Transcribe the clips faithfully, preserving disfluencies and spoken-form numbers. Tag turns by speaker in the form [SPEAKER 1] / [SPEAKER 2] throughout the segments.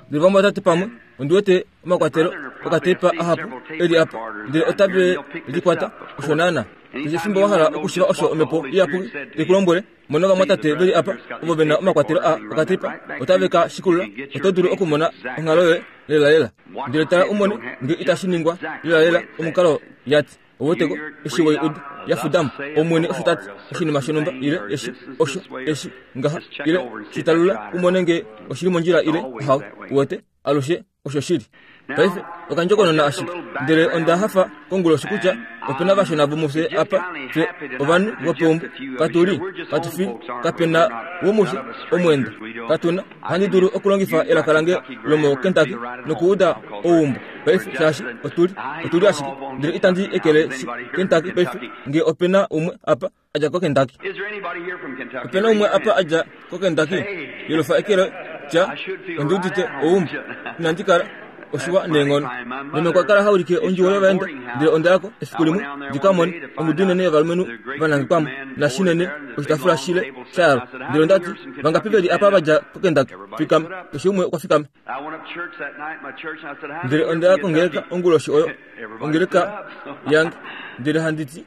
[SPEAKER 1] Ndele vamwatate pamwe, ondi wete omakwatelo okateipa ahapu e li apa, ndele otave likwata osho naana. Keshe efimbo wa hala okushiva osho omhepo iyapuki tai ku lombwele, mona ovamwatate ve li apa ovo ve na omakwatelo a okateipa, otave ka shikulula. Oto dulu okumona onghalo yoye lelalela. Ndele tala u mone nge itashi ningwa lelalela omukalo ya ti. Ouweteko eshi wei uda ya fudamo Omwene osho ta ti oshinima shonhumba ile eshi osho eshi ngaha ile shitalula u mone nge oshili mondjila ile ahawe. Uwete alushe osho shili. Paife okandjokonona ashike, ndele onda hafa konguloshi kutya opena vashona vomufye apa, fye ovanhu vopeumbo katu li katu fi kapena womufye omweenda katuna. Ohandi dulu okulongifa elaka lange lomoKentucky nokuuda ouumbo paife shaashi otuli otuli ashike, ndele itandi ekele Kentucky paife nge opena umwe apa adja koKentucky. Opena umwe apa adja koKentucky? Yelufa eke loye, tya, Ondi udite ouumbo. Inandi kala oshiwa neenghono. Meme okwa kala ha ulike ondjuwo yovaenda, ndele onda yako efiku limwe ndi ka mone ongudu inene yovalumenhu va nangekwa mo, nashinene oshitaafula shile sha yalwa. Ndele onda ti, Vangapi ve li apa va dja koKentucky? Fikama. Keshe umwe okwa fikama. Ndele onda ya kongeleka onguloshi oyo, ongeleka yange, ndele handi ti,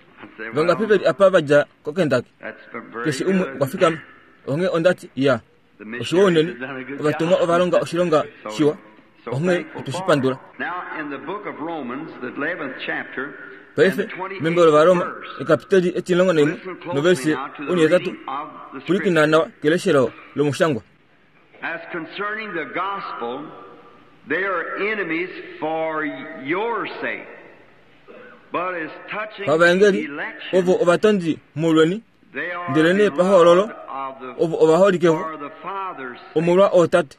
[SPEAKER 1] Vangapi ve li apa va dja koKentucky? Keshe umwe okwa fikama. Onghee onda ti, Ya, oshiwa unene, ovatumwa ova longa oshilonga shiwa, onghee otwe shi pandula. Paife, membo lOvaroma, ekapiteli etimulongo naimwe noverse onhihetatu, pwilikina nawa keleshelo lomushangwa.
[SPEAKER 2] As concerning the gospel, they are enemies for your sake. But as touching
[SPEAKER 1] Pavaengeli,
[SPEAKER 2] the election,
[SPEAKER 1] ovo ovatondi molweni,
[SPEAKER 2] they are
[SPEAKER 1] ndelenee pahoololo,
[SPEAKER 2] beloved of the,
[SPEAKER 1] ovo ovaholike vo
[SPEAKER 2] for the Father's sake.
[SPEAKER 1] omolwa ootate.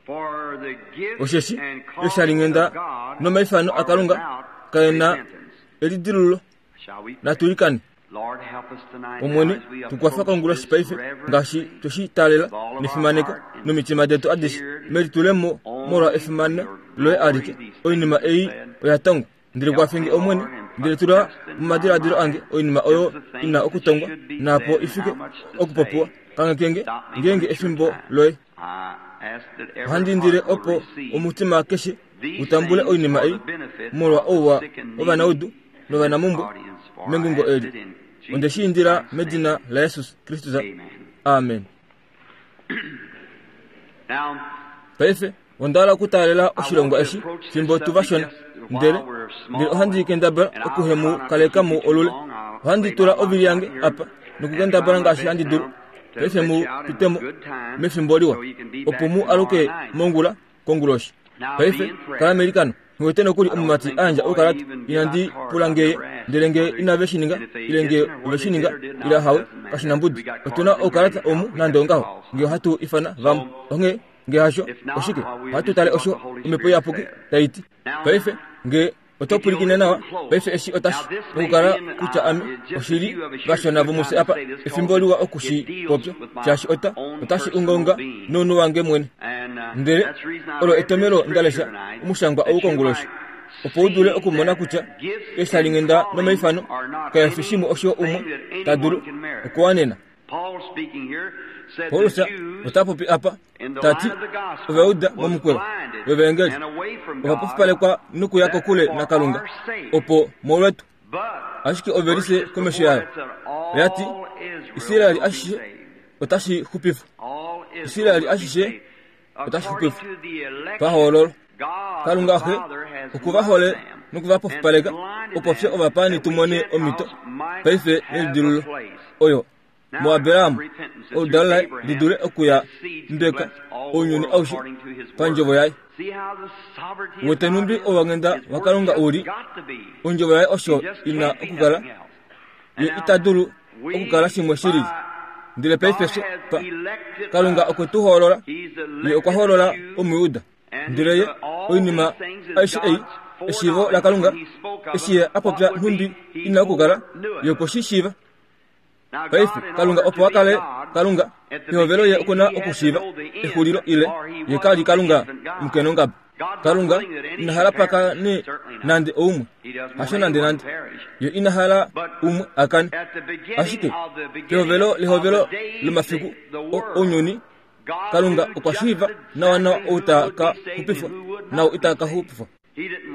[SPEAKER 2] For the gifts
[SPEAKER 1] Osheshi
[SPEAKER 2] and
[SPEAKER 1] eshalinghenda
[SPEAKER 2] callings of God
[SPEAKER 1] nomaifano
[SPEAKER 2] are
[SPEAKER 1] aKalunga
[SPEAKER 2] without
[SPEAKER 1] kae na
[SPEAKER 2] repentance.
[SPEAKER 1] elidilululo.
[SPEAKER 2] Shall we pray?
[SPEAKER 1] Natulikane.
[SPEAKER 2] Lord, help us tonight
[SPEAKER 1] Omwene,
[SPEAKER 2] now as we
[SPEAKER 1] tukwafa
[SPEAKER 2] approach
[SPEAKER 1] konguloshi
[SPEAKER 2] this
[SPEAKER 1] paife
[SPEAKER 2] reverent
[SPEAKER 1] ngaashi tweshi taalela nefimaneko nomitima detu adishe melitulemo molwa efimano loye alike. Oinima ei oya tongwa. Ndele kwafe nge Omwene, ndele tula momadiladilo ange oinima oyo ina okutongwa naapo ifike okupopiwa. Kanghekenge ngeenge efimbo loye.
[SPEAKER 2] I ask that every
[SPEAKER 1] Ohandi indile
[SPEAKER 2] heart will
[SPEAKER 1] opo
[SPEAKER 2] receive
[SPEAKER 1] omutima keshe
[SPEAKER 2] these
[SPEAKER 1] utambule
[SPEAKER 2] things
[SPEAKER 1] oinima
[SPEAKER 2] for
[SPEAKER 1] ei
[SPEAKER 2] the benefit
[SPEAKER 1] molwa
[SPEAKER 2] of the
[SPEAKER 1] ouwa
[SPEAKER 2] sick and
[SPEAKER 1] wovanaudu
[SPEAKER 2] needy
[SPEAKER 1] novanamhumbwe
[SPEAKER 2] audience. For I
[SPEAKER 1] mengungo
[SPEAKER 2] ask
[SPEAKER 1] eli.
[SPEAKER 2] it in
[SPEAKER 1] Onde
[SPEAKER 2] Jesus
[SPEAKER 1] shi indila
[SPEAKER 2] Christ's
[SPEAKER 1] medina
[SPEAKER 2] name.
[SPEAKER 1] laJesus Kristus.
[SPEAKER 2] Amen.
[SPEAKER 1] Amen.
[SPEAKER 2] Now,
[SPEAKER 1] Paife onda hala okutaalela
[SPEAKER 2] I want
[SPEAKER 1] oshilongwa
[SPEAKER 2] to
[SPEAKER 1] eshi
[SPEAKER 2] approach this
[SPEAKER 1] fimbo tu
[SPEAKER 2] subject
[SPEAKER 1] vashona,
[SPEAKER 2] just
[SPEAKER 1] ndele
[SPEAKER 2] while we're
[SPEAKER 1] ndele
[SPEAKER 2] small,
[SPEAKER 1] ohandi kendabala
[SPEAKER 2] and I'll
[SPEAKER 1] okuhe
[SPEAKER 2] try
[SPEAKER 1] mu
[SPEAKER 2] not to
[SPEAKER 1] kaleka
[SPEAKER 2] keep
[SPEAKER 1] mu
[SPEAKER 2] you too
[SPEAKER 1] olule.
[SPEAKER 2] long. I'll
[SPEAKER 1] Ohandi
[SPEAKER 2] lay my
[SPEAKER 1] tula
[SPEAKER 2] life
[SPEAKER 1] ovili
[SPEAKER 2] out
[SPEAKER 1] yange
[SPEAKER 2] here
[SPEAKER 1] apa
[SPEAKER 2] and try
[SPEAKER 1] nokukendabala
[SPEAKER 2] my
[SPEAKER 1] ngaashi
[SPEAKER 2] best
[SPEAKER 1] handi dulu.
[SPEAKER 2] now to
[SPEAKER 1] Paife
[SPEAKER 2] let
[SPEAKER 1] mu
[SPEAKER 2] you out in
[SPEAKER 1] pitemo
[SPEAKER 2] good time
[SPEAKER 1] mefimbo liwa
[SPEAKER 2] so you can be
[SPEAKER 1] opo
[SPEAKER 2] back
[SPEAKER 1] mu
[SPEAKER 2] tomorrow
[SPEAKER 1] aluke
[SPEAKER 2] night.
[SPEAKER 1] mongula konguloshi.
[SPEAKER 2] Now be
[SPEAKER 1] Paife
[SPEAKER 2] in prayer.
[SPEAKER 1] kala melikano. Nghiwete nokuli
[SPEAKER 2] I don't
[SPEAKER 1] omumati
[SPEAKER 2] think
[SPEAKER 1] a
[SPEAKER 2] the
[SPEAKER 1] yandja
[SPEAKER 2] boy
[SPEAKER 1] oukalata.
[SPEAKER 2] even give
[SPEAKER 1] Inandi
[SPEAKER 2] out cards.
[SPEAKER 1] pula
[SPEAKER 2] I've
[SPEAKER 1] ngeye,
[SPEAKER 2] never asked
[SPEAKER 1] ndele nge
[SPEAKER 2] whether
[SPEAKER 1] inave shi ninga
[SPEAKER 2] and if they
[SPEAKER 1] ile nge
[SPEAKER 2] didn't or
[SPEAKER 1] ove
[SPEAKER 2] whether
[SPEAKER 1] shi
[SPEAKER 2] they
[SPEAKER 1] ninga
[SPEAKER 2] did or did
[SPEAKER 1] ile
[SPEAKER 2] not,
[SPEAKER 1] hawe
[SPEAKER 2] it doesn't
[SPEAKER 1] kashi
[SPEAKER 2] matter.
[SPEAKER 1] na
[SPEAKER 2] We
[SPEAKER 1] mbudi.
[SPEAKER 2] got
[SPEAKER 1] Otuna
[SPEAKER 2] cards in here
[SPEAKER 1] oukalata
[SPEAKER 2] anyhow.
[SPEAKER 1] omu
[SPEAKER 2] We
[SPEAKER 1] nande
[SPEAKER 2] got
[SPEAKER 1] ongaho
[SPEAKER 2] calls.
[SPEAKER 1] nge ohatu ifana vamwe.
[SPEAKER 2] So
[SPEAKER 1] Onghee nge hasho
[SPEAKER 2] if not,
[SPEAKER 1] oshike
[SPEAKER 2] well, we'll
[SPEAKER 1] ohatu
[SPEAKER 2] just
[SPEAKER 1] tale
[SPEAKER 2] see what
[SPEAKER 1] osho
[SPEAKER 2] the Holy
[SPEAKER 1] omhepo
[SPEAKER 2] Spirit
[SPEAKER 1] iyapuki
[SPEAKER 2] says.
[SPEAKER 1] tai ti.
[SPEAKER 2] Now,
[SPEAKER 1] Paife nge oto
[SPEAKER 2] if you'll
[SPEAKER 1] pwilikine nawa,
[SPEAKER 2] listen close,
[SPEAKER 1] paife eshi
[SPEAKER 2] now
[SPEAKER 1] otashi
[SPEAKER 2] this may
[SPEAKER 1] okukala
[SPEAKER 2] be in
[SPEAKER 1] kutya
[SPEAKER 2] uh,
[SPEAKER 1] ame
[SPEAKER 2] just a
[SPEAKER 1] oshili
[SPEAKER 2] few of us here, it's a
[SPEAKER 1] vashona
[SPEAKER 2] good time
[SPEAKER 1] vomufye
[SPEAKER 2] to
[SPEAKER 1] apa
[SPEAKER 2] say this
[SPEAKER 1] efimbo
[SPEAKER 2] because
[SPEAKER 1] liwa
[SPEAKER 2] it
[SPEAKER 1] oku shi
[SPEAKER 2] deals
[SPEAKER 1] popya
[SPEAKER 2] with my
[SPEAKER 1] shaashi ota
[SPEAKER 2] own
[SPEAKER 1] otashi
[SPEAKER 2] personal
[SPEAKER 1] ungaunga
[SPEAKER 2] being.
[SPEAKER 1] nounhu wange mwene.
[SPEAKER 2] And uh,
[SPEAKER 1] Ndele
[SPEAKER 2] that's the reason I
[SPEAKER 1] olo
[SPEAKER 2] read this
[SPEAKER 1] etomelo nda
[SPEAKER 2] scripture
[SPEAKER 1] lesha
[SPEAKER 2] tonight,
[SPEAKER 1] omushangwa
[SPEAKER 2] that
[SPEAKER 1] ou
[SPEAKER 2] you
[SPEAKER 1] konguloshi
[SPEAKER 2] might
[SPEAKER 1] opo u dule
[SPEAKER 2] see
[SPEAKER 1] okumona
[SPEAKER 2] that
[SPEAKER 1] kutya
[SPEAKER 2] gifts and
[SPEAKER 1] eshalinghenda
[SPEAKER 2] callings
[SPEAKER 1] nomaifano
[SPEAKER 2] are not
[SPEAKER 1] kaya fi shimwe osho umwe
[SPEAKER 2] anything that
[SPEAKER 1] ta dulu
[SPEAKER 2] anyone can merit.
[SPEAKER 1] okuwanena.
[SPEAKER 2] Paul speaking here said the
[SPEAKER 1] Paulus
[SPEAKER 2] Jews
[SPEAKER 1] ota popi apa
[SPEAKER 2] in the
[SPEAKER 1] ta ti
[SPEAKER 2] line of the gospel
[SPEAKER 1] Ovayuda
[SPEAKER 2] was
[SPEAKER 1] momukweyo
[SPEAKER 2] blinded
[SPEAKER 1] wevaengeli
[SPEAKER 2] and away from
[SPEAKER 1] ova
[SPEAKER 2] God
[SPEAKER 1] pofipalekwa nokuya
[SPEAKER 2] that
[SPEAKER 1] kokule
[SPEAKER 2] for
[SPEAKER 1] naKalunga
[SPEAKER 2] our sake.
[SPEAKER 1] opo molwetu.
[SPEAKER 2] But
[SPEAKER 1] Ashike
[SPEAKER 2] verse
[SPEAKER 1] ovelise
[SPEAKER 2] just
[SPEAKER 1] komesho
[SPEAKER 2] before
[SPEAKER 1] yayo
[SPEAKER 2] that said
[SPEAKER 1] oya ti
[SPEAKER 2] all Israel
[SPEAKER 1] Israeli
[SPEAKER 2] will be
[SPEAKER 1] ashishe
[SPEAKER 2] saved.
[SPEAKER 1] otashi xupifwa.
[SPEAKER 2] All Israel
[SPEAKER 1] Israeli
[SPEAKER 2] will be
[SPEAKER 1] ashishe
[SPEAKER 2] saved.
[SPEAKER 1] otashi
[SPEAKER 2] According
[SPEAKER 1] xupifwa.
[SPEAKER 2] to the election,
[SPEAKER 1] Pahoololo
[SPEAKER 2] God the
[SPEAKER 1] Kalunga Xe
[SPEAKER 2] Father has
[SPEAKER 1] oku va hole
[SPEAKER 2] loved them
[SPEAKER 1] noku va
[SPEAKER 2] and
[SPEAKER 1] pofipaleka
[SPEAKER 2] blinded
[SPEAKER 1] opo fye
[SPEAKER 2] them
[SPEAKER 1] ovapaani
[SPEAKER 2] that
[SPEAKER 1] tu
[SPEAKER 2] we
[SPEAKER 1] mone omhito
[SPEAKER 2] Gentiles might
[SPEAKER 1] paife
[SPEAKER 2] have a
[SPEAKER 1] nelidilululo
[SPEAKER 2] place.
[SPEAKER 1] oyo
[SPEAKER 2] Now
[SPEAKER 1] muAbraham
[SPEAKER 2] repentance that
[SPEAKER 1] oludalo
[SPEAKER 2] through
[SPEAKER 1] laye
[SPEAKER 2] Abraham
[SPEAKER 1] lidule okuya
[SPEAKER 2] his seed can
[SPEAKER 1] mbeka
[SPEAKER 2] bless all the
[SPEAKER 1] ounyuni
[SPEAKER 2] world
[SPEAKER 1] aushe
[SPEAKER 2] according to his
[SPEAKER 1] pandjovo
[SPEAKER 2] word.
[SPEAKER 1] yaye.
[SPEAKER 2] See how the sovereignty of
[SPEAKER 1] Wete
[SPEAKER 2] God
[SPEAKER 1] nhumbi
[SPEAKER 2] is?
[SPEAKER 1] ovanghenda
[SPEAKER 2] His word
[SPEAKER 1] waKalunga
[SPEAKER 2] just
[SPEAKER 1] u li,
[SPEAKER 2] got to be.
[SPEAKER 1] ondjovo yaye osho
[SPEAKER 2] It just
[SPEAKER 1] ina
[SPEAKER 2] can't be
[SPEAKER 1] okukala,
[SPEAKER 2] nothing else. And
[SPEAKER 1] ye
[SPEAKER 2] now
[SPEAKER 1] ita dulu
[SPEAKER 2] we
[SPEAKER 1] okukala shimwe shi lili.
[SPEAKER 2] by
[SPEAKER 1] Ndele paife
[SPEAKER 2] God
[SPEAKER 1] fye
[SPEAKER 2] has
[SPEAKER 1] pa
[SPEAKER 2] elected
[SPEAKER 1] Kalunga
[SPEAKER 2] us.
[SPEAKER 1] okwe tu hoolola,
[SPEAKER 2] He's
[SPEAKER 1] ye okwa
[SPEAKER 2] elected
[SPEAKER 1] hoolola
[SPEAKER 2] the Jews
[SPEAKER 1] Omuyuda.
[SPEAKER 2] and
[SPEAKER 1] Ndele ye
[SPEAKER 2] the, all
[SPEAKER 1] oinima
[SPEAKER 2] these things is
[SPEAKER 1] aishe ei
[SPEAKER 2] God's
[SPEAKER 1] eshiivo
[SPEAKER 2] foreknowledge.
[SPEAKER 1] laKalunga
[SPEAKER 2] When he spoke of
[SPEAKER 1] eshi ye
[SPEAKER 2] them,
[SPEAKER 1] a
[SPEAKER 2] what
[SPEAKER 1] popya
[SPEAKER 2] would
[SPEAKER 1] nhumbi
[SPEAKER 2] be, he
[SPEAKER 1] ina okukala,
[SPEAKER 2] foreknew
[SPEAKER 1] ye
[SPEAKER 2] it.
[SPEAKER 1] okwe shi shiiva.
[SPEAKER 2] Now
[SPEAKER 1] Paife
[SPEAKER 2] God, in
[SPEAKER 1] Kalunga
[SPEAKER 2] order
[SPEAKER 1] opo
[SPEAKER 2] to
[SPEAKER 1] a
[SPEAKER 2] be
[SPEAKER 1] kale
[SPEAKER 2] God,
[SPEAKER 1] Kalunga
[SPEAKER 2] at the
[SPEAKER 1] pehovelo ye
[SPEAKER 2] beginning
[SPEAKER 1] okuna
[SPEAKER 2] he had to
[SPEAKER 1] okushiiva
[SPEAKER 2] know the end,
[SPEAKER 1] exulilo ile
[SPEAKER 2] or he
[SPEAKER 1] ye
[SPEAKER 2] was
[SPEAKER 1] kali
[SPEAKER 2] the
[SPEAKER 1] Kalunga
[SPEAKER 2] infant God.
[SPEAKER 1] omukenongaba.
[SPEAKER 2] God's not
[SPEAKER 1] Kalunga
[SPEAKER 2] willing that any
[SPEAKER 1] ina hala
[SPEAKER 2] should
[SPEAKER 1] pa
[SPEAKER 2] perish.
[SPEAKER 1] kane
[SPEAKER 2] Certainly not.
[SPEAKER 1] nande oumwe,
[SPEAKER 2] He doesn't want
[SPEAKER 1] hasho nande
[SPEAKER 2] anyone
[SPEAKER 1] nande
[SPEAKER 2] to perish.
[SPEAKER 1] ye ina hala
[SPEAKER 2] But
[SPEAKER 1] umwe akane.
[SPEAKER 2] at the beginning
[SPEAKER 1] Ashike
[SPEAKER 2] of the beginning
[SPEAKER 1] pehovelo
[SPEAKER 2] of
[SPEAKER 1] lehovelo
[SPEAKER 2] the days,
[SPEAKER 1] lomafiku
[SPEAKER 2] the, the
[SPEAKER 1] o-
[SPEAKER 2] world,
[SPEAKER 1] ounyuni Kalunga okwa shiiva nawanawa ou ta ka xupifwa naau ita ka xupifwa.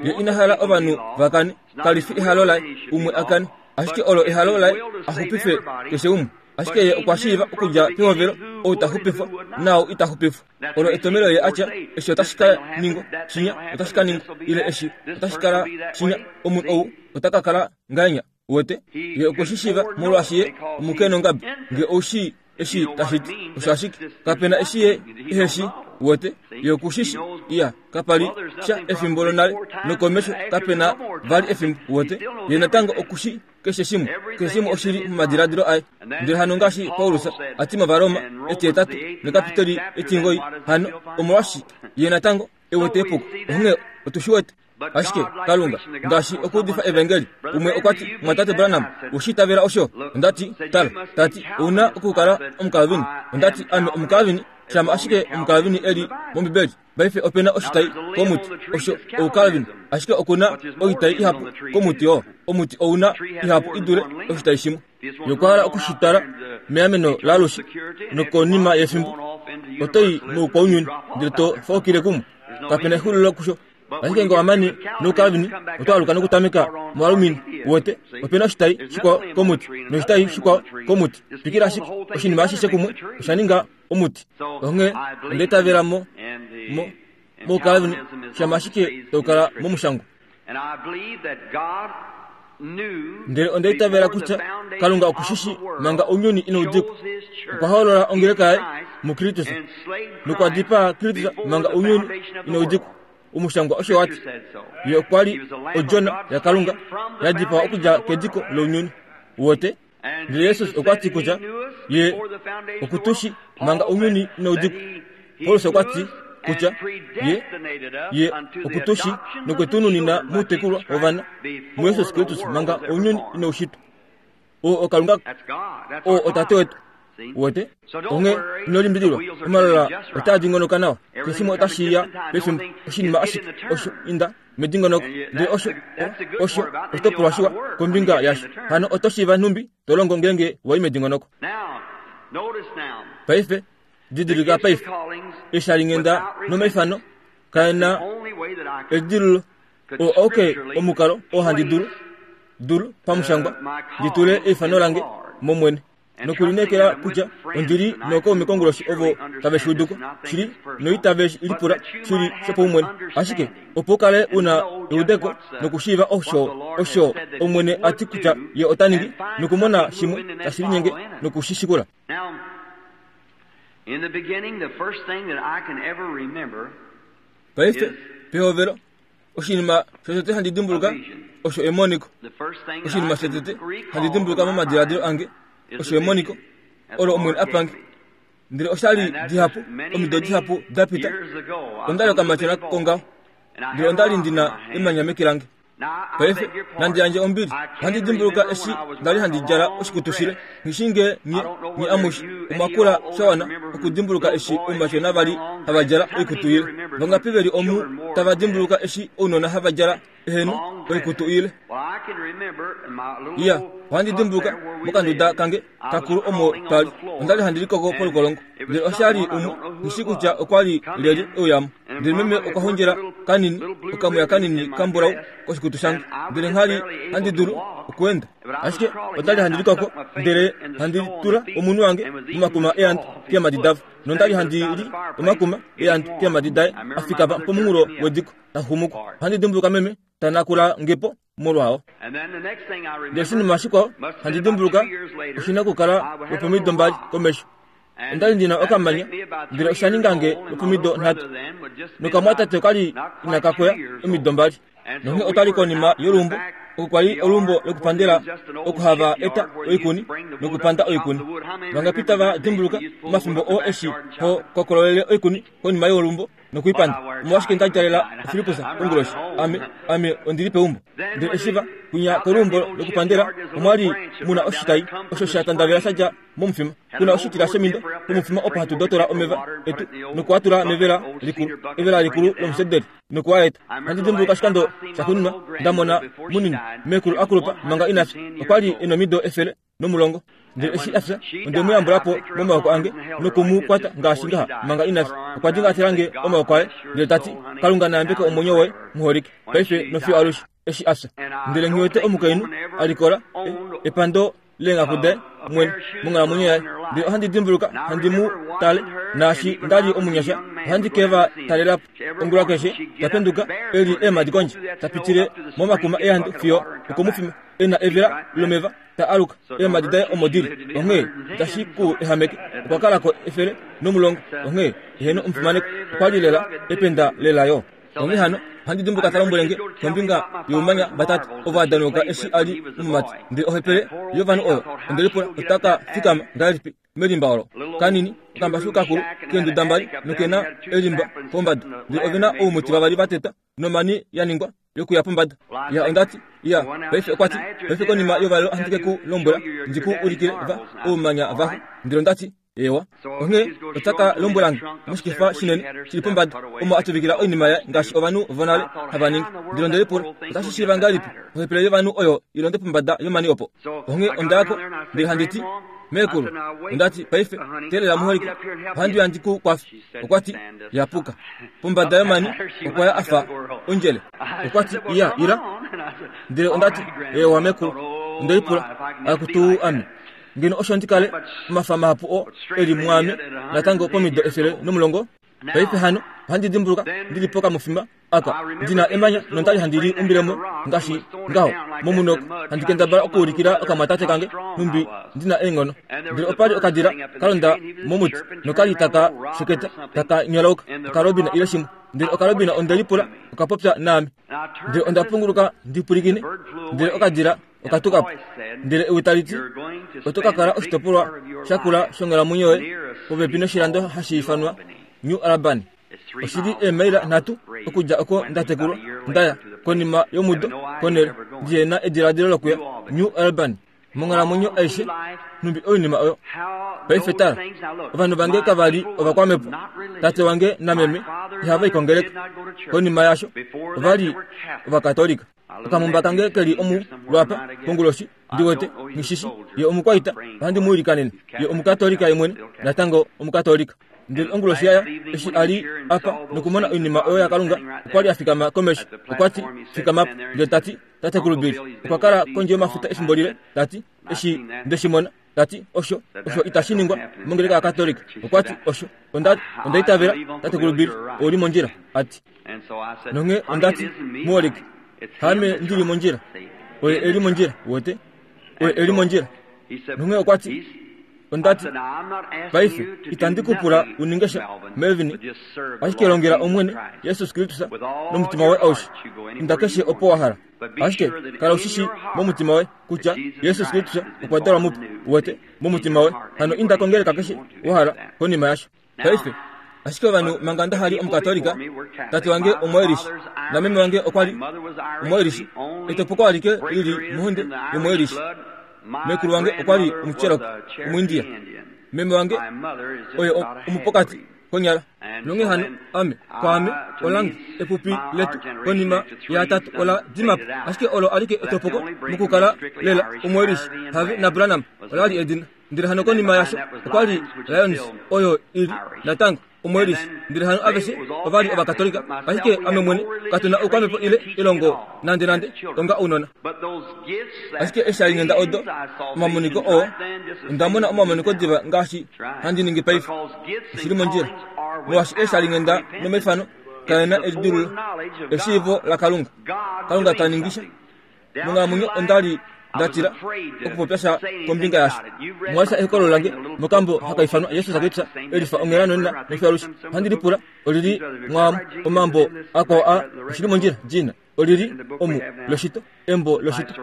[SPEAKER 1] Ye ina hala ovanhu vakane, kali fi ehalo laye umwe akane, ashike olo ehalo laye a xupife keshe umwe. Ashike ye okwa shiiva okudja pehovelo ou ta xupifwa naau ita xupifwa. Olo etomelo ye atya eshi otashi ka ningwa, shinya otashi ka ningwa, ile eshi otashi kala shinya, omunhu ou ota ka kala ngahenya. Uwete? Ye okwe shi shiiva molwaashi ye omukenongabi. Nge ou shii eshi tashi ti, osho ashike kapena eshi ye ehe shi. Uwete? Ye okushishi. Iya, kapali sha efimbo lonale nokomesho kapena vali efimbo. Uwete? Ye natango okushi keshe shimwe. Keshe shimwe oshili momadiladilo aye. Ndele hano ngaashi Paulus a ti mOvaroma etihetatu nekapitoli etingoi, hano omolwashi ye natango e wete epuko. Onghee otu shi wete. Ashike Kalunga ngaashi okuudifa evangeli, umwe okwa ti, Mwatate Branham, ushi itavela osho? Onda ti, tala, tati, ouna okukala Omukalvini. Onda ti, ame Omukalvini, shama ashike Omukalvini eli mOmbibeli. Paife opena oshitai komuti, osho Oukalvini, ashike okuna oitai ihapu komuti oo. Omuti ouna ihapu idule oshitai shimwe. Ye okwa hala okushitala meameno laalushe, nokonima yefimbo oto i moukwaunyuni ndele to faukile kumwe. Kapena exulilo kusho. Ashike nge wamane noukalvini, oto aluka nokutameka moalumini. Uwete? Opena oshitai shikwao komuti noshitai shikwao komuti. Twikila ashike oshinima ashishe kumwe osha ninga omuti. Onghee onda itavela mo mo moukalvini shama ashike tau kala momushangwa. Ndele onda itavela kutya Kalunga okushishi manga ounyuni inau dikwa. Okwa hoolola ongeleka yaye muKristus nokwa dipaa Kristus manga ounyuni inau dikwa. Omushangwa osho wati, ye okwa li odjona yaKalunga ya dipawa okudja kediko lounyuni. Uwete? Ndele Jesus okwa ti kutya ye okutushi manga ounyuni inau dikwa. Paulus okwa ti kutya ye ye okutushi nokwetununina muutekulwa wovana muJesus Kristus manga ounyuni inau shitwa. Oo oKalunga, oo oTate wetu. Uwete? Onghee ino limbililwa, omalola otaa dingonoka nawa. Keshe shimwe otashi ya pefimbo. Oshinima ashike osho inda medingonoko. Ndele osho osho oshitopolwa shiwa kombinga yasho. Hano oto shiiva nhumbi to longo ngeenge wa i medingonoko. Paife didilika paife, eeshalinghenda nomaifano kae na edilululo. Oo auke omukalo oo handi dulu dulu pamushangwa ndi tule eifano lange mOmwene nokulineekela kutya ondi li nookaume konguloshi ovo tave shi uduko shili noitave lipula shili shopaumwene. Ashike opo u kale una eudeko nokushiiva osho osho Omwene a ti kutya ye ota ningi, nokumona shimwe tashi linyenge nokushi shikula. Paife pehovelo, oshinima shotete handi dimbuluka osho emoniko. Oshinima shotete handi dimbuluka momadiladilo ange osho emoniko olo Omwene a pange. Ndele oshali dihapu, omido dihapu da pita, onda li okamatyona kongaho, ndele onda li ndina emanya meke lange. Paife nandi yandje ombili, ohandi dimbuluka eshi nda li handi djala oshikutu shile, nghi nge nye nye amushe omwa kula sha wana okudimbuluka eshi oumatyona va li hava djala oikutu ile. Vangapi ve li omu tava dimbuluka eshi ounona hava djala eheno oikutu ile? Iya, ohandi dimbuluka mokanduda kange kakulu omo twa li. Onda li handi likoko polukolongo, ndele osha li umwe nghi kutya okwa li lyelye e uyamo. Ndele meme okwa hondjela kanini okamwiya kanini kambulau koshikutu shange, ndele nghali handi dulu okuenda. Ashike onda li handi likoko, ndele handi tula omunwe wange momakuma eandu keemhadi davo, nonda li handi li omakuma eandu keemhadi daye a fikama pomunghulo wediko ta xumuko. Ohandi dimbuluka meme ta nakula ngepo molwao. Ndele oshinima shikwao handi dimbuluka oshina okukala lwopomido mbali komesho. Onda li ndina okamanya, ndele osha ninga nge lwopomido nhatu, nokamwatate okali inaka koya omido mbali. Nonghee otwa li konima yoluumbo, oko kwa li oluumbo lokupandela oko hava eta oikuni nokupanda oikuni. Vangapi tava dimbuluka omafimbo oo eshi ho kokololele oikuni konima yoluumbo nokuipanda? Omolwashike nda djalela Filippus konguloshi? Ame ame ondi li peumbo. Ndele eshi va kwinya koluumbo lokupandela, omwa li muna oshitai osho sha tandavela sha dja momufima, kuna oshitila shemindo pomufima opo hatu dotola omeva etu nokuatula mevela likulu, evela likulu lomusederi, nokuwa eta. Ohandi dimbuluka oshikando shaxuuninwa nda mona munini meekulu akulupa manga ina fya. Okwa li e nomido efele nomulongo. Ndele eshi a fya, onde mu yambula po momaoko ange noku mu kwata ngaashi ngaha manga ina fya. Okwa dingatela nge omaoko aye, ndele ta ti, Kalunga na yambeke omwenyo woye, muholike, paife nofiyo alushe, eshi a fya. Ndele nghi wete omukainhu a likola epando leenghaku daye mwene monghalamwenyo yaye. Ndele ohandi dimbuluka handi mu tale, naashi nda li omunyasha, ohandi ke va talela po. Ongula keshe ta penduka e li eemhadi kondje, ta pitile momakuma ehandu fiyo okomufima, e na evela lomeva, ta aluka eemhadi daye omo di li. Onghee itashi ku ehameke. Okwa kala ko efele nomulongo. Onghee eheno omufimaneko okwa li lela ependa lela yo. Onghee hano ohandi dimbuluka ta lombwele nge kombinga youmanya vatatu ovo a danauka eshi a li omumati. Ndele ohepele yovanhu oyo onde lipula ota ka fikama ngahelipi melimba olo. Kanini okambashu kakulu keenduda mbali nokena elimba pombada. Ndele ove na oumuti vavali va tetwa nomani ya ningwa yokuya pombada. Ya ondati ya paife okwa ti, paife konima yovalelo ohandi ke ku lombwela ndi ku ulikile va oumanya vaxo. Ndele ondati ewa. Onghee ota ka lombwela nge moshikefa shinene shili pombada omo a tuvikila oinima yaye ngaashi ovanhu vonale hava ningi. Ndele onde lipula otashi shiiva ngahelipi ohepele yovanhu oyo i londe pombada yomani opo. Onghee onda ya ko ndele handi ti, Meekulu, ondati paife teelela muholike, ohandi uya ndi ku kwafe. Okwa ti, Yapuka. Pombada yomani okwa ya a fa ondjele. Okwa ti, Iya, ila. Ndele ondati, Ewa meekulu. Onde lipula, akutu ame, ngeno osho ndi kale omafa mahapu oo e li mwaame natango pomido efele nomulongo. Paife hano ohandi dimbuluka ndi li pokamufima aka ndi na emanya nondali handi li umbilemo ngaashi ngaho momunoko, handi kendabala okuulikila okamwatate kange nhumbi ndi na eenghono. Ndele opa li okadila ka londa momuti nokali taka sheketa taka nyolauka okalobina ile shimwe. Ndele okalobina onde lipula okapopya naame. Ndele onda punguluka ndi pwilikine, ndele okadila okatuka po. Ndele ewi tali ti, oto ka kala oshitopolwa shakula shonghalamwenyo yoye popepi noshilando hashi ifanwa New Albany. Oshi li eemaila nhatu okudja oko nda tekulwa, nda ya konima yomudo konhele ndihe na ediladilo lokuya New Albany monghalamwenyo aishe nhumbi oinima oyo. Paife tala, ovanhu vange kava li ovakwamhepo. Tate wange nameme ihava i kongeleka. Konima yaasho ova li Ovakatolika. Okamumba kange ke li omu lwapa konguloshi, ndi wete nghishishi ye omukwaita, ohandi mu ilikanene. Ye omukatolika ye mwene, natango omukatolika. Ndele onguloshi yaya eshi a li apa nokumona oinima oyo yaKalunga, okwa li a fikama komesho. Okwa ti, fikama po. Ndele ta ti, Tatekulu Bill okwa kala kondje yomafuta efimbo lile. Ta ti, eshi nde shi mona, ta ti, osho, osho itashi ningwa mongeleka yaKatolika. Okwa ti, osho, onda, onda itavela, Tatekulu Bill, ou li mondjila. A ti, nonghee onda ti, muholike, haame ndi li mondjila, oye e li mondjila, wete, oye e li mondjila. Nonghee okwa ti, onda ti, paife itandi ku pula u ninge sha, Melvin, ashike longela Omwene Jesus Kristus nomutima woye aushe. Inda keshe opo wa hala. Ashike kala u shi shii momutima woye kutya Jesus Kristus okwa dalwa mupe, wete, momutima woye. Hano inda kongeleka keshe wa hala konima yasho. Paife, ashike ovanhu manga nda hali Omukatolika, tate wange Omuirish nameme wange okwa li Omuirish, etopoko alike li li mohonde yOmuirish. Meekulu wange okwa li Omucherokee, Omuindia. Meme wange oye omupokati konyala. Nonghee hano ame, kwaame, olange, epupi letu konima yaatatu ola dima po. Ashike olo alike etopoko mokukala lela Omuirish. Harvey naBranham ola li edina. Ndele hano konima yasho okwa li Lyons, oyo i li natango Omuirish. Ndele hano aveshe ova li Ovakatolika, ashike ame mwene katu na oukwamhepo ile elongo nande nande onga ounona. Ashike eeshalinghenda odo, omamoniko oo, onda mona omamoniko diva ngaashi handi ningi paife. Oshi li mondjila. Molwaashi eeshalinghenda nomaifano kae na elidululo, eshiivo laKalunga. Kalunga ta ningi sha. Monghalamwenyo onda li nda tila okupopya sha kombinga yasho. Omwa lesha ehokololo lange mokambo haka ifanwa Jesus Kristus e lifa onghela nonena nofiyo alushe. Ohandi lipula oli li mwaamo omambo akwao a oshi li mondjila, Gina. Oli li omu loshito, embo loshito,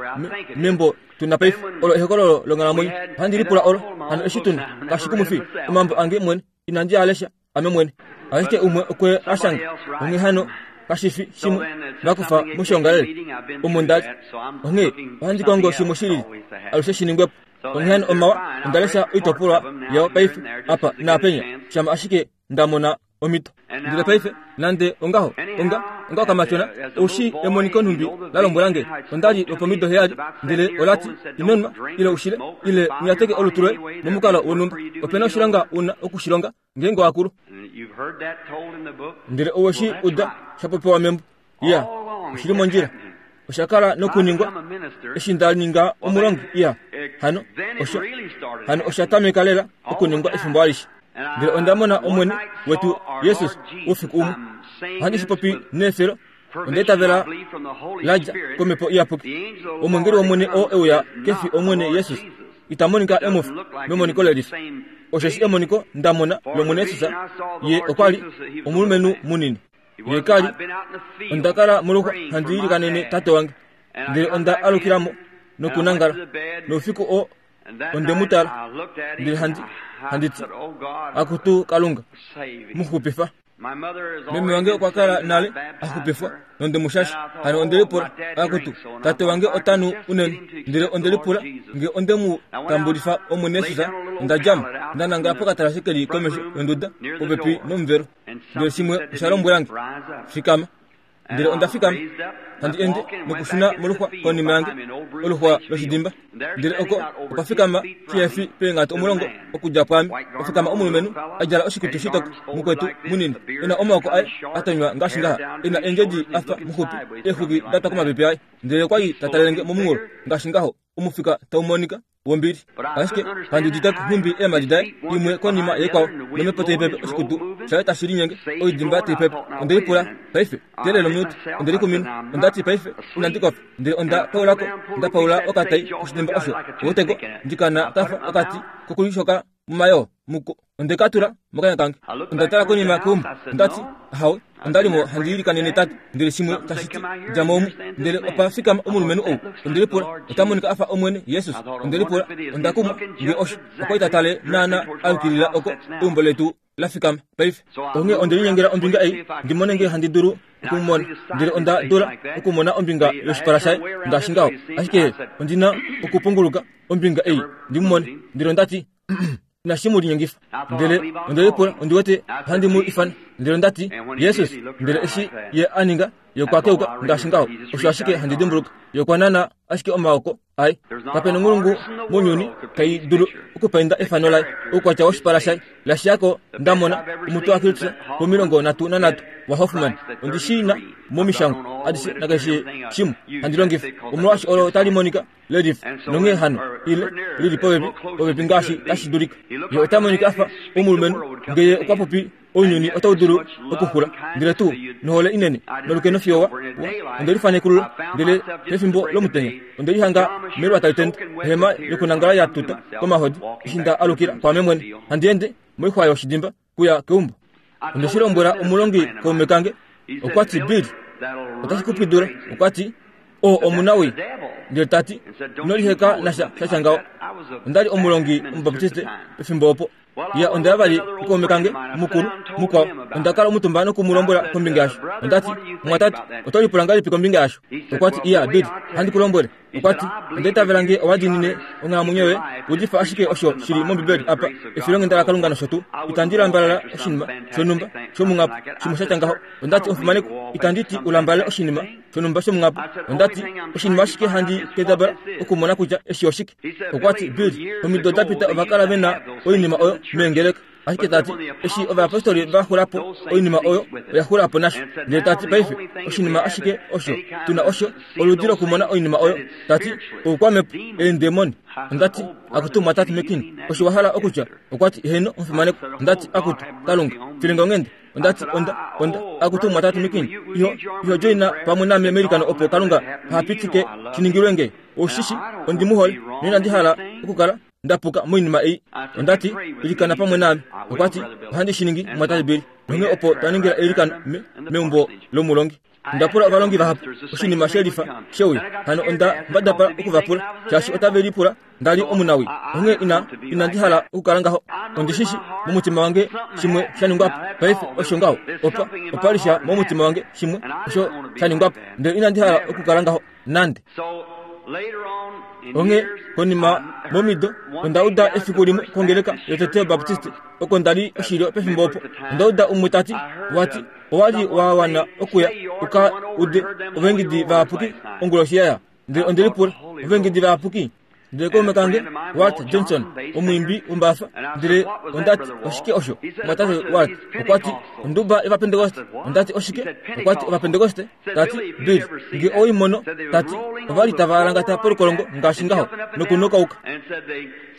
[SPEAKER 1] membo tu na paife. Olo ehokololo longhalamwenyo. Ohandi lipula olo hano eshi tu na. Kashi kumwifi, omambo ange mwene inandi a lesha ame mwene. Ashike umwe okwe a shanga. Onghee hano kashi fi shimwe va kufa moshiongalele omo nda li. Onghee ohandi kongo shimwe shi lili alushe shi ningwe po. Onghee hano omawa, onda lesha oitopolwa yao paife apa naapenya, shama ashike nda mona omhito. Ndele paife nande ongaho onga onga okamatyona oushi emoniko nhumbi la lombwela nge onda li lopomido heyali ndele olati inonwa ile ushile ile unyateke olutu loye momukalo wonhumba opena oshilonga una okushilonga ngeenge wakulu. Ndele oweshi uda shapopiwa membo iya oshili mondjila oshakala nokuningwa eshi nda ninga omulongi iya hano osho hano oshatameka lela okuningwa efimbo alishe. Ndele onda mona omwene wetu Jesus oufiku umwe ohandi shipopi neefelo onda itavela ladja komhepo iyapuki omwengeli womwene oo euya kefi omwene Jesus ita monika emofi memoniko lelifa osheshi emoniko ndamona lomwene Jesus ye okwali omulumenhu munini ye kali onda kala moluxwa handi ilikanene tate wange ndele onda alukilamo nokunangala noufiku oo onde mu tala ndele handi handiti akutu Kalunga muxupifa. Meme wange okwa kala nale axupifwa nonde mushasha hano onde lipula akutu tate wange otanu unene ndele onde lipula nge onde mu tambulifa omwene Jesus onda djamo nda nangala pokatalashe keli komesho yonduda popepi nomuvelo ndele shimwe osha lombwela nge fikama ndele onda fikama handi ende nokushuna moluxwa konima yange oluxwa loshidimba ndele oko okwa fikama shihefi peenghatu omulongo okudja pwaame ofikama omulumenhu a djala oshikutu shitoka mukwetu munini ena omaoko aye atonywa ngaashi ngaha ena eendjedi afa muxupi eexwiki datwa komapepe aye ndele okwali tatalelenge momunghulo ngaashi ngaho omufika taumonika wombili ashike kandi uditeko nhumbi eemhadi daye imwe konima yaikwao nomhepo taipepe oshikutu shaye tashi linyenge oidimba taipepe onde lipula paife teelele ominute onde likumina ondati paife inandi kofa ndele onda paulako nda paula okatai koshidimba osho outeko ndikana kafa okati kokulishoka mumayoo muko onde katula mokanya kange onda tala konima keumbo ondati ahawe ondalimo handi ilikanene tate ndele shimwe tashiti dja mo omu ndele opa fikama omulumenhu ou onde lipula ota monika afa omwene Jesus onde lipula onda kumwa nge osho okwa itatale naana ayukilila oko eumbo letu la fikama paife onghee onde linyengela ombinga ei ndimone nge handi dulu okumumona ndele onda dula okumona ombinga yoshipala shaye ngaashi ngaho ashike ondina okupunguluka ombinga ei ndimumone ndele ondati inashi mu linyengifa ndele onde lipula ondi wete ohandi mu ifana ndele ondati Jesus ndele eshi ye aninga ye okwa keuka ngaashi ngaho osho ashike handi dimbuluka ye okwa nana ashike omaoko aye kapena onghulungu mounyuni tai dulu okupainda efano laye oukwatya woshipala shaye lashiyako ndamona omutwe waKristus pomilongo nhatu nanhatu waHoffman ondi shina momishangwa adishe nakeshe shimwe handi longifa omolwaashi olo tali monika lelifa nonghee hano ile lili popepi popepi ngaashi tashi dulika ye ota monika afa omulumenhu ngeye okwa popi ounyuni otau dulu okuxula ndele tuu nohole inene nolukeno fiyo wa onde lifanekulula ndele pefimbo lomutenya onde lihanga melwa tali tende ohema yokunangala ya tuta komahodi eshi nda alukila kwaame mwene handi ende moixwa yoshidimba kuya keumbo onde shi lombwela omulongi kaume kange okwati Bill otashi kupwidula okwati oo omunawii ndele tati ino liheka nasha shatya ngaho ondali omulongi omubaptiste pefimbo opo ya onda vali kukaume kange mukulu mukwao onda kala omutumba nokumulombwela kombinga yasho ondati mwatate oto lipula ngahelipi kombinga yasho okwati iya Bill handi kulombwele okwati onda itavela nge owadiinine onghalamwenyo yoye udifa ashike osho shili mombibeli apa efilonghenda laKalunga nosho tuu itandi lambalala oshinima shonhumba shomunghapo shimwe shatya ngaho ondati omufimaneko itandi ti ulambalale oshinima shonhumba shomunghapo ondati oshinima ashike handi kendabala okumona kutya eshi oshike okwati Bill omido dapita ovakala vena oinima oyo meengeleka ashike tati eshi ovayapostoli vaxulapo oinima oyo oya xulapo nasho ndele tati paife oshinima ashike osho tuna osho oludi lokumona oinima oyo tati oukwamhepo eendemoni ondati akutu mwatate McKinney osho wahala okutya okwati heno omufimaneko ondati akutu Kalunga filinga onghende ondati onda onda akutu mwatate McKinney iho iho joina pamwe name meilikano opo Kalunga hapitike shiningilwe nge oshishi ondi muhole noinandi hala okukala ndapuka moinima ei ondati ilikana pamwe name okwati ohandi shiningi mwatate Bill nonghee opo twaningila eilikano meumbo lomulongi ndapula ovalongi vahapu oshinima shelifa sheuya hano onda mbadapala okuvapula shaashi otave lipula ndali omunawi onghee ina inandi hala okukala ngaho ondishishi momutima wange shimwe shaningwapo paife osho ngaho opa opalisha momutima wange shimwe osho shaningwapo ndele inandi hala okukala ngaho nande. Onghee konima momido onda uda efiku limwe kongeleka yotete Baptiste oko nda li oshilyo pefimbo opo. Onda uda umwe tati wati owa li wa wana okuya uka ude ovaengedi vayapuki onguloshi yaya. Ndele onde lipula ovaengedi vayapuki. Ndele kaume kange Walt Johnson omwiimbi wombafa, ndele ondati oshike osho mwatate Walt? Okwati onduba yovapentekoste. Ondati oshike? Okwati ovapentekoste. Tati Bill nge oimono, tati ovali tava alangata polukolongo ngaashi ngaho nokunokauka.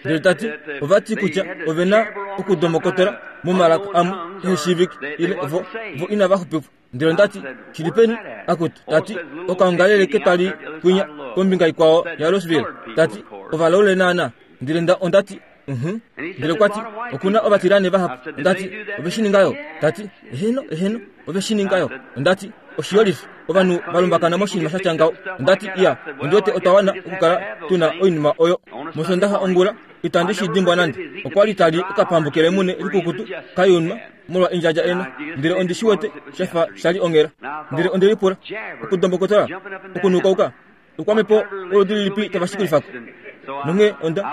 [SPEAKER 1] Ndele tati ovati kutya ovena okudomokotola momalaka amwe eheshiivike ile vo vo inava xupifwa. Ndele ondati shilipeni akutu, tati okaongalele ketali kwinya kombinga ikwao ya Louisville, tati ovalaule naana. Ndele nda ondati mhm. Ndele okwati okuna ovatilane vahapu. Ondati oveshiningayo? Tati eheno eheno oveshiningayo. Ondati oshiyolifi ovanhu valumbakana moshinima sha tya ngaho. Ondati iya ondiwete otwa wana okukala tuna oinima oyo. Mosondaxa ongula itandi shi dimbwa nande. Okwa li tali okapambu kelemune likukutu kayunwa molwa endjadja ena. Ndele ondi shi wete shafa shali onghela. Ndele onde lipula okudombokotola okunukauka okwamepo oludi lilipi tava shikulifako. Nonghee onda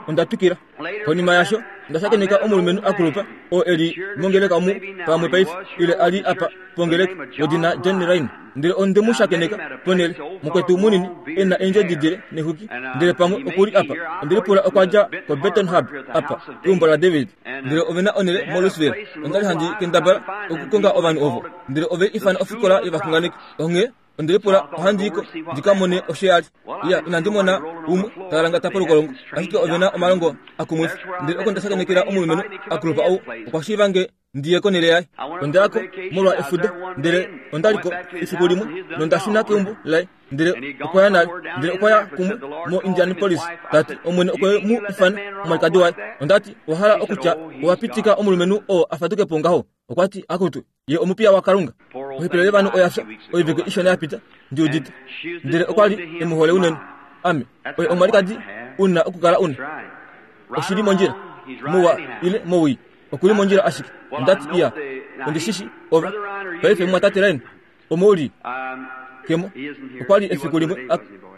[SPEAKER 1] onda twikila. Konima yasho onda shakeneka omulumenhu akulupa oo eli mongeleka omu pamwe paife ile a li apa pongeleka wedina John Rhyn. Ndele onde mu shakeneka ponele mukwetu munini e na eendjodi dile nexwiki. Ndele pamwe okuli apa. Onde lipula okwa dja koBeton Hub apa keumbo laDavid. Ndele ovena onele moLouisville. Onda li handi kendabala okukonga ovanhu ovo. Ndele ove ifana ofikola yovaxunganeki. Onghee onde lipula ohandi iko ndika mone osho ya li. Iya inandi mona umwe talangata polukolongo, ashike ovena omalongo akumwifa. Ndele oko nda shakenekela omulumenhu akulupa ou okwa shiiva nge ndiye konele yaye. Onda yako molwa efudo, ndele onda liko efiku limwe nonda shuna keumbo laye. Ndele okwa ya nale, ndele okwa ya kumwe mo Indianapolis. Tati omwene okwe mu ifana omwalikadi waye. Ondati owa hala okutya owa pitika omulumenhu oo a faduke po ngaho? Okwati akutu ye omupiya waKalunga. Ohepele yovanhu oya fya oivike ishona ya pita ndi udite. Ndele okwa li e mu hole unene. Ame oye omwalikadi una okukala una. Oshili mondjila muwa ile mowii okuli mondjila ashike. Ondati iya ondishishi ova paife mwatate Ryan omouli kemo okwa li efiku limwe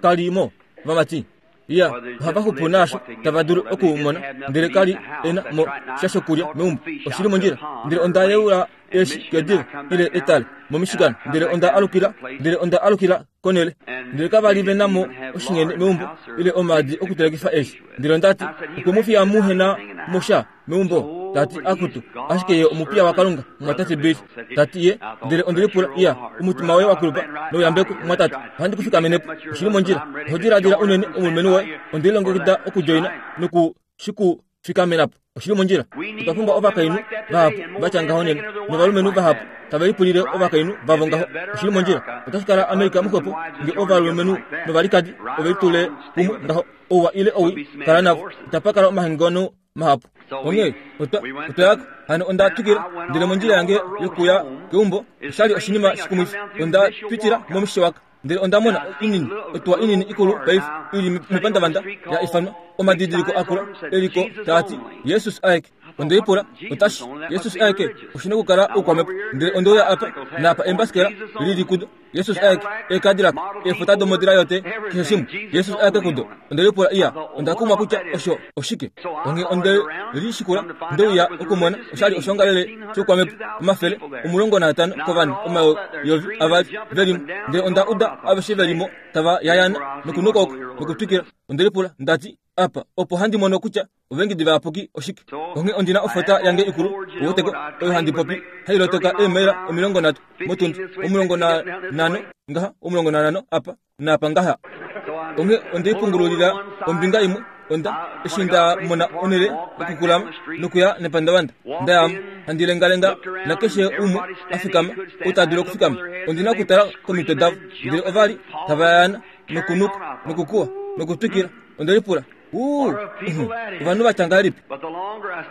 [SPEAKER 1] kalimo vamati. Iya ohava xupu naasho tava dulu okumona. Ndele kali ena mo sha shokulya meumbo. Oshili mondjila. Ndele onda yeula eshi kediva ile etale moMichigan. Ndele onda alukila ndele onda alukila konele. Ndele kava li vena mo oshinghene meumbo ile omaadi okutelekifa eshi. Ndele ondati okwe mu fiya muhena mosha meumbo. Tati akutu ashike ye omupiya waKalunga mwatate Bill. Tati ye ndele onde lipula iya omutima woye wakulupa nouyambeko mwatate ohandi kufikamenepo. Oshili mondjila. Oho diladila unene omulumenhu woye. Onde lilongekida okudjoina noku shikufikamenapo. Oshili mondjila. Otwa pumbwa ovakainhu vahapu vatya ngaho nena novalumenhu vahapu tava lipulile ovakainhu vavo ngaho. Oshili mondjila. Otashi kala Amerika muxwepo nge ovalumenhu novalikadi ove litule kumwe ngaho. Ouwa ile owi kala navo. Itapa kala omahangano mahapu. Onghee otwa otwa hano onda twikila. Ndele mondjila yange yokuya keumbo oshali oshinima shikumwifi. Onda twitila moMishawaka. Ndele onda mona inini otuwa inini ikulu paife ili mepandavanda ya ifanwa omadidiliko akula eliko taati Jesus aeke. Onde lipula otashi Jesus aeke oshina okukala oukwamepo. Ndele ondeuya apa napa embasikela lili kudo Jesus aeke ekadilaka eefota domodila yote keshe shimwe Jesus aeke kudo. Onde lipula iya onda kumwa kutya osho oshike. Onghee onde lishikula ndeuya okumona oshali oshongalele shoukwamepo omafele omulongo naatano kovanhu omayovi avali velimo. Ndele onda uda aveshe velimo tava yayana nokunukauka nokutwikila. Onde lipula ndati apa opo handi mono kutya ovaengedi vayapuki oshike. Onghee ondina ofota yange ikulu uweteko oyo handi popi hailotoka eemaila omilongo nhatu motundi omulongo na nhano ngaha omulongo na nhano apa naapa ngaha. Onghee ondeipungululila ombinga imwe. Onda eshi nda mona onele okukulama nokuya nepandavanda ndayamo handi lengalenga nakeshe umwe a fikama ou ta dulu okufikama. Ondina okutala komitwe davo. Ndele ova li tava yayana nokunuka nokukuwa nokutwikila. Onde lipula uu ovanhu vatya ngahelipi?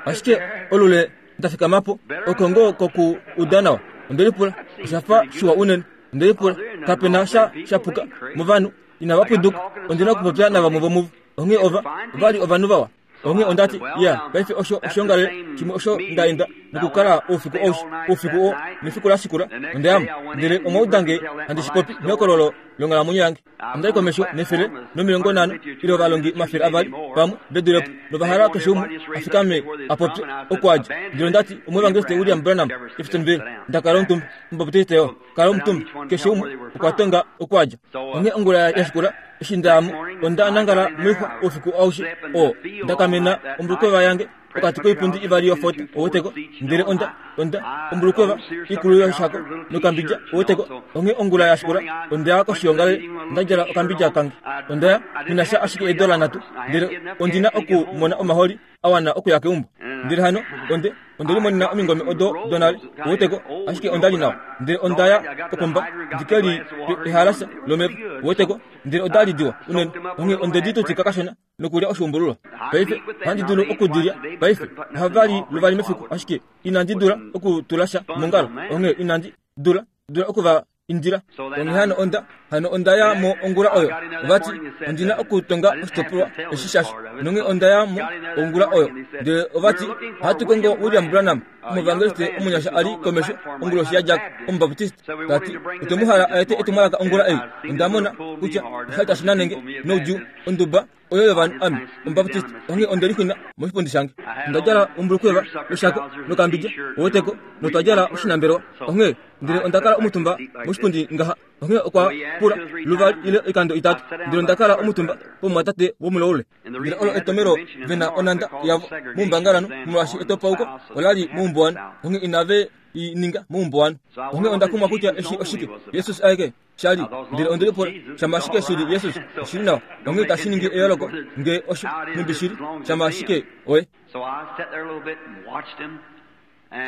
[SPEAKER 1] Ashike olule nda fikamapo oko ngoo koku uda nawa. Onde lipula oshafa shiwa unene. Onde lipula kapena sha shapuka movanhu inava pwiduka. Ondina okupopya navamwe vomuvo. Onghee ova ova li ovanhu vawa. Onghee ondati iya paife osho oshongalele shimwe osho ndaenda nokukala oufiku aushe oufiku oo nefiku la shikula onda yamo ndele omwaudange handi shipopi mehokololo longhalamwenyo yange ondai komesho nefele nomilongo nhano ile ovalongi omafele avali pamwe vedulepo novahala keshe umwe afikame apopye okwadja ndele ondati omuevangeliste William Branham Jeffersonville ndakala omutumba omubaptiste yo kala omutumba keshe umwe okwa tonga okwadja onghee ongula ya shikula eshi ndayamo onda nangala moixwa oufiku aushe oo ndakamena ombulukweva yange pokati koipundi ivali yofota oweteko ndele onda onda ombulukweva ikulu yoshako nokambidja oweteko onghee ongula ya shikula ondaya koshiongalele ndadjala okambidja kange ondaya ninasha ashike eedola nhatu ndele ondina okumona omaholi awana okuya keumbo ndele hano onde ondelimonena omingome odo donale oweteko ashike ondali nawa ndele ondaya kopomba ndikeli ehalasa lomeva oweteko ndele odali diwa unene onghee ondeditutika kashona nokulya oshuumbululwa paife ohandi dulu okudilya paife ohavali luvali mefiku ashike inandi dula okutulasha mongalo onghee inandi dula dula okuva indila onghee hano onda hano onda ya mo ongula oyo ovati ondina okutonga oshitopolwa eshi shasho nonghee onda ya mo ongula oyo ndele ovati ohatu kongo William Branham omuevangeliste omunyasha ali komesho onguloshi yadjako omubaptiste tati otwemuhala aete etumwalaka ongula ei onda mona kutya oshali tashi nanenge noudjuu onduba oyo yovanhu ame omubaptiste onghee ondelixina moshipundi shange onda djala ombulukweva yoshako nokambidja oweteko notwa djala oshinambelwa onghee ndele onda kala omutumba moshipundi ngaha onghee okwa pula luvali ile oikando itatu ndele onda kala omutumba pomumwatate womuloule ndele olo etomelo vena onanda yavo muumbangalano molwaashi etopauko olali muumbuwanu onghee inave i ninga muumbuwanu onghee onda kumwa kutya eshi oshike Jesus aeke shali ndele ondelipula shama ashike shili Jesus oshili nawa onghee tashi ningi eyooloko nge osho numbi shili shama ashike oye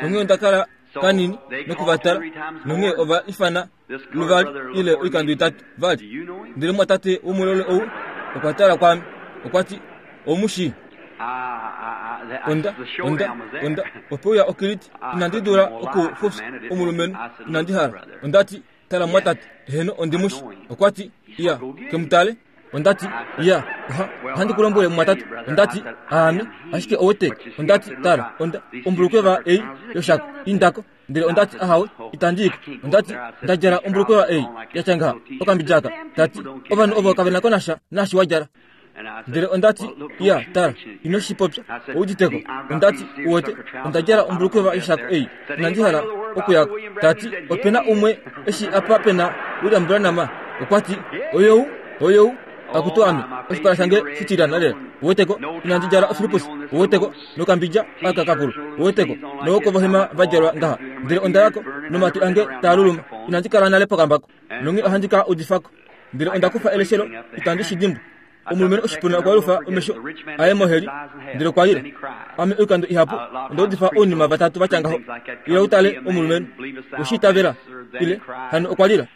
[SPEAKER 1] onghee onda kala kanini nokuvatala nonghee ova ifana luvali ile oikando itatu vali ndele mwatate womulole ou okwa tala kwaame okwa ti omushi onda onda onda ope uya okiliti inandi dula okufufya omulumenhu inandi hala ondati tala mwatate eheno ondimushi okwa ti iya kemutale ondati iya oha ohandi kulombwele mwatate ondati aame ashike owete ondati tala onda ombulukweva ei yoshako indako ndele ondati ahawe itandiyiko ondati ndadjala ombulukweva ei yatya ngaha okambidjaka tati ovanhu ovo kavena ko nasha nashi wadjala ndele ondati iya tala ino shipopya ouditeko ondati uwete onda djala ombulukweva yoshako ei inandi hala okuyako tati opena umwe eshi apa pena William Branham okwa ti oyou oyou akutu ame oshipala shange shitilyana lela oweteko inandi djala ofilipusi oweteko nokambidja aka kakulu oweteko nookovohema vadjalwa ngaha ndele onda yako nomatu ange taaluluma inandi kala nale pokambako nonghee ohandi ka udifako ndele onda kufa eleshelo itandi shidimbwa omulumenhu oshipuna okwa lufa omesho aye moheli ndele okwa lila ame oikando ihapu onda udifa ounima vatatu vatya ngaho ile utale omulumenhu weshiitavela ile hano okwa lila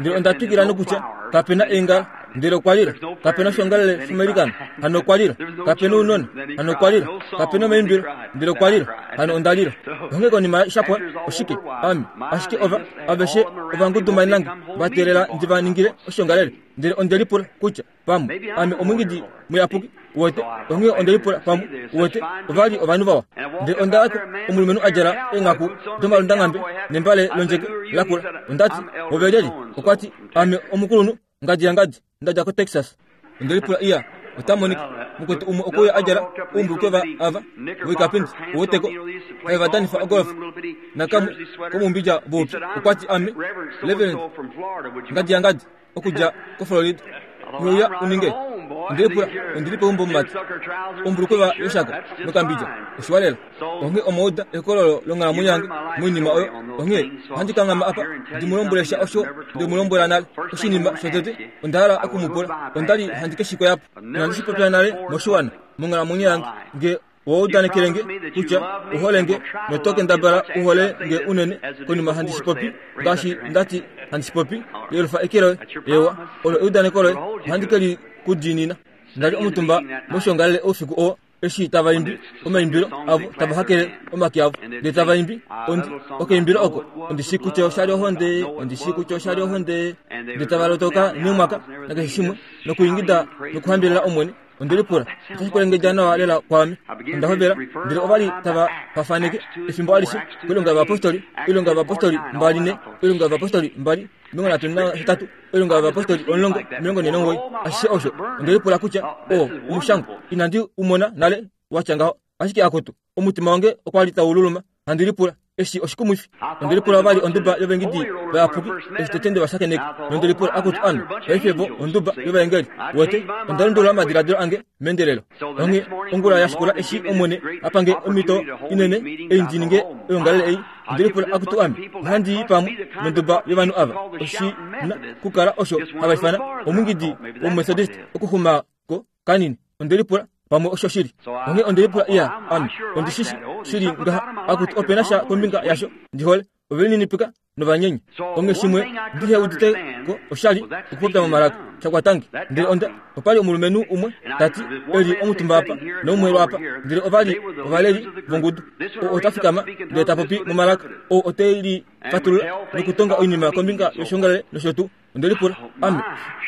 [SPEAKER 1] ndele onda twikila nokutya kapena eengala ndele okwa lila kapena oshiongalele shomalikano hano okwa lila kapena ounona hano okwa lila kapena omaimbilo ndele okwa lila hano onda lila onghee konima shapwa oshike ame ashike ova aveshe ovangudumanange vateelela ndi va ningile oshiongalele ndele ondelipula kutya pamwe ame omwingidi muyapuki uwete onghee ondelipula pamwe uwete ovali ovanhu vawa ndele onda yako omulumenhu adjala eenghaku domalundanghambe nembale londjeke lakula ondati ove lyelye okwa ti ame omukulunhu ngadi yangadi ndadja ko Texas ondelipula iya ota monika mukwetu umwe okuya adjala oumbulukweva ava voikapindi oweteko evadanifa ogolf nakamwe komumbidja voupyu okwa ti ame Reverend ngadi yangadi okudja ko Florida uya uninge ondelipula ondili peumbo mumati ombulukweva yoshako nokambidja oshiwalela onghee omauda ekololo longhalamwenyo yange moinima oyo onghee ohandi kanghama apa ndimulombwelesha osho ndemulombwela nale oshinima shotete onda hala okumupula ondali handi keshikoyapo inandi shipopya nale moshiwana monghalamwenyo yange nge woudanekelenge kutya uholenge notokendabala uhole nge unene konima handi shipopi ngaashi ndati handi shipopi yelufa eke loye ewa olo eudaneko loye ohandi keli kudiinina ndali omutumba moshiongalele oufiku oo eshi tava imbi omaimbilo avo tava hakele omake avo ndele tava imbi ondi okeimbilo oko ondi shi kutya oshali ohonde ondi shi kutya oshali ohonde ndele tava lotoka neumwaka nakeshe shimwe nokuingida nokuhambelela Omwene Onde lipula otashi kwelengedja nawa lela kwaame. Onda hovela ndele ova li tava fafaneke efimbo alishe koilonga yovayapostoli, oilonga yovayapostoli mbali ne, oilonga yovayapostoli mbali omilongo nhatu nahetatu, oilonga yovayapostoli omulongo omilongo nhee nomugoyi. Ashishe osho onde lipula kutya oo omushangwa inandi u mona nale watya ngaho. Ashike akutu, omutima wange okwa li tau luluma handi lipula eshi oshikumwifi. Onde lipula vali onduba yovaengedi vayapuki eshi tete nde va shakeneka, nonde lipula akutu ame paife vo onduba yovaengeli. Wete, onda lundulula omadiladilo ange meendelelo. Onghee ongula ya shikula eshi Omwene a pange omhito inene ei ndi ninge oyoongalele ei, onde lipula akutu ame ohandi i pamwe nonduba yovanhu ava. Oshi na kukala osho hava ifana omwiingidi womuMethodist okuxuma ko kanini. Onde lipula pamwe osho shili. Onghee onde lipula iya ame ondi shishi shili ngaha akutu ope na sha kombinga yasho ndi hole. Ove lininipika novanyenye. Onghee shimwe ndihe udite ko oshali okupopya momalaka shakwatange. Ndele onda opa li omulumenhu umwe tati eli omutumba apa noumwe lwaapa, ndele ova li ovaleli vongudu. Oo ota fikama ndele ta popi momalaka, oo ote li fatulula nokutonga oinima kombinga yoshongalele nosho tuu. Onde lipula ame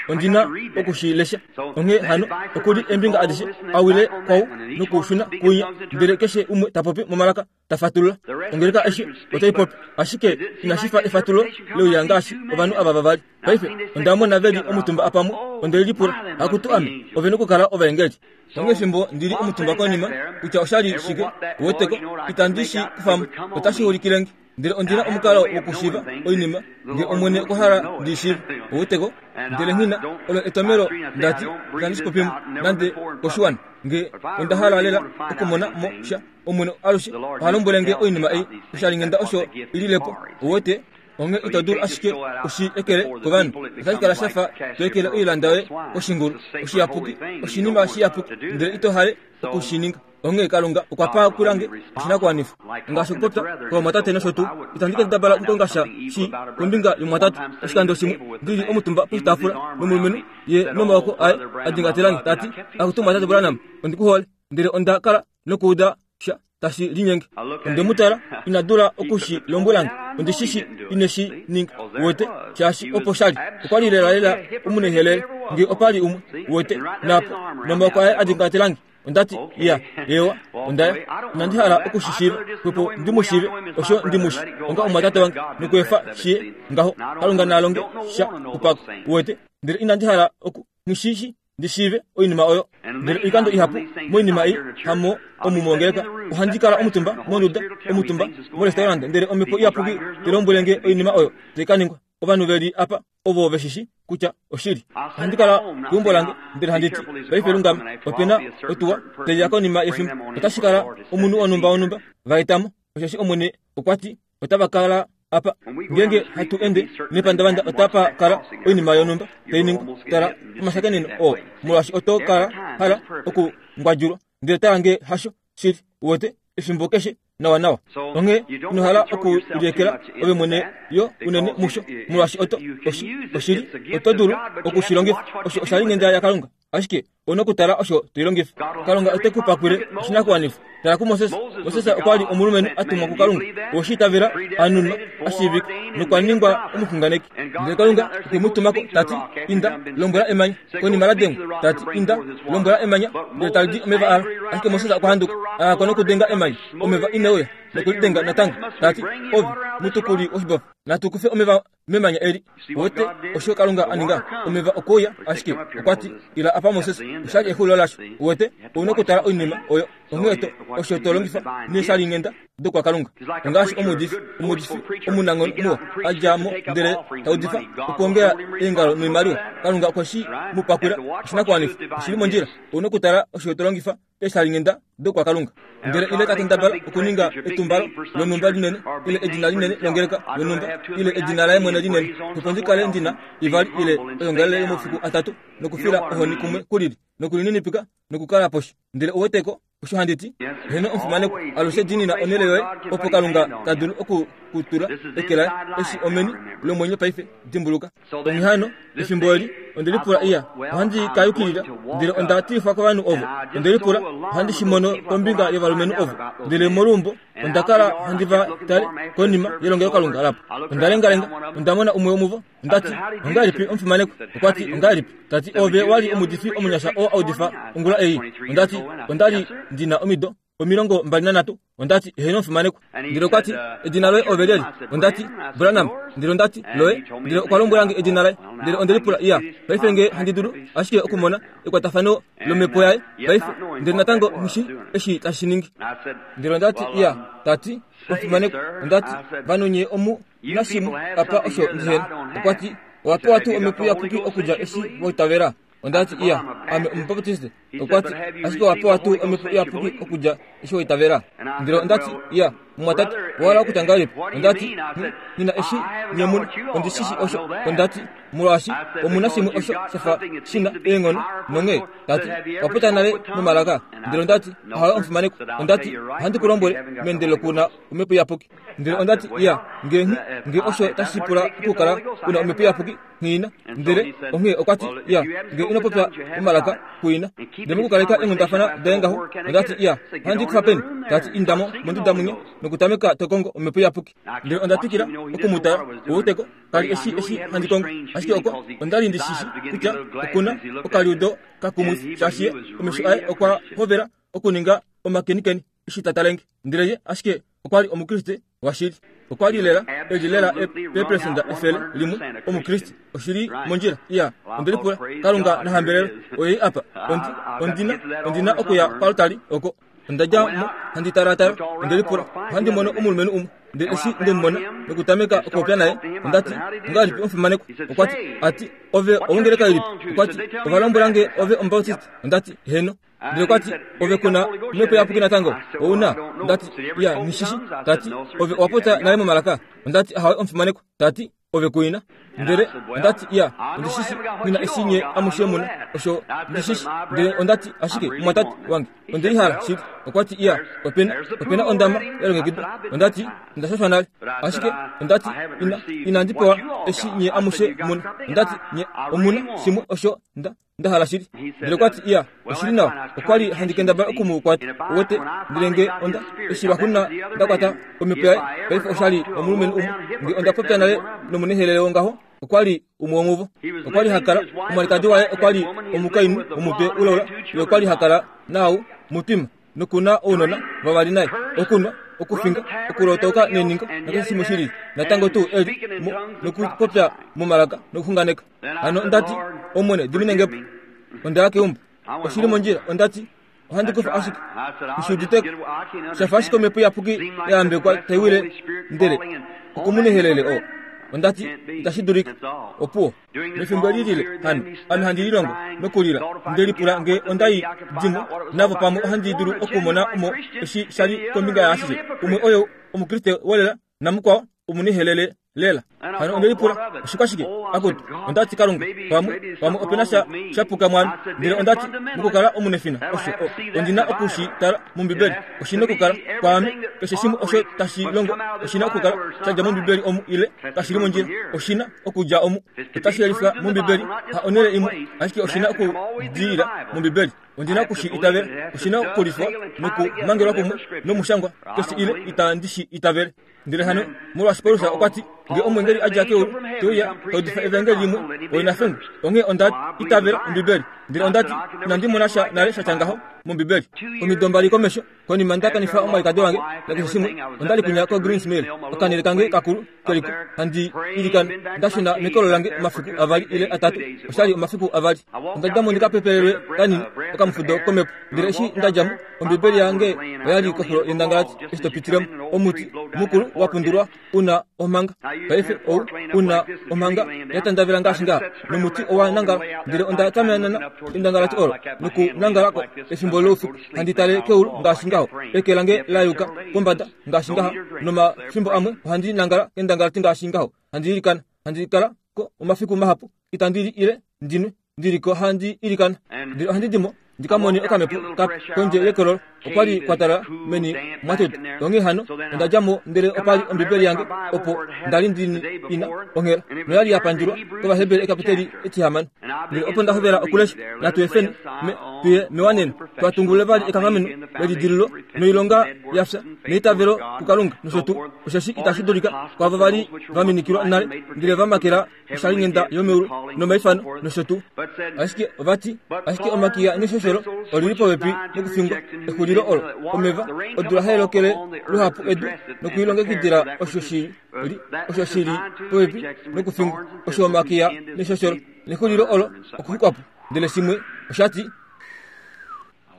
[SPEAKER 1] ondi na okushilesha. Onghee hano okuli eembinga adishe awile kwau nokushuna kuinya, ndele keshe umwe ta popi momalaka ta fatulula. Ongeleka aishe otai popi, ashike inashi fa efatululo leuya ngaashi ovanhu ava vavali. Paife onda mona ve li omutumba apamwe, onde lipula akutu ame ove nokukala ovaengeli. Onghee fimbo ndi li omutumba konima kutya oshali shike, uweteko itandi shi kufamo, otashi ulikilenge. Ndele ondi na omukalo wokushiiva oinima nge Omwene okwa hala ndi shiive, uweteko. Ndele nghina olo etomelo ndati itandi shi popimo nande koshiwana nge onda hala lela okumona mo sha. Omwene alushe oha lombwele nge oinima ei oshalinghenda osho ililepo, uwete. Onghee ito dulu ashike ushi ekele kovanhu. Otashi kala shafa to ekele oilanda yoye koshingulu oshiyapuki, oshinima shiyapuki, ndele ito hale okushininga. Onghee Kalunga okwa pa kulange oshinakuwanifwa ngaashi okupopya kovamwatate nosho tuu. Itandi kendabala okukonga sha shi kombinga yomumwatate. Oshikando shimwe ndi li omutumba poshitaafula nomulumenhu ye nomaoko aye a dingatelange tati akutu mumwatate Branham, ondi ku hole. Ndele onda kala nokuuda sha tashi linyenge. Onde mu tala, ina dula okushi lombwelange. Ondi shishi ine shi ninga, uwete, shaashi opo shali. Okwa li lela lela omunehelele nge opa li umwe, uwete, naapo nomaoko aye a dingatelange. Ondati iya ewa ondaya inandi hala okushishiiva xwepo ndi mu shiive osho ndi mushi onga omumwatate wange nokuefa shiye ngaho. Kalunga na longe sha kupako, uwete. Ndele inandi hala oku ngishishi ndi shiive oinima oyo. Ndele oikando ihapu moinima ei hamo omu mongeleka ohandi kala omutumba monduda omutumba morestaurant, ndele omhepo iyapuki te lombwele nge oinima oyo tai ka ningwa. Ovanhu ve li apa ovo veshishi kutya oshili. Ohandi kala keumbo lange ndele handi ti paife lungama, ope na otuwa taiya konima yefimbo, otashi kala omunhu wonhumba wonhumba va etamo, osheshi Omwene okwa ti otava kala apa. Ngeenge hatu ende nepandavanda otapa kala oinima yonhumba tai ningwa. Tala omashakeneno oo, molwaashi oto kala hala okungwadjulwa, ndele tala nge hasho shili, uwete, efimbo keshe nawa nawa. Onghee ino hala okuliekela ove mwene yo unene musho, molwaashi oto oshi oshili oto dulu okushilongifa. Osho oshalinghenda yaKalunga, ashike ouna okutala osho toilongifa. Kalunga ote ku pakwile oshinakuwanifwa. Tala kuMoses. Moses okwa li omulumenhu a tumwa kuKalunga, oweshi itavela, a nunwa, a shiivika nokwa ningwa omuxunganeki. Ndele Kalunga okwe mu tumako tati inda lombwela emanya konima la dengwa, tati inda lombwela emanya ndele tali di omeva alo. Ashike Moses okwa handuka, a ya nokudenga emanya, omeva ineuya nokulidenga natango, tati ove mutukuli woshibofa, natu kufe omeva memanya eli. Uwete osho Kalunga a ninga? Omeva okwe uya, ashike okwa ti ila apa Moses, oshali exulilo lasho. Uwete, ouna okutala oinima oyo. Onghee to osho to longifa neeshalinghenda dokwaKalunga. Ongaashi omuudifi, omuudifi omunanghono muwa a dja mo ndele ta udifa okwoongela eengalo noimaliwa. Kalunga okwe shi mu pakwila oshinakuwanifwa. Oshili mondjila. Ouna okutala osho to longifa eeshalinghenda dokwaKalunga. Ndele ile ta kendabala okuninga etumbalo lonhumba linene ile edina linene longeleka yonhumba ile edina laye mwene linene, opo ndi kale ndina ivali ile oyoongalele yomafiku atatu nokufila ohoni kumwe kulili nokulininipika nokukala poshi. Ndele uweteko Osho handi ti heno omufimanekwa alushe diinina onhele yoye opo Kalunga ta dulu oku kutula eke laye eshi omeni lomwenyo paife dimbuluka. Onghee hano efimbo eli onde lipula iya ohandi ka yukilila ndele onda tilifwa kovanhu ovo. Onde lipula ohandi shi mono kombinga yovalumenhu ovo ndele moluumbo onda kala handi va tale konima yelongelokalunga lapo. Onda lengalenga onda mona umwe womuvo ondati ongahelipi omufimanekwa? Okwati ongahelipi? Tati ove wali omuudifi omunyasha oo audifa ongula ei. Ondati ondali ndina omido omilongo mbali nanhatu. Ondati heno omufimanekwa. Ndele okwati edina loye ove lyeli? Ondati Branham. Ndele ondati loye? Ndele okwa lombwelange edina laye. Ndele onde lipula iya paife nge handi dulu ashike okumona ekwatafano lomhepo yaye paife ndele natango nghishi eshi tashi ningi. Ndele ondati iya tati omufimanekwa ondati vanhu nye omu nashimwe apa osho ndihena. Okwati owapewa tuu omhepo iyapuki okudja eshi waitavela? Ondati iya ame omubaptiste. Okwati ashike owapewa tuu omhepo iyapuki okudja eshi waitavela? Ndele ondati iya mumwatate owala okutya ngahelipi? Ondati nina eshi nye muna ondishishi osho. Ondati molwaashi omuna shimwe osho shafa shina eenghono nonghee tati wapopya nale momalaka. Ndele ondati ahawe omufimanekwa. Ondati ohandi ku lombwele meendelelo kuna omhepo iyapuki. Ndele ondati iya nge nge osho tashi pula okukala una omhepo iyapuki nghiina. Ndele onghee okwati iya nge inopopya momalaka kuina. Ndele mokukaleka eenghundafana daye ngaho ondati iya ohandi kufa peni? Tati indamo monduda munya nokutameka tokongo omhepo iyapuki. Ndele onda twikila okumutala outeko kali eshi eshi handi kongo ashike oko ondali ndishishi kutya okuna okaliudo kakumwifi shaashi omesho aye okwa hovela okuninga omakenikeni eshi ta talenge. Ndele ye ashike okwali omukriste washili. Okwali lela eli lela eperesenda efele limwe omukriste oshili mondjila. Iya onde lipula Kalunga nahambelelo oyei apa ondi ondina ondina okuya palutali oko. Onda dja mo handi talatala onde lipula ohandi mono omulumenhu umwe. Ndele eshi ndemumona nokutameka okupopya naye ondati ongahelipi omufimanekwa? Okwati ati ove owongeleka ilipi? Okwati ovalombwelange ove omubaptiste. Ondati heno. Ndele okwati ove kuna omhepo iyapuki natango ouna? Ondati iya nishishi. Tati ove owapopya nale momalaka? Ondati ahawe omufimanekwa. Tati ove kuina. Ndele ondati iya ondishishi nina eshi nye amushe muna osho ndishishi. Ndele ondati ashike mumwatate wange ondeihala shili. Okwati iya opena opena ondama yalongekidwa. Ondati ondashashwa nale ashike ondati ina inandi pewa eshi nye amushe muna. Ondati nye omuna shimwe osho nda ndahala shili. Ndele okwati iya oshili nawa. Okwali handi kendabala okumukwata uwete. Ndele nge onda eshi lwahuna ndakwata omhepo yaye paife oshali omulumenhu umwe. Nge onda popya nale nomunehelele wongaho okwali umwe womuvo. Okwali hakala omwalikadi waye okwali omukainhu womutwe ulaula. Ye okwali hakala naau mutima nokuna ounona vavali naye okunwa okufinga okulotoka neningo nakeshe shimwe shili natango tuu eli nokupopya momalaka nokuxunganeka. Hano ondati Omwene diminengepo. Ondaya keumbo oshili mondjila. Ondati ohandi kufa ashike ngishiuditeko shafa ashike omhepo iyapuki yayambekwa taiwile ndele okumunehelele oo. Ondati itashi dulika opuwo. Mefimbo eli lile hano ame handi lilongo nokulila nde lipula nge ondai dimo navo pamwe ohandi dulu okumona omo eshi shali kombinga yaashishe. Umwe oyo omukriste wolela namukwao omunihelele lela. Hano onde lipula oshikwashike akutu. Ondati Kalunga pamwe pamwe opena sha shapuka mwami. Ndele ondati mokukala omunefina osho ondina okushi tala mombibeli. Oshina okukala kwaame keshe shimwe osho tashi longo oshina okukala shadja mombibeli omu ile kashili mondjila. Oshina okudja omu otashi yelifwa mombibeli ha onhele imwe ashike oshina okudilila mombibeli. Ondina okushi itavela oshina okulifwa nokumangelwa kumwe nomushangwa keshe ile itandishi itavele. Ndele hano molwaashi Paulus okwati nge omwengeli adja keulu teuya taudifa evangeli limwe oinafengo onghee onda itavela ombibeli. Ndele ondati inandi mona sha nale shatya ngaho mombibeli. Omido mbali komesho konima ndakanifa omwalikadi wange nakeshe shimwe ondali kunya ko Greens Mill okanele kange kakulu keliko handi ilikana ndashuna mekolo lange omafiku avali ile atatu. Oshali omafiku avali. Ondadjamo ndikapepelelwe kanini okamufudo komhepo. Ndele eshi ndadjamo ombibeli yange oyali koxulo yendangalati eshi topitilemo omuti mukulu wapundulwa una omhanga. Paife ou una omhanga yatandavela ngaashi ngaha nomuti owa nangala. Ndele onda tamanana endangalati olo nokunangalako efimbo loufiku handi tale keulu ngaashi ngaho eke lange la yuka pombada ngaashi ngaha nomafimbo amwe ohandi nangala endangalati ngaashi ngaho handi ilikana handi kala ko omafiku mahapu itandi li ile ndinwe ndiliko handi ilikana. Ndele ohandi dimo ndi ka mone okamepo kape kondje yekololo. Okwa li kwa talala meni mwatuta. Onghee hano onda dja mo ndele opa li Ombibeli yange opo nda li ndi ina onghela noya li ya pandjulwa kOvaheberi ekapiteli etihamano. Ndele opo nda hovela okulesha, natu efeni me tuye mewaneno, twatungulule vali ekanghameno lelidililo noilonga yafya neitavelo kuKalunga nosho tuu, osheshi itashi dulika kwaavo va li va minikilwa nale ndele va makela oshalinghenda yomeulu nomaifano nosho tuu. Ashike ovati, ashike omakiya neshosholo oli li popepi nokufingwa. Exulilo olo omeva odula hai lokele luhapu edu nokuilongekidila osho shi li osho shi li popepi nokufingwa, osho omakiya neshosholo nexulilo olo okuxukwapo. Ndele shimwe oshati,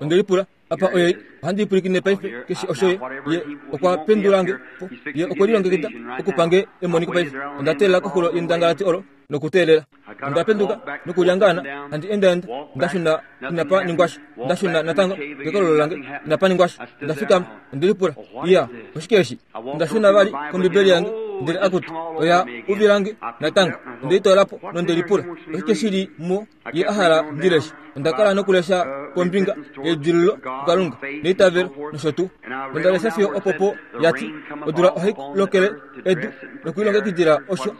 [SPEAKER 1] onde lipula apa oye ohandi lipwilikine paife keshe osho ye ye okwa pendulange po, ye okwe lilongekida okupange emoniko paife. Onda teelela koxulo yendangalati olo nokuteelela. Onda penduka nokulyangaana, handi endaenda, nda shuna inapa ningwasha, nda shuna natango kekololo lange inapa ningwasha. Onda fikama, onde lipula, iya, oshike eshi? Onda shuna vali kOmbibeli yange, ndele akutu oya uvilange natango. Onde litoola po nonde lipula, oshike shi li mo ye a hala ndi leshe? Onda kala nokulesha kombinga yedililo kuKalunga neitavelo nosho tuu. Onda lesha fiyo opopo ya ti odula ohai lokele edu nokuilongekidila osho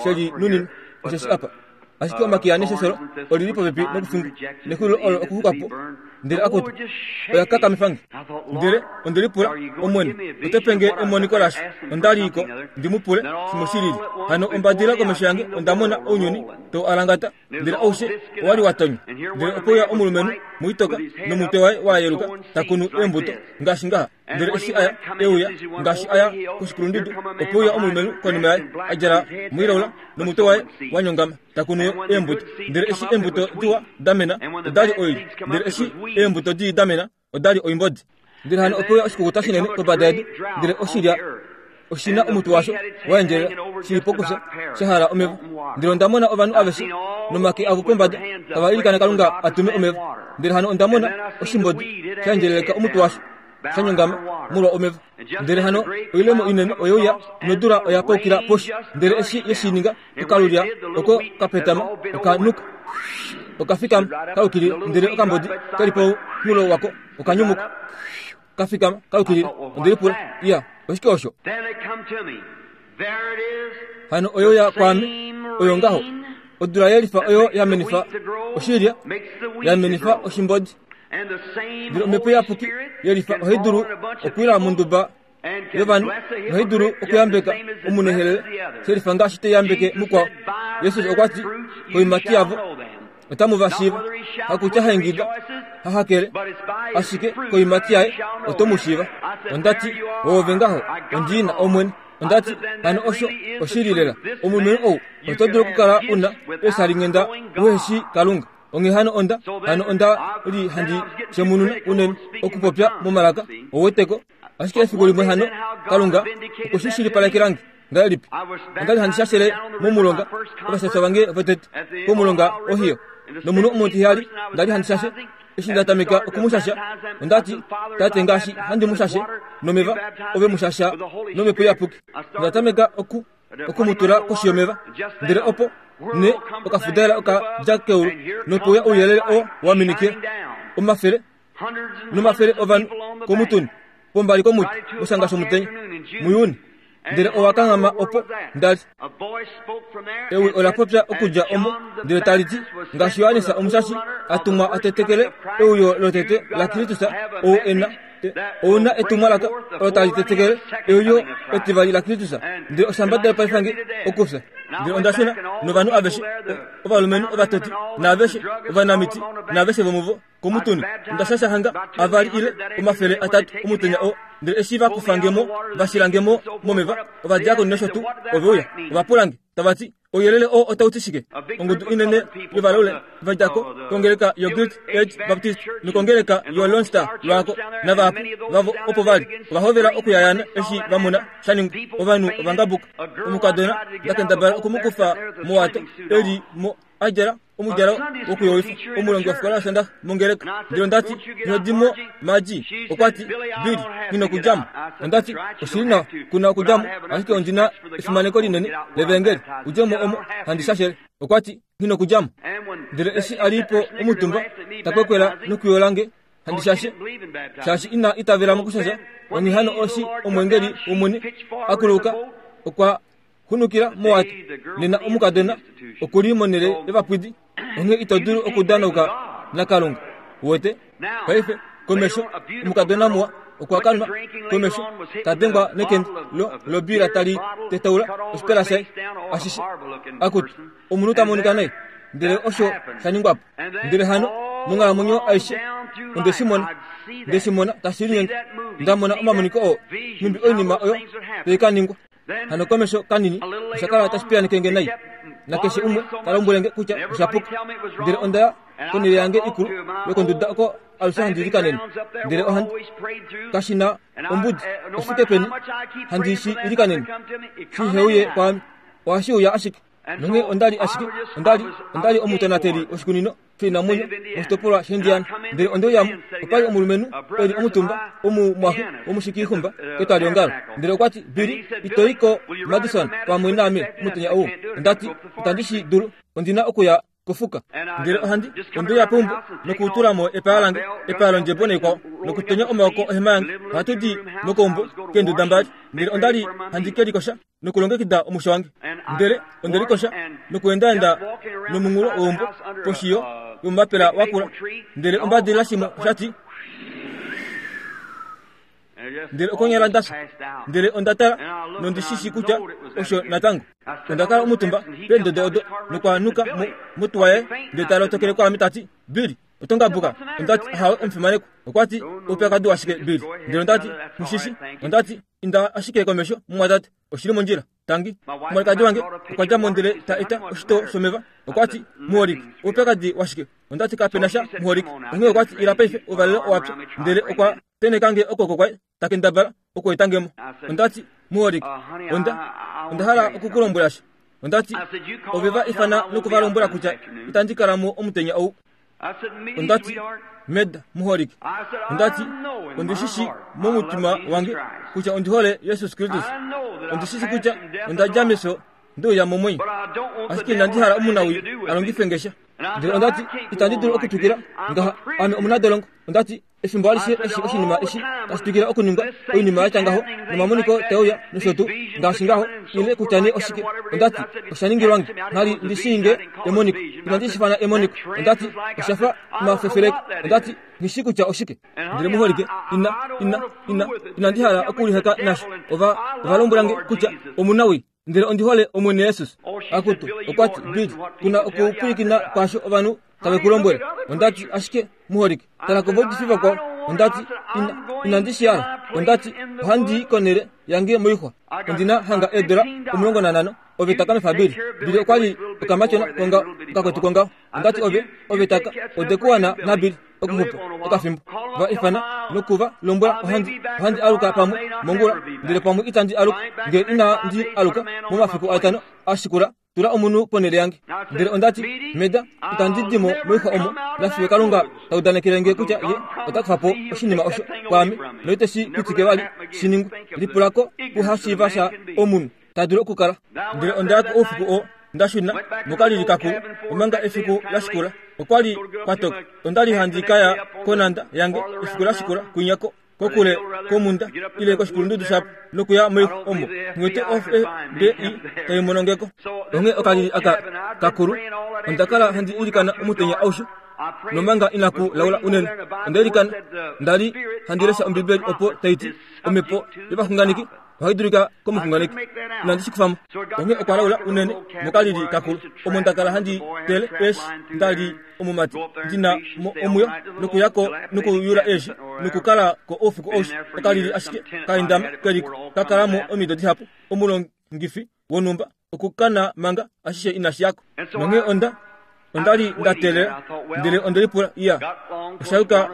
[SPEAKER 1] sheli nuninwa, osheshi apa. Ashike omakiya neshosholo oli li popepi nokufingwa, nexulilo olo okuxukwapo. Ndele akutu oya kakamifange. Ndele onde lipula, Omwene, oto pe nge emoniko lasho? Onda li ko ndi mu pule shimwe shi lili. Hano ombadila komesho yange onda mona ounyuni tau alangata, ndele aushe owa li wa tonywa. Ndele ope uya omulumenhu muitoka nomutwe waye wa yeluka ta kunu eembuto ngaashi ngaha. Ndele eshi aya euya ngaashi aya koshikulundudu, ope uya omulumenhu konima yaye a djala moilaula nomutwe waye wa nyongama ta kunu eembuto. Ndele eshi eembuto diwa da mena oda li oilya, ndele eshi eembuto dii da mena oda li oimbodi. Ndele hano ope uya oshikukuta shinene kombada yedu, ndele oshilya oshina omutwe washo wa endjelela shi li pokufya sha hala omeva. Ndele onda mona ovanhu aveshe nomake avo pombada tava ilikana Kalunga a tume omeva. Ndele hano onda mona oshimbodi sha endjeleleka omutwe washo sha nyongama molwa omeva. Ndele hano oilemo inene oye uya nodula oya paukila poshi. Ndele eshi ye shi ninga, okalulya oko kapetama okanuka okafikama kaukilila, ndele okambodi keli pomunghulo wako okanyumuka kafikama kaukilila. Onde lipula, iya, oshike osho? Hano oyo ya kwaame oyo ngaho. Odula yelifa oyo ya menifa oshilya, ya menifa oshimbodi. Ndele omhepo iyapuki yelifa ohai dulu okwila monduba yovanhu nohai dulu okuyambeka omunehelele shelifa ngaashi tai yambeke mukwao. Jesus okwa ti, koimati yavo otamu va shiiva, hakutya haingida hahakele, ashike koimati yaye oto mu shiiva. Onda ti, oove ngaho, ondiina Omwene. Onda ti, hano osho oshili lela. Omulumenhu ou oto dulu okukala una eeshalinghenda uhe shi Kalunga. Onghee hano onda, hano onda li handi shemununa unene okupopya momalaka ouweteko. Ashike efiku limwe hano Kalunga okwe shi shilipalekelange ngahelipi? Onda li handi shashele momulonga ovashasha vange votete komulonga Ohio, nomunhu omutihali nda li handi shashe. Eshi nda tameka okumushasha, onda ti, Tate, ngaashi handi mu shashe nomeva, ove mu shasha nomhepo iyapuki. Onda tameka oku okumutula koshi yomeva, ndele opo ne okafudaela oka dja keulu nope uya ouyelele oo wa minikila omafele nomafele ovanhu komutuni pombali komuti moshanga shomutenya muJuni. Ndele owa kanghama opo nda li. Ewi ola popya okudja omo ndele tali ti, ngaashi Johannes Omushashi a tumwa a tetekele euyo lotete laKristus, ou e na ou na etumwalaka olo tali tetekele euyo etivali laKristus. Ndele oshambadela paife nge okufya. Ndele onda shuna novanhu aveshe, ovalumenhu ovatoti naaveshe ovanamiti naaveshe vomuvo komutuni. Onda shasha hanga avali ile omafele atatu omutenya oo. Ndele eshi va kufa mo va shilange mo momeva, ovadiakoni nosho tuu ove uya, ova pula nge tava ti, ouyelele oo otau ti shike? Ongudu inene yovalaule va dja ko kongeleka yoGreat Age Baptist nokongeleka yoLone Star lwaako, navahapu vavo opo va li ova hovela okuyayana eshi va mona sha ningwa. Ovanhu ova ngabuka. Omukadona nda kendabala okumukufa mowato e li mo a djala omudjalo wokuyowifa, omulongi wofikola yOsondaxa mongeleka. Ndele onda ti, ino di mo Margie. Okwa ti, Billy, nghi nokudja mo. Onda ti, oshili nawa, ku na okudja mo, ashike ondi na efimaneko linene levangeli. Udje mo omo handi shashele. Okwa ti, nghi nokudja mo. Ndele eshi a li po omutumba ta kwekwela nokuyola nge handi shashe shaashi ina itavela mokushasha. Onghee hano oshi omwengeli wOmwene a kuluka okwa hunukila mowato. Nena omukadona okuli monhele yovapwidi. Onghee ito dulu okudanauka naKalunga. Uwete? Paife komesho omukadona muwa okwa kanwa komesho ta dengwa nekende lo lobila tali tetaula oshipala shaye ashishe. Akutu omunhu ta monika nai. Ndele osho sha ningwa po. Ndele hano monghalamwenyo aishe onde shi mona, nde shi mona tashi linyenge. Nda mona omamoniko oo nhumbi oinima oyo tai ka ningwa. Hano komesho kanini osha kala tashi piyaaneke nge nai, nakeshe umwe ta lombwele nge kutya osha puka. Ndele onda ya konhele yange ikulu yokonduda oko alushe handi ilikanene. Ndele ohandi kashi na ombudi oshifike peni handi shi ilikanene shi heuye kwaame, ohashi uya ashike. Nonghee onda li ashike onda li onda li omutonateli woshikunino shoinamwenyo moshitopolwa shaIndiana. Ndele onde uyamo, opa li omulumenhu e li omutumba omumwaxe womushikixumba ketwaliongalo. Ndele okwa ti, Billy, ito i ko Madison pamwe naame omutenya ou? Onda ti, itandi shi dulu, ondi na okuya kofuka. Ndele ohandi onde uya peumbo nokutula mo epaya lange, epaya londjebo naikwao, nokutonya omaoko ohema yange. Ohatu di mokaumbo keenduda mbali. Ndele onda li handi ke likosha nokulongekida omusho wange. Ndele onde likosha nokuendaenda nomunghulo weumbo poshi yo yomumapela wakula. Ndele ombadilila shimwe osha ti, ndele okonyala nda fya. Ndele onda tala nondi shi shi kutya osho natango. Onda kala omutumba peendodo odo nokwa nuka mo motuwa yaye ndele ta lotokele kwaame ta ti, Billy, oto ngabuka? Onda ti, ahawe omufimanekwa. Okwa ti, oupyakadi washike Billy? Ndele onda ti, mushishi. Onda ti, inda ashike komesho mumwatate, oshili mondjila. Tangi. Omwalikadi wange okwa dja mo ndele ta eta oshitoo shomeva. Okwa ti, muholike, oupyakadi washike? Onda ti, kape na sha muholike. Onghee okwa ti, ila paife, ouvalelo owapya. Ndele okwa tenheka nge okwooko kwaye ta kendabala okueta nge mo. Onda ti, muholike, onda onda hala oku ku lombwela sha. Onda ti, ove va ifana noku va lombwela kutya itandi kala mo omutenya ou. Onda ti, Meda, muholike. Onda ti, ondi shi shi momutima wange kutya ondi hole Jesus Kristus. Ondi shi shi kutya onda dja mefyo nde uya momwenyo. Ashike inandi hala omunawii a longife nge sha. Ndele onda ti, itandi dulu okutwikila ngaha, ame omunadolongo. Onda ti, efimbo alishe eshi oshinima eshi tashi twikila okuningwa, oinima ya tya ngaho nomamoniko tae uya nosho tuu ngaashi ngaho, ile kutya nee oshike. Onda ti, osha ningilwa nge, nghali ndi shii nge emoniko. Inandi shi fana emoniko. Onda ti, osha fa omafefeleko. Onda ti, nghi shii kutya oshike. Ndele muholike, ina ina ina inandi hala okuliheka nasho. Ova ova lombwela nge kutya omunawii. Ndele ondi hole Omwene Jesus. Akutu, okwa ti, Billy, kuna okupwilikina kwaasho ovanhu tave ku lombwele. Onda ti, ashike muholike, tala kovaudifi vakwao. Onda ti, ina inandi shi hala. Onda ti, ohandi i konhele yange moixwa. Ondi na hanga eedola omulongo nanhano. Ove taka mefa Billy. Billy okwa li okamatyona kongaho, okakwetu kongaho. Onda ti, ove ove taka ode ku wana naBilly okuxupa okafimbo. Va ifana noku va lombwela ohandi ohandi aluka pamwe mongula, ndele pamwe itandi aluka. Nge inandi aluka momafiku atano a shikula, tula omunhu ponhele yange. Ndele onda ti, Meda, itandi di mo moixwa omo nafiyo Kalunga ta udanekele nge kutya ye ota kufa po oshinima osho kwaame noite shi pitike vali shi ningwe. Lipula ko kuhashiiva sha omunhu ta dulu okukala. Ndele onda ya ko oufiku oo nda shuna mokalili kakulu, omanga efiku la shikula okwa li kwa toka. Onda li handi ka ya konhanda yange efiku la shikula kwinya ko kokule komunda ile koshikulundudu shapo nokuya moixwa omo nghiwete o F B I tai mono ngeko. Onghee okalili aka kakulu onda kala handi ilikana omutenya aushe nomanga inaku laula unene. Onda ilikana, nda li handi lesha Ombibeli opo tai ti omhepo yovaxunganeki ohai dulika komuxunganeki. Inandi shi kufa mo. Onghee okwa laula unene mokalili kakulu omo nda kala handi tele eeshi nda li omumati ndi na mo omwiyo nokuya ko nokuyula eeshi nokukala ko oufiku aushe. Okalili ashike kaendama keliko ka kala mo omido dihapu omulongifi wonhumba okukana manga ashishe inashi yako. Nonghee onda onda li nda teelela, ndele onde lipula, iya, osha yuka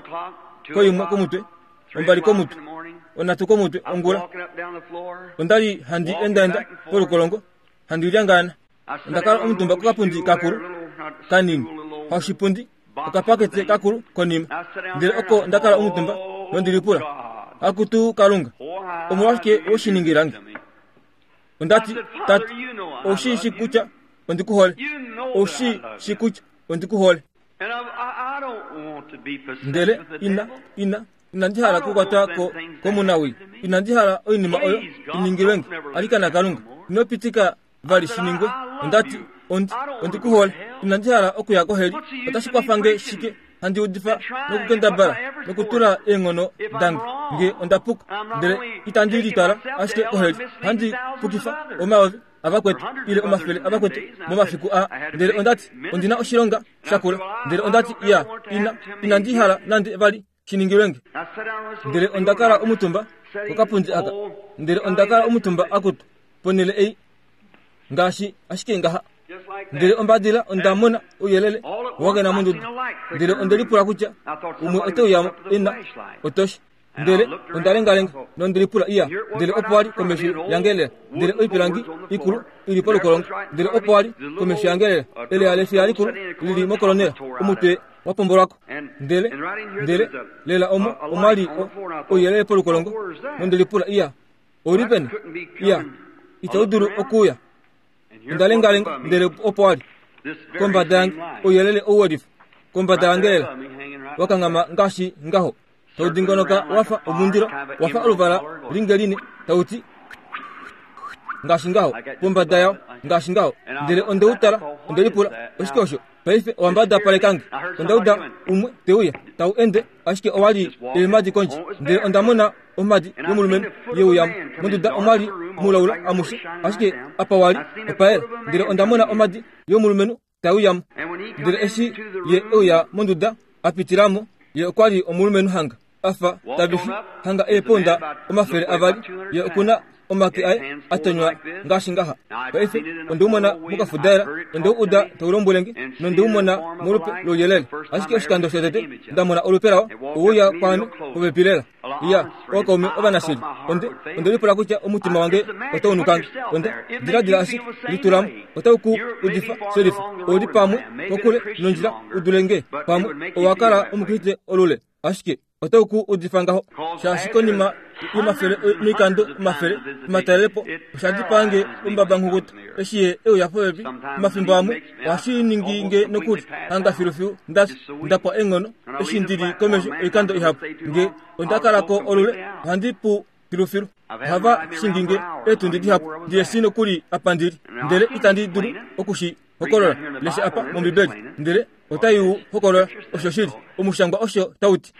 [SPEAKER 1] koimwe komutwe, ombali komutwe, onhatu komutwe ongula. Onda li handi endaenda polukolongo, handi lyangaana. Onda kala omutumba kokapundi kakulu kanini, haushipundi, okapakete kakulu konima. Ndele oko nda kala omutumba nondi lipula, akutu Kalunga, omolwashike we shi ningila nge? Onda ti, Tate, ou shi shi kutya ondi ku hole. Ou shi shi kutya ondi ku hole. Ndele ina ina inandi hala okukwatwa ko komunawi, inandi hala oinima oyo iningilwenge. Alikana Kalunga, ino pitika vali shiningwe. Ondati ondi ondi ku hole, inandi hala okuya koheli. Otashi kwafange shike handi udifa nokukendabala nokutula eenghono dange nge onda puka, ndele itandi litwala ashike koheli, handi pukifa omayovi avakwetu ile omafele avakwetu momafiku a. Ndele ondati ondina oshilonga shakula. Ndele ondati iya ina inandi hala nande vali shiningilwenge. Ndele onda kala omutumba kokapundi aka, ndele onda kala omutumba akutu ponele ei ngaashi ashike ngaha. Ndele ombadila onda mona ouyelele wagena monduda, ndele onde lipula kutya umwe ote uya ena otoshi. Ndele onda lengalenga nonde lipula iya, ndele opo wali komesho yange lela, ndele oipilangi ikulu ili polukolongo, ndele opo wali komesho yange lela eleya lefya likulu lili mokolonela, omutwe wapombolwako. Ndele ndele lela omo omwali ouyelele polukolongo, nonde lipula iya, ouli peni? Iya, itau dulu okuuya. Onda lengalenga, ndele opo wali kombada yange ouyelele ouwelifa kombada yange lela wakangama ngaashi ngaho, tau dingonoka wafa omundilo, wafa oluvala lingeline, tauti ngaashi ngaho pombada yao ngaashi ngaho. Ndele onde utala, onde lipula oshike osho? Paife owambada palekange. Onda uda umwe teuya tau ende, ashike owali eemadi kondje. Ndele onda mona omadi yomulumenhu yeuyamo monduda, omwali mulaula amushe, ashike apa wali opaela. Ndele onda mona omadi yomulumenhu tauyamo. Ndele eshi ye euya monduda apitilamo, ye okwali omulumenhu hanga afa tavifi hanga eeponda omafele avali, ye okuna omake aye atonywa ngaashi ngaha. Paife onde umona mokafudaela, onde uda taulombwelenge, nonde umona molupe louyelele, ashike oshikando shotete ndamona olupe lawo ouya kwaame popepi lela. Iya, ookaume ovanashili, onde onde lipula kutya omutima wange otaunukange. Onde diladila ashike litulamo, otau ku udifa shelifa, ouli pamwe kokule nondjila udulenge, pamwe owakala omukriste olule, ashike otau ku udifa ngaho. Shaashi konima yomafele moikando omafele omatalelepo osha dipange ombabangukuta eshi ye euya popepi. Omafimbo amwe ohashi ningi nge nokuli hanga filufilu ndafya ndapwa eenghono eshi ndili komesho oikando ihapu. Nge onda kalako olule ohandi pu filufilu. Ohava shingi nge eetundi dihapu ndiye nokuli apa ndili, ndele itandi dulu okushi hokolola. Lesha apa mOmbibeli, ndele otai u hokolola osho shili omushangwa osho tauti.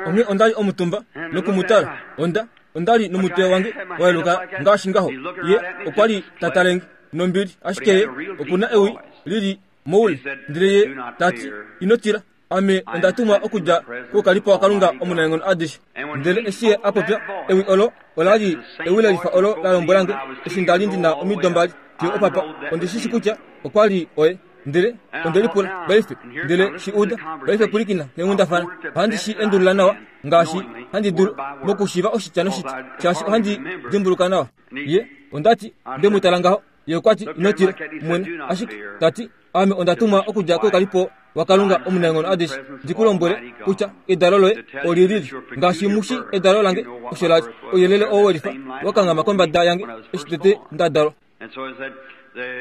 [SPEAKER 1] Onghee ondali omutumba nokumutala, onda ondali nomutwe wange wayeluka ngaashi ngaho. Ye okwali tatalenge nombili, ashike ye okuna ewi lili moule. Ndele ye tati, ino tila, ame onda tumwa okudja koukalipo waKalunga omunaenghono adishe. Ndele eshi ye a popya ewi olo olali ewi lelifa olo la lombwelange eshi ndali ndina omido mbali fiyo opapa. Ondi shishi kutya okwali oye. Ndele onde lipula paife, ndele shi uda paife pwilikina keenghundafana. Ohandi shi endulula nawa ngaashi handi dulu mokushiiva oshitya noshitya, shaashi ohandi dimbuluka nawa. Ye ondati nde mu tala ngaho, ye okwati ino tila mwene, ashike tati ame onda tumwa okudja koukalipo waKalunga omunaenghono adishe, ndi ku lombwele kutya edalo loye olilili ngaashi mushi edalo lange osho lali. Ouyelele oo welifa wakangama kombada yange eshi tete nda dalwa.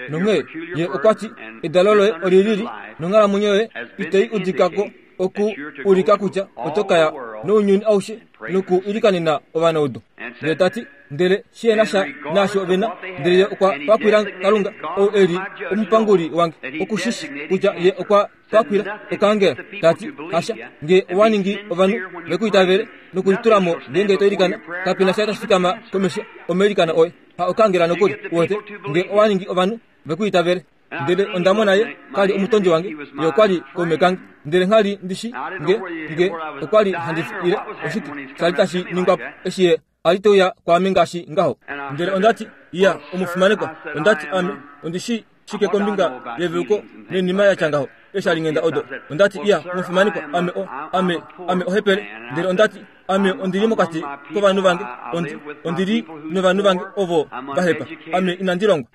[SPEAKER 1] Nonghee ye okwati edalo loye olilili nonghalamwenyo yoye itai udikako oku ulika kutya oto kaya nounyuni aushe noku ilikanena ovanaudu. Ndele tati ndele shiyena sha naasho vena, ndele ye okwa pakwila Kalunga ou eli omupanguli wange okushishi kutya ye okwa pakwila okaangela. Tati hasha, nge owa ningi ovanhu vekuitavele nokulitulamo ngeenge to ilikana, kapena sha tashi fikama komesho omailikano oye. Ha okaangela nokuli uwete, nge owa ningi ovanhu vekuitavele. Ndele onda mona ye kali omutondi wange, ye okwali kaume kange. Ndele nghali ndishi nge nge okwali handi ile oshike shali tashi ningwa eshi ye ali teuya kwaame ngaashi ngaho. Ndele ondati iya omufimanekwa, ondati ame ondishi shike kombinga yeveluko nenima yatya ngaho eshi ali ngenda odo. Ondati iya omufimanekwa, ame o ame ame ohepele. Ndele ondati ame ondili mokati kovanhu vange, ondi ondili novanhu vange ovo vahepa, ame inandi longwa.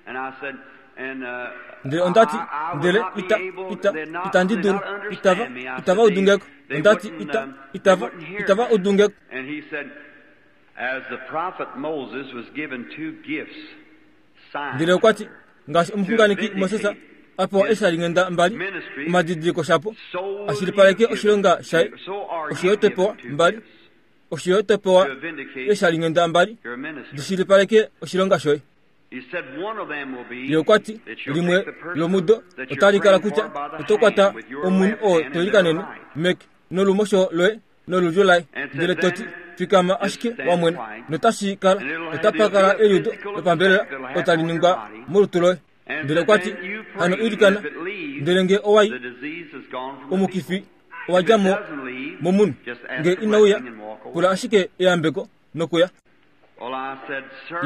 [SPEAKER 1] Ndele ondati ndele ita ita itandi dulu itava itava udungeko. Ondati ita itava itava udungeko. Ndele okwati ngaashi omuxunganeki Moses a pewa eeshalinghenda mbali omadidiliko shapo ashilipaleke oshilonga shaye, osho yo to pewa mbali, osho yo to pewa eeshalinghenda mbali dishilipaleke oshilonga shoye. Ye okwa ti limwe lomudo otali kala kutya oto kwata omunhu oo to ilikanene meke nolumosho loye nolulyo laye, ndele to ti fikama ashike wamwene, notashi kala otapa kala eliudo lopambelela otali ningwa molutu loye. Ndele okwa ti hano ilikana, ndele nge owai omukifi owa dja mo momunhu, nge inauya pula ashike eyambeko nokuya.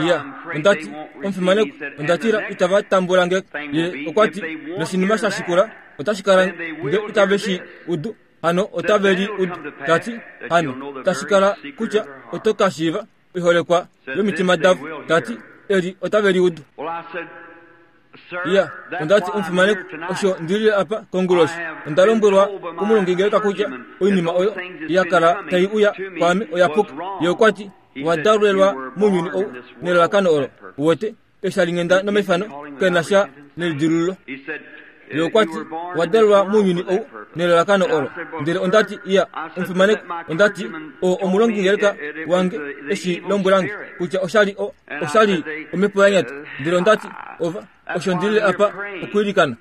[SPEAKER 1] Iya, ondati omufimaneko, ondatila itava tambula nge. Ye okwa ti noshinima sha shikula otashi kala nge itave shi udu, hano otave li udu. Tati hano tashi kala kutya oto ka shiiva oiholekwa yomitima davo. Tati eli otave li udu. Iya, ondati omufimaneko, osho ndilile apa konguloshi. Onda lombwelwa komulongingeleka kutya oinima oyo ya kala tai uya kwaame oya puka. Ye okwa ti wadalelwa mounyuni ou nelalakano olo uwete eeshalinghenda nomaifano kena sha nelidilululo. Ye okwa ti wadalelwa mounyuni ou nelalakano olo. Ndele ondati iya omufimaneko, ondati o omulongingeleka wange eshi lombwelange kutya oshali o oshali omhepo ya nyata. Ndele ondati ova osho ndilile apa okwiilikana.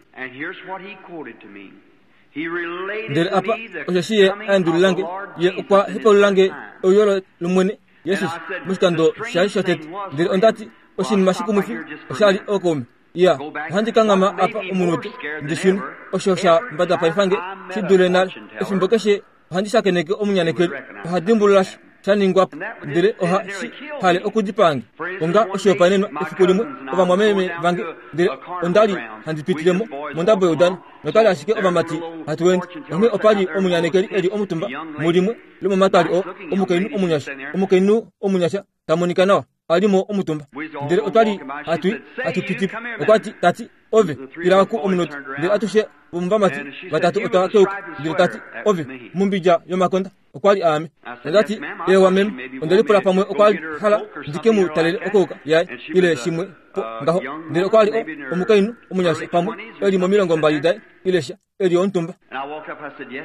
[SPEAKER 1] Ndele apa osheshi ye aendululange, ye okwa hepaululange ouyolo lomwene Jesus moshikando shaye shotete. Ndele ondati oshinima shikumwifi oshali ookaume. Iya, ohandi kanghama apa omunute ndishune osho sha mbadapaifange shi dule nale. Efimbo keshe ohandi shakeneke omunyanekeli, oha dimbulula sha ningwapo, ndele oha shi hale okudipaange. Onga oshihopaenenwa, efiku limwe ovamwameme vange, ndele ondali handi pitilemo mondabo youdano, notali ashike ovamati hatu ende. Onghee opali omunyanekeli eli omutumba mulimwe lomomatwali oo, omukainhu omunyasha, omukainhu omunyasha ta monika nawa ali mo omutumba. Ndele otwali hatu hatu pitipo. Okwa ti tati ove ila ku omunute. Ndele atushe vomuvamati vatatu otwa keuka. Ndele tati ove mumbidja yomakonda okwa li aame. Ondati ewa meme, onde lipula pamwe okwa hala ndike mu talele okouka yaye ile shimwe po ngaho. Ndele okwa li omukainhu omunyasha pamwe eli momilongo mbali daye ile sha eli omutumba.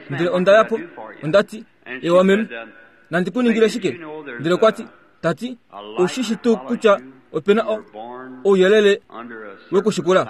[SPEAKER 1] Ndele onda ya po, ondati ewa meme, nandi ku ningile shike? Ndele okwa ti tati oshishi tuu kutya opena ouyelele wekushikula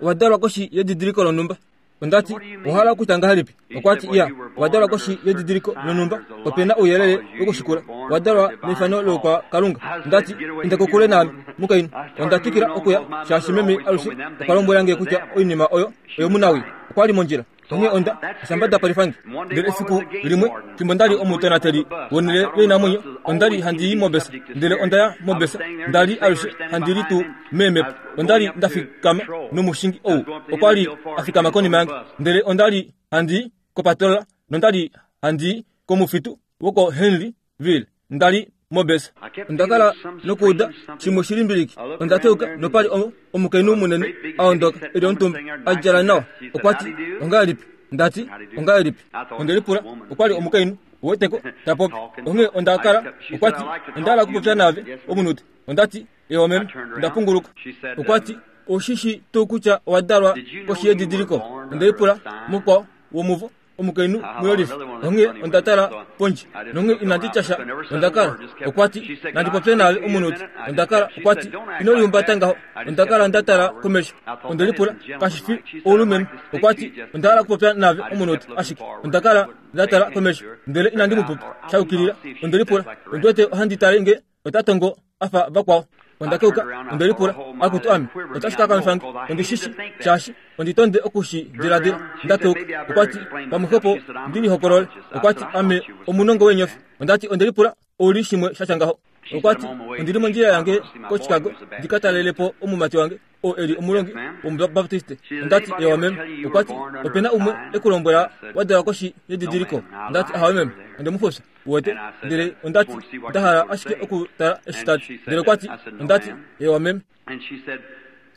[SPEAKER 1] owadalwa koshi yedidiliko lonhumba. Ondati ohala okutya ngahelipi? Okwa ti iya, owadalwa koshi yedidiliko lonhumba, opena ouyelele wekushikula, owadalwa mefano loukwa Kalunga. Ondati inda kokule naame mukainhu. Onda twikila okuya shaashi meme alushe okwa lombwela nge kutya oinima oyo oyomunawi. Okwa li mondjila. Onghee onda shambada palifange. Ndele efiku limwe fimbo ndali omutonateli wonhele yoinamwenyo, onda li handi i mobesa. Ndele onda ya mobesa, nda li alushe handi li tuu meemhepo. Onda li nda fikama nomushingi ou okwa li a fikama konima yange. Ndele onda li handi i kopatola nonda li handi i komufitu wokoHenryville. Nda li mobesa. Onda kala nokuuda shimwe shilimbiliki. Onda teuka nopali omukainhu munene a ondoka eli omutumba a djala nawa. Okwa ti ongahelipi? Ndati ongahelipi? Onde lipula okwa li omukainhu uweteko ta popi. Onghee onda kala okwa ti onda hala okupopya naave omunute. Ondati ewa meme, onda punguluka. Okwa ti oshishi tuu kutya owadalwa koshi yedidiliko? Onde lipula mukwao womuvo omukainhu muyolifi. Onghee onda tala pondje nonghee inandi tya sha. Onda kala okwa ti nandi popye naave omunute. Onda kala okwa ti ino lihumbata ngaho. Onda kala nda tala komesho. Onde lipula kashi fi oulumenhu. Okwa ti onda hala okupopya naave omunute ashike. Onda kala nda tala komesho ndele inandi mu popya sha yukilila. Onde lipula ondi wete ohandi tale nge ota tongo afa vakwao. Onda keuka, onde lipula akutu ame otashi ka kamifange. Ondi shishi shaashi ondi tonde okushi diladila. Nda keuka, okwa ti pamwe ndi lihokolole. Okwa ti ame omunongo weenyofi. Ondati onde lipula ouli shimwe sha tya ngaho. Okwa ti ondili mondjila yange koChicago ndika talelepo omumati wange oo eli omulongi womubaptiste. Ondati ewa meme. Okwa ti opena umwe ekulombwela wadalwa koshi yedidiliko. Ondati ahawe meme, onde mu fufya uwete. Ndele ondati nda hala ashike okutala eshi tati. Ndele okwa ti ondati ewa meme.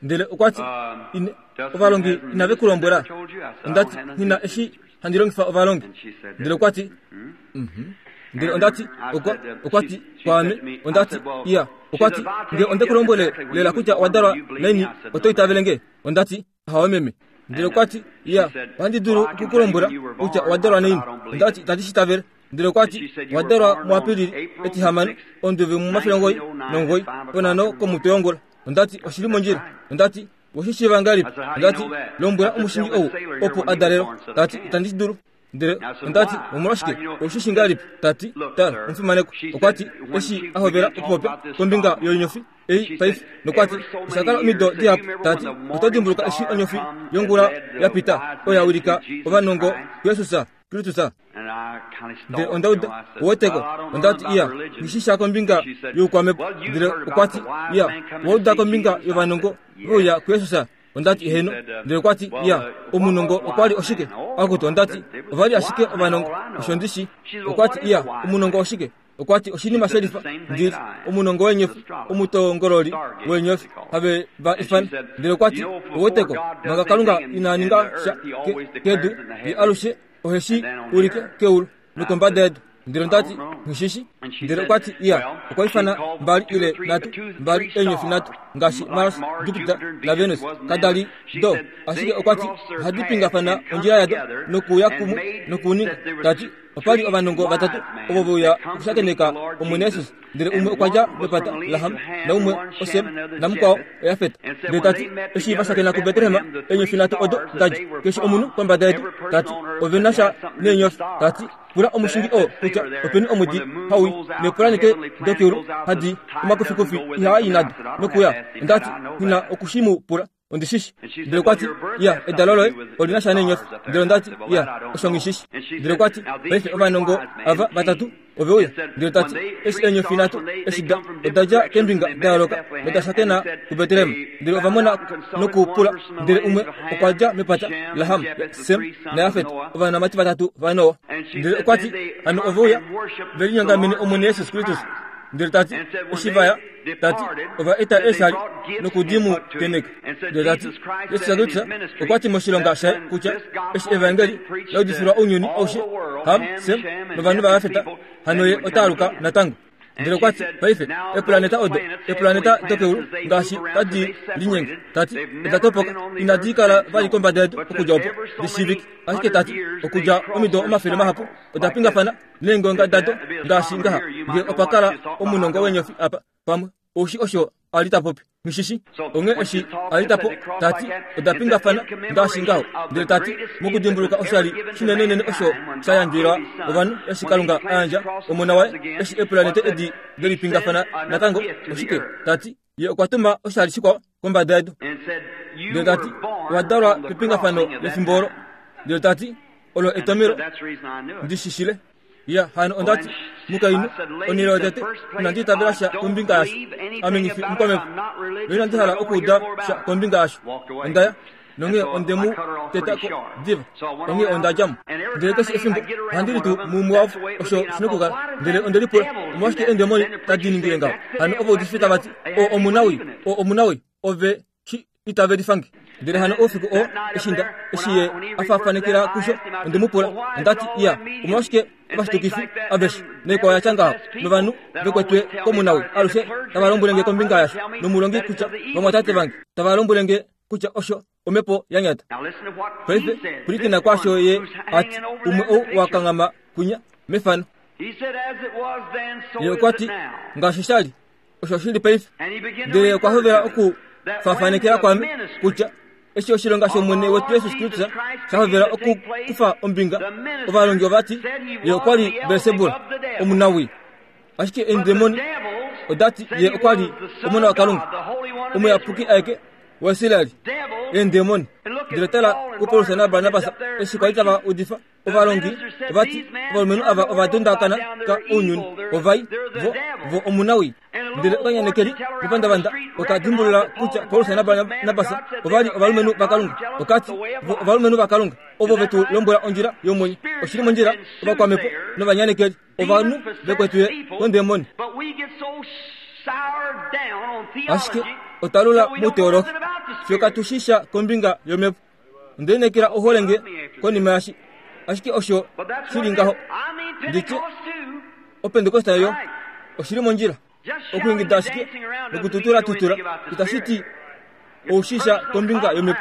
[SPEAKER 1] Ndele okwa ti ovalongi inave ku lombwela. Ondati nina eshi handi longifa ovalongi. Ndele okwa ti mhm. Ndele ondati okwa okwa ti kwaame. Ondati iya. Okwa ti nge onde ku lombwele lela kutya owadalwa naini oto itavele nge? Ondati ahawe meme. Ndele okwa ti, ya, ohandi dulu okukulombwela kutya owa dalwa naini. Onda ti, itandi shi itavele. Ndele okwa ti, owa dalwa muApilili etihamano, onduvi momafele omugoyi nomugoyi, ponhano komutwe wongula. Onda ti, oshili mondjila. Onda ti, oweshi shiiva ngahelipi? Onda ti, lombwela omushingi ou opo a dalelwa. Ta ti, itandi shi dulu. Ndele onda ti, omolwashike oushi shi ngahelipi? Ta ti, tala, omufimanekwa. Okwa ti, eshi a hovela okupopya kombinga yoinyofi ei paife, nokwa ti, osha kala omido dihapu. Ta ti, oto dimbuluka eshi onyofi yongula ya pita, oyo ya wilika ovanongo kuJesus Kristus? Ndele onda uda, uweteko. Onda ti, iya, nghi shi sha kombinga youkwamhepo. Ndele okwa ti, iya, owa uda kombinga yovanongo veuya kuJesus? Onda ti, heno. Ndele okwa ti, iya, omunongo okwa li oshike? Akutu, onda ti, ova li ashike ovanongo, osho ndi shi. Okwa ti, iya, omunongo oshike? Okwa ti, oshinima shelifa, ndili omunongo weenyofi, omutongololi weenyofi, have va ifana. Ndele okwa ti, uweteko, manga Kalunga ina ninga sha kedu, ye alushe oheshi ulike keulu nokombada yedu. Ndele onda ti, nghishishi. Ndele okwa ti, iya, okwa ifana mbali ile nhatu, mbali eenyofi nhatu, ngaashi Mars, Jupiter naVenus, kada li do. Ashike okwa ti, ohadi pingafana ondjila yado nokuuya kumwe nokuninga. Ta ti, opa li ovanongo vatatu ovo veuya okushakeneka Omwene Jesus. Ndele umwe okwa dja mepata laHam, naumwe oSem, namukwao oJafet. Ndele ta ti, eshi va shakena kuBetlehem, eenyofi nhatu odo da dja keshe omunhu kombada yedu. Ta ti, ove na sha neenyofi. Ta ti, pula omushingi oo kutya openi omwedi haui neepulanete dokeulu hadi omakufikufi ihaa i nado nokuya. Onda ti, nghi na oku shi mu pula. Ondi shi shi. Ndele okwa ti, iya, edalo loye oli na sha neenyofi. Ndele onda ti, iya, osho nghi shi shi. Ndele okwa ti, paife ovanongo ava vatatu ove uya. Ndele ta ti, eshi eenyofi nhatu eshi da oda dja keembinga da yooloka noda shakena kuBetlehem. Ndele ova mona nokupula. Ndele umwe okwa dja mepata laHam, Sem naJafet, ovanamati vatatu vaNoa. Ndele okwa ti, hano ove uya ve linyongamene Omwene Jesus Kristus. Ndele ta ti, eshi va ya, ta ti, ova eta eeshali nokudi mu teneka. Ndele ta ti, Jesus Kristus okwa ti moshilonga shaye kutya eshi evangeli la udifilwa ounyuni aushe, Ham, Sem novanhu vaJafet, hano ye ota aluka natango. Ndele okwa ti, paife eepulaneta odo, eepulaneta dokeulu ngaashi tadi linyenge, ta ti, oda topoka, inadi kala vali kombada yedu okudja opo di shiivike. Ashike ta ti, okudja omido omafele mahapu oda pingafana neengonga dado ngaashi ngaha. Nge opa kala omunongo weenyofi apa, pamwe oushi osho a li ta popi, nghishishi. Onghee eshi a li ta po, ta ti, oda pingafana ngaashi ngaho. Ndele ta ti, mokudimbuluka oshali shinenenene osho sha yandjwila ovanhu eshi Kalunga a yandja omona waye, eshi eepulanete edi delipingafana natango, oshike? Ta ti, ye okwa tuma oshali shikwao kombada yedu. Ndele ta ti, owa dalwa pepingafano lefimbo olo. Ndele ta ti, olo etomelo ndi shishile. Ya, hano onda ti, mukainhu, onhele yotete, inandi itavela sha kombinga yasho. Ame nghi fi omukwamhepo, noinandi hala okuuda sha kombinga yasho. Onda ya, nonghee onde mu teta ko diva, onghee onda dja mo. Ndele keshe efimbo ohandi litu muumwe wavo, osho shi nokukala. Ndele onde lipula, omolwashike eendemoni tadi ningile ngaho? Hano ovaudifi tava ti, o omunawii, o omunawii, ove shi itavelifange. Ndele hano oufiku oo, eshi nda, eshi ye a faafanekela kusho, onde mu pula, onda ti, iya, omolwashike ovashitukifi aveshe noikwao ya tya ngaho, novanhu vekwetwe komunawii alushe tava lombwele nge kombinga yasho, nomulongi kutya vamwatate vange tava lombwele nge kutya osho omhepo ya nyata. Paife pwilikina kwaasho ye a ti, umwe ou wa kanghama kwinya mefano. Ye okwa ti, ngaashi sha li, osho shi li paife. Ndele okwa hovela oku faafanekela kwame kutya eshi oshilonga shOmwene wetu Jesus Kristus sha hovela okukufa ombinga, ovalongi ova ti ye okwa li Belsebul, omunawii. Ashike eendemoni oda ti ye okwa li omona waKalunga, omuyapuki aeke waIsrael. Eendemoni. Ndele tala kuPaulus naBarnabas eshi kwa li tava udifa, ovalongi ova ti ovalumenhu ava ova dondakana ka ounyuni, ovai vo vo omunawii. Ndele okanyanekeli mepandavanda oka dimbulula kutya Paulus naBarnabas ova li ovalumenhu vaKalunga. Oka ti vo ovalumenhu vaKalunga ovo vetu lombwela ondjila yomwenyo. Oshili mondjila ovakwamhepo novanyanekeli, ovanhu vekwetwe kondemoni. Ashike otwa lula mouteologi, fiyo katu shi sha kombinga yomhepo. Onde lineekela ohole nge konima yashi. Ashike osho shi li ngaho, nditye opentekosta yo oshili mondjila. Okuingida ashike nokututula tutula itashi ti oushisha kombinga yomhepo.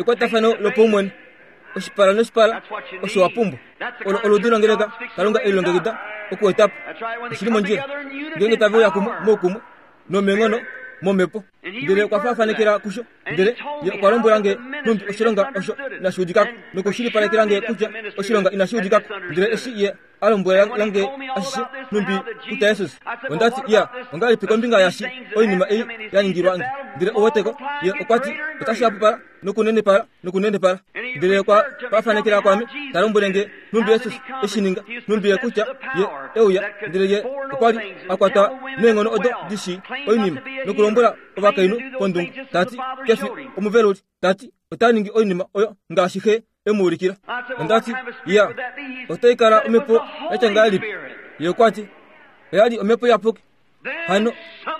[SPEAKER 1] Ekwatafano lopaumwene, oshipala noshipala, osho wa pumbwa. Olo oludi longeleka Kalunga e lilongekida okuetapo. Oshili mondjila ngeenge tave uya kumwe moukumwe nomenghono momhepo. Ndele okwa faafanekela kusho, ndele ye okwa lombwela nge nhumbi oshilonga osho inashi udikako, nokushilipalekela nge kutya oshilonga inashi udikako. Ndele eshi ye a lombwela nge ashishe nhumbi kutya Jesus, onda ti, ya, ongahelipi kombinga yashi oinima ei ya ningilwa nge? Ndele ouweteko, ye okwa ti otashi hapupala nokunenepala nokunenepala. Ndele okwa faafanekela kwame, ta lombwele nge nhumbi Jesus eshi ninga, nhumbi ye kutya ye euya, ndele ye okwa li a kwatwa neenghono odo di shii oinima, nokulombwela ovakainhu pondungu, tati kefi omuveluli, tati ota ningi oinima oyo ngaashi xe e mu ulikila. Onda ti, ya, otai kala omhepo yatya ngahelipi? Ye okwa ti, oya li omhepo iyapuki. Hano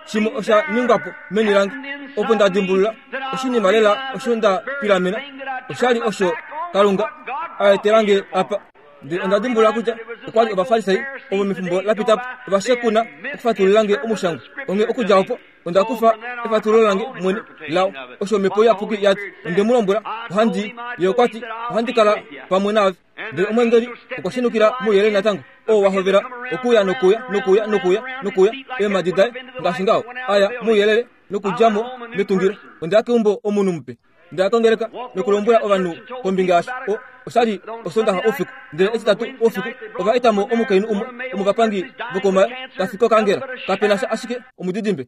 [SPEAKER 1] shimwe osha ningwa po meni lange, opo nda dimbulula oshinima lela osho nda pilamena, osha li osho Kalunga a etela nge apa. Ndele onda dimbulula kutya okwa li Ovafarisai ovo mefimbo la pita po ova shekuna okufatulula nge omushangwa. Onghee okudja opo onda kufa efatululo lange mwene lao, osho omhepo iyapuki ya ti. Onde mu lombwela, ohandi, ye okwa ti, ohandi kala pamwe naave. Ndele omweengeli okwa shenukila mouyelele natango, oo wa hovela okuya nokuya nokuya nokuya nokuya eemhadi daye ngaashi ngaho, aya mouyelele nokudja mo metungilo. Onda ya keumbo omunhu mupe. Nda ya kongeleka nokulombwela ovanhu kombinga yasho. O, osha li Osondaxa oufiku, ndele Etitatu oufiku ova eta mo omukainhu umwe womovapangi vokomayo ta fi kokangela. Kape na sha ashike omudidimbe.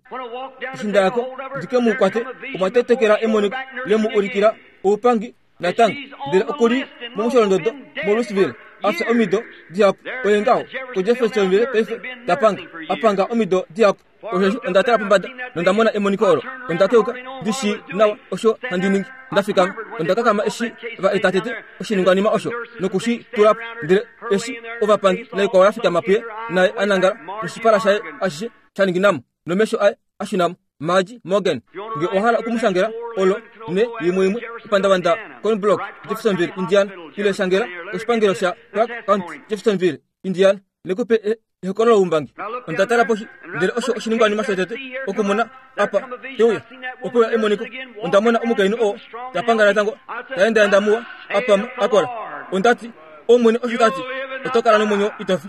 [SPEAKER 1] Eshi nda ya ko ndi ke mu kwate, omwa tetekela emoniko le mu ulikila oupangi natango. Ndele oku li momusholondodo moLouisville, a fya omido dihapu. Oye ngaho koJeffersonville paife ta panga, a panga omido dihapu. Osheshi onda tala pombada nonda mona emoniko olo. Onda keuka ndi shii nawa osho handi ningi. Nda fikama, onda kakama eshi va eta tete oshiningwanima osho noku shi tula po. Ndele eshi ovapangi naikwao ya fikama puye, naye a nangala noshipala shaye ashishe sha ninginamo, nomesho aye a shunamo. Margie Morgan, nge owa hala okumushangela olo ne yimwe imwe epandavanda Cornblock, Jeffersonville, Indiana, ile shangela koshipangelo sha Clark County, Jeffersonville, Indiana, lekupe ehokololo loumbangi. Onda tala poshi, ndele osho oshiningwanima shotete okumona apa teuya opo ya emoniko. Onda mona omukainhu oo ta panga natango, ta endaenda muwa, a pama, a kola. Onda ti, Omwene osho ta ti, oto kala nomwenyo ito fi.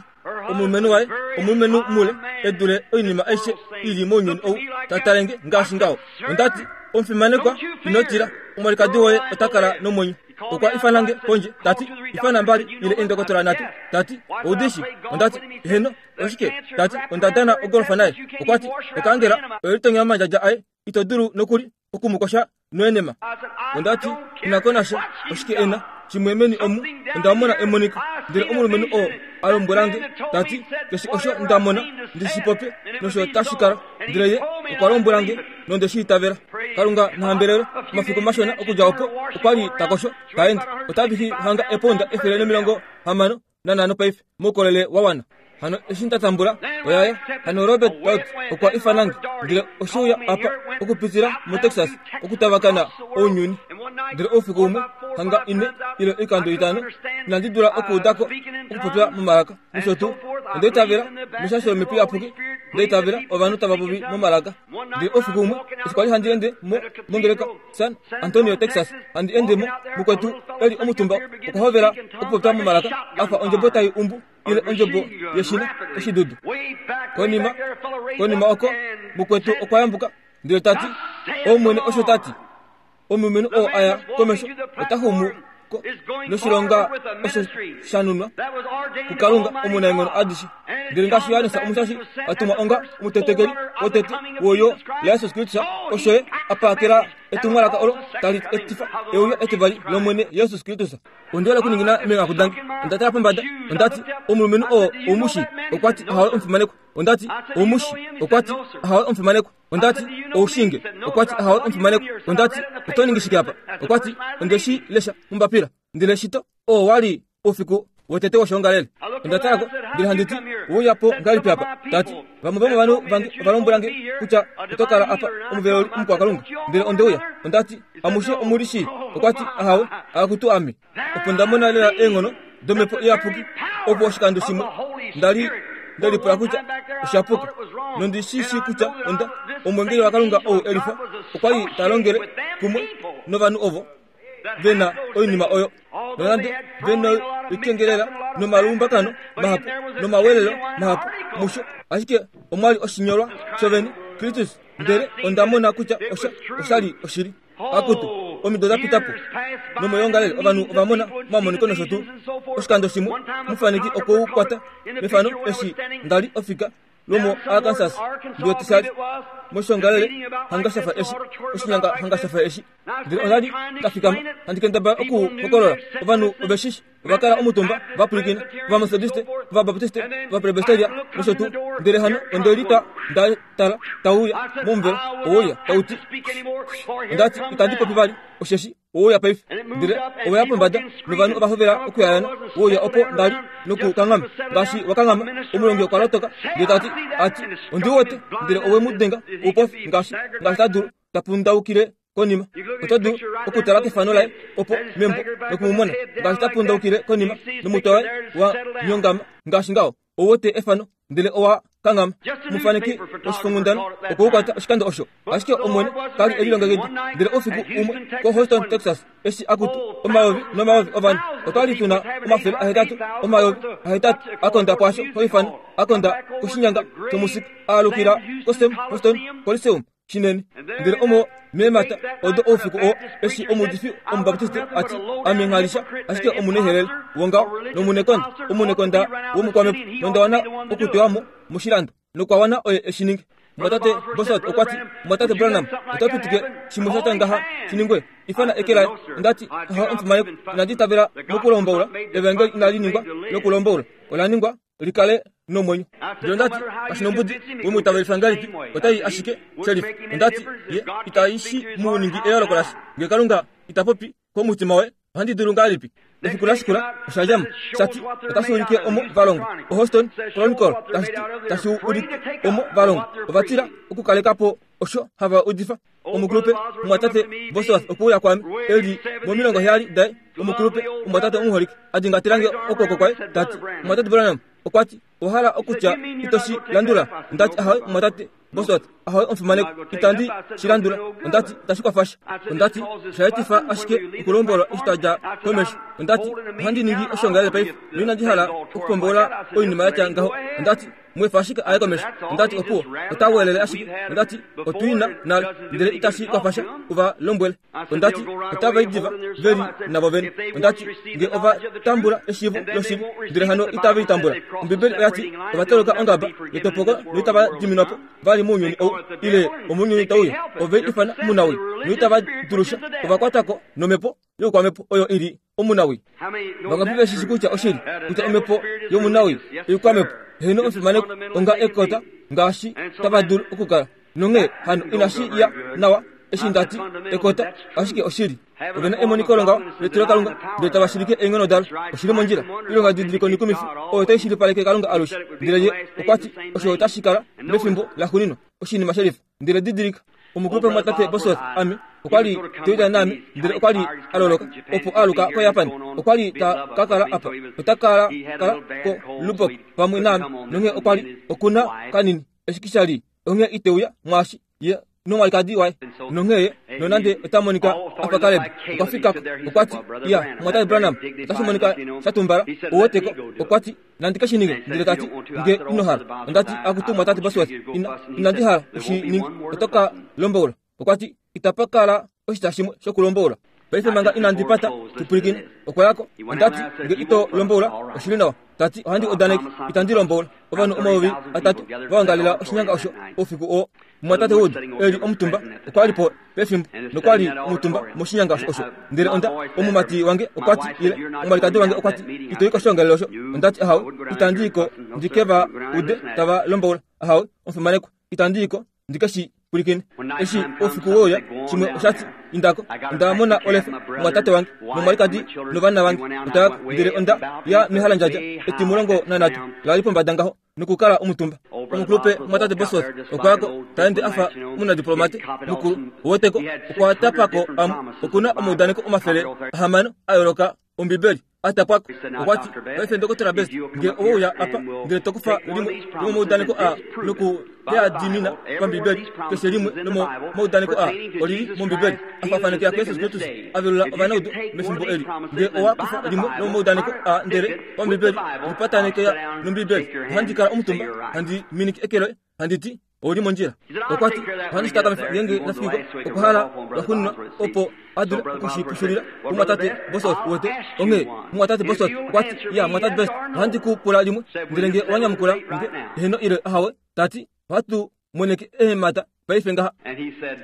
[SPEAKER 1] Omulumenhu waye omulumenhu mule e dule oinima aishe i li mounyuni ou, ta tale nge ngaashi ngaho. Onda ti, Omufimanekwa, ino tila, omwalikadi woye ota kala nomwenyo. Okwa ifana nge pondje, ta ti, ifana mbali ile eendokotola nhatu. Ta ti, oudishi? Onda ti, heno, oshike? Ta ti, onda dana ogolfa naye. Okwa ti, okaangela oye litonya omandjadja aye, ito dulu nokuli oku mu kosha noenema. Onda ti, ina ko nasha, oshike e na? Shimwe meni omu, onda mona emoniko. Ndele omulumenhu oo a lombwela nge, ta ti, keshe osho nda mona, ndi shi popye, nosho tashi kala. Ndele ye okwa lombwela nge, nonde shi itavela. Kalunga na hambelelwe. Omafiku mashona okudja opo, okwa li ta kosho, ta ende. Ota vihi hanga epounda efele nomilongo hamano nanhano paife, moukolele wa wana. Hano eshi nda tambula oyaye, hano Robert Dot okwa ifana nge, ndele oshe uya apa okupitila moTexas okutavakana ounyuni. Ndele oufiku umwe, hanga ine ile oikando itano, inandi dula okuudako okupopya momalaka nosho tuu. Onda itavela meshasho lomhepo iyapuki, nda itavela ovanhu tava popi momalaka. Ndele oufiku umwe, eshi kwali handi ende mo mongeleka San Antonio, Texas, handi ende mo, mukwetu e li omutumba okwa hovela okupopya momalaka a fa ondjebo tai umbu ile ondjebo yeshina oshidudu. Konima, konima oko, mukwetu okwa yambuka ndele ta ti, Omwene osho ta ti, omulumenhu oo a ya komesho ota xumu ko noshilonga osho sha nunwa kuKalunga omunaenghono adishe. Ndele ngaashi Johannes Omushashi a tumwa onga omutetekeli wotete woyo laJesus Kristus, osho ye a pakela etumwalaka olo tali etifa euyo etivali lOmwene Jesus Kristus. Onde uya okuningina meenghaku dange, onda tala pombada, onda ti, omulumenhu oo oumushi? Okwa ti, Ahawe omufimanekwa. Onda ti, oumushi? Okwa ti, Ahawe omufimanekwa. Onda ti, oushinge? Okwa ti, Ahawe omufimanekwa. Onda ti, oto ningi shike apa? Okwa ti, onde shi lesha mombapila. Ndele shito oo wa li oufiku wotete woshoongalele. Onda tala ko, ndele handi ti, ouya po ngahelipi apa? Ta ti, vamwe vomovanhu vange ova lombwela nge kutya oto kala apa omuveluli omukwakalunga. Ndele onde uya. Onda ti, amushe omu li shii? Okwa ti, ahawe, akutu ame. Opo nda mona lela eenghono domhepo iyapuki, opo oshikando shimwe nda li nde lipula kutya osha puka, nondi shi shii kutya onda omwengeli waKalunga ou e lifa okwa li ta longele kumwe novanhu ovo. vena oinima oyo nonande vena oikengelela nomalumbakano mahapu nomawelelo mahapu musho ashike omwali oshinyolwa shovene Kristus ndele onda mona kutya osha oshali oshili akutu omido dapitapo nomoyongalele ovanhu ovamona omamoniko nosho tuu oshikando shimwe mufaneki okwoukwata mefano eshi ndali ofika lomo Arkansas ndiotisali moshongalele hanga shafa eshi oshinyanga hanga shafa eshi ndele ondali ndafikama handi kendabala okuhokolola ovanhu oveshishi ovakala omutumba vapulikina ovamethodiste ovabaptiste ovapresbyteria nosho tuu ndele hano ondelitwa ndatala tauya momuvelo owouya tauti ondati itandi popi vali osheshi owouya paife ndele oweya pombada novanhu ovahovela okuyayana wouya opo ndali nokukanghama ngaashi wakanghama omulongi okwa lotoka ndele tati ati ondiwete ndele owe mu denga oupofi ngaashi ngaashi ta dulu tapundaukile konima oto dulu okutala kefano laye opo membo nokumumona ngaashi tapundaukile konima nomutwe waye wa nyongama ngaashi ngaho owote efano ndele owa kanghama mufaneki oshifongundana okwoukwata oshikando osho ashike omwene kali elilongekida ndele oufiku umwe ko Houston Texas eshi akutu omayovi nomayovi ovanhu otwali tuna omafele ahetatu omayovi ahetatu akonda kwasho hoifano akonda koshinyanga chomusika aalukila ko Sam Houston Coliseum shinene ndele omo meemata odo oufiku oo eshi omuudifi omubaptiste ati ame nghalisha ashike omunehelele wongaho nomunekonda omunekonda womukwamepo nondawana okutewamo moshilando nokwawana oye eshininge mwatate Bosworth okwati mwatate Branham otapitike shimwe shatya ngaha shiningwe ifana eke laye ondati aha omufimaneko inandi tavela mokulomboula evangeli inali ningwa lokulomboula ola ningwa likale nomwenyo ndele ondati kashinombudi wemwitavelifa ngahelipi otai ashike shelifa ondati ye itaishi muningi eyooloko lasha nge Kalunga itapopi komutima waye ohandi dulu ngahelipi efiku lashikula oshadjamo shati otashi ulike omo valongwa oHouston Chronicle tashi ulike omo valongwa ovatila okukalekapo osho hava udifa omukulupe omwatate Bosworth okuuya kwame eli momilongo heyali daye omukulupe omwatate omuholike adingatilange okwooko kwaye tati omwatate Branham okwati owahala okutya itoshi landula ondati ahawe omwatate Bosworth ahawe omufimaneko itandi shilandula ondati itashi kwafasha ondati oshaetifa ashike okulombolwa eshi tadja komesho ondati ohandi ningi oshongalele paife noinandi hala okupombola oinima yatya ngaho ondati mwefa ashike aye komesho ondati opuwo otawelele ashike ondati otwina nalo ndele itashi kwafasha uva lombwele ondati otavaidiva veli navo vene ondati nge ova tambula eshiivo loshili ndele hano itave itambula ombibeli oyati ovatoloka ongaba yetopoko noitava diminwapo vali mounyuni ou ile omounyuni tauya ove ifana munawi noitava dulusha ovakwatako nomhepo youkwamepo oyo ili omunawi vangapi veshishi kutya oshili kutya omhepo yomunawi oikwamepo heno omufimaneko onga ekota ngaashi tava dulu okukala nonghee hano inashi ya nawa eshi ndati ekota ashike oshili ovena emoniko longaho letilokalunga ndele tava shilike eenghono dalo oshili mondjila ilonga didiliko nikumifi oyo tai shilipaleke Kalunga alushe ndele ye okwati osho otashi kala mefimbo laxuuninwa oshinima shelifa ndele didilika omukulupe mwatate Bosworth ame okwali teuta naame ndele okwali aloloka opo aluka ko Japan okwali ta kakala apa ota kala kala ko Lubbock pamwe naame nonghee okwali okuna kanini eshikishali onghee iteuya mwaashi ye nomwalikadi waye nonghee nonande ota monika afa Caleb okwafikako okwati iya mwatate Branham otashi monika shatumbala oweteko okwati nandi keshininge ndele tati nge inohala ondati akutu mwatate Bosworth inandi hala ushininge otoka lomboula okwati itapakala oshita shimwe shokulomboula paife manga inandi pata tupulikine okwayako ondati nge ito lomboula oshili nawa tati ohandi odaneke itandi lomboula ovanhu omayovi atatu vaongalela oshinyanga osho oufiku oo mwatate Wood eli omutumba okwali po pefimbo nokwali omutumba moshinyanga osho ndele onda omumati wange okwati ile omwalikadi wange okwati itoyi koshiongalelo osho ondati ahawe itandiyiko ndikeva ude tava lomboula ahawe omufimanekwa itandiyiko ndikeshi pulikine eshi oufiku wouya shimwe oshati indako onda mona olefa mwatate wange nomwalikadi novana vange otayako ndele onda ya mehalandjadja etimulongo nanhatu lali pombada ngaho nokukala omutumba omukulupe mwatate Bosworth okwayako taende afa omunadiplomate mukulu oweteko okwatapako amwe okuna omaudaneko omafele ahamano a yooloka ombibeli Atapwako okwati paife Ndokotola Best nge oweuya apa ndele tokufa limwe lomomaudaneko a noku leadimina pambibeli keshe limwe lomomaudaneko a olili mombibeli afafanekela kuYesus Kristus avelula ovanaudu mefimbo eli nge owa kufa limwe lomomaudaneko a ndele pambibeli lipatanekela nombibeli ohandi kala omutumba handi miniki ekelo handiti oli mondjila okwati ohandi shitakamifa ngenge nafikiko okuhala lwaxuuninwa opo adule okushipushulila kumwatate Bosworth wete onghee mwatate Bosworth okwati ya mwatate Best ohandi ku pula limwe ndele nge owanyamukula nge eheno ile ahawe tati ohatu moneke eemhata paife ngaha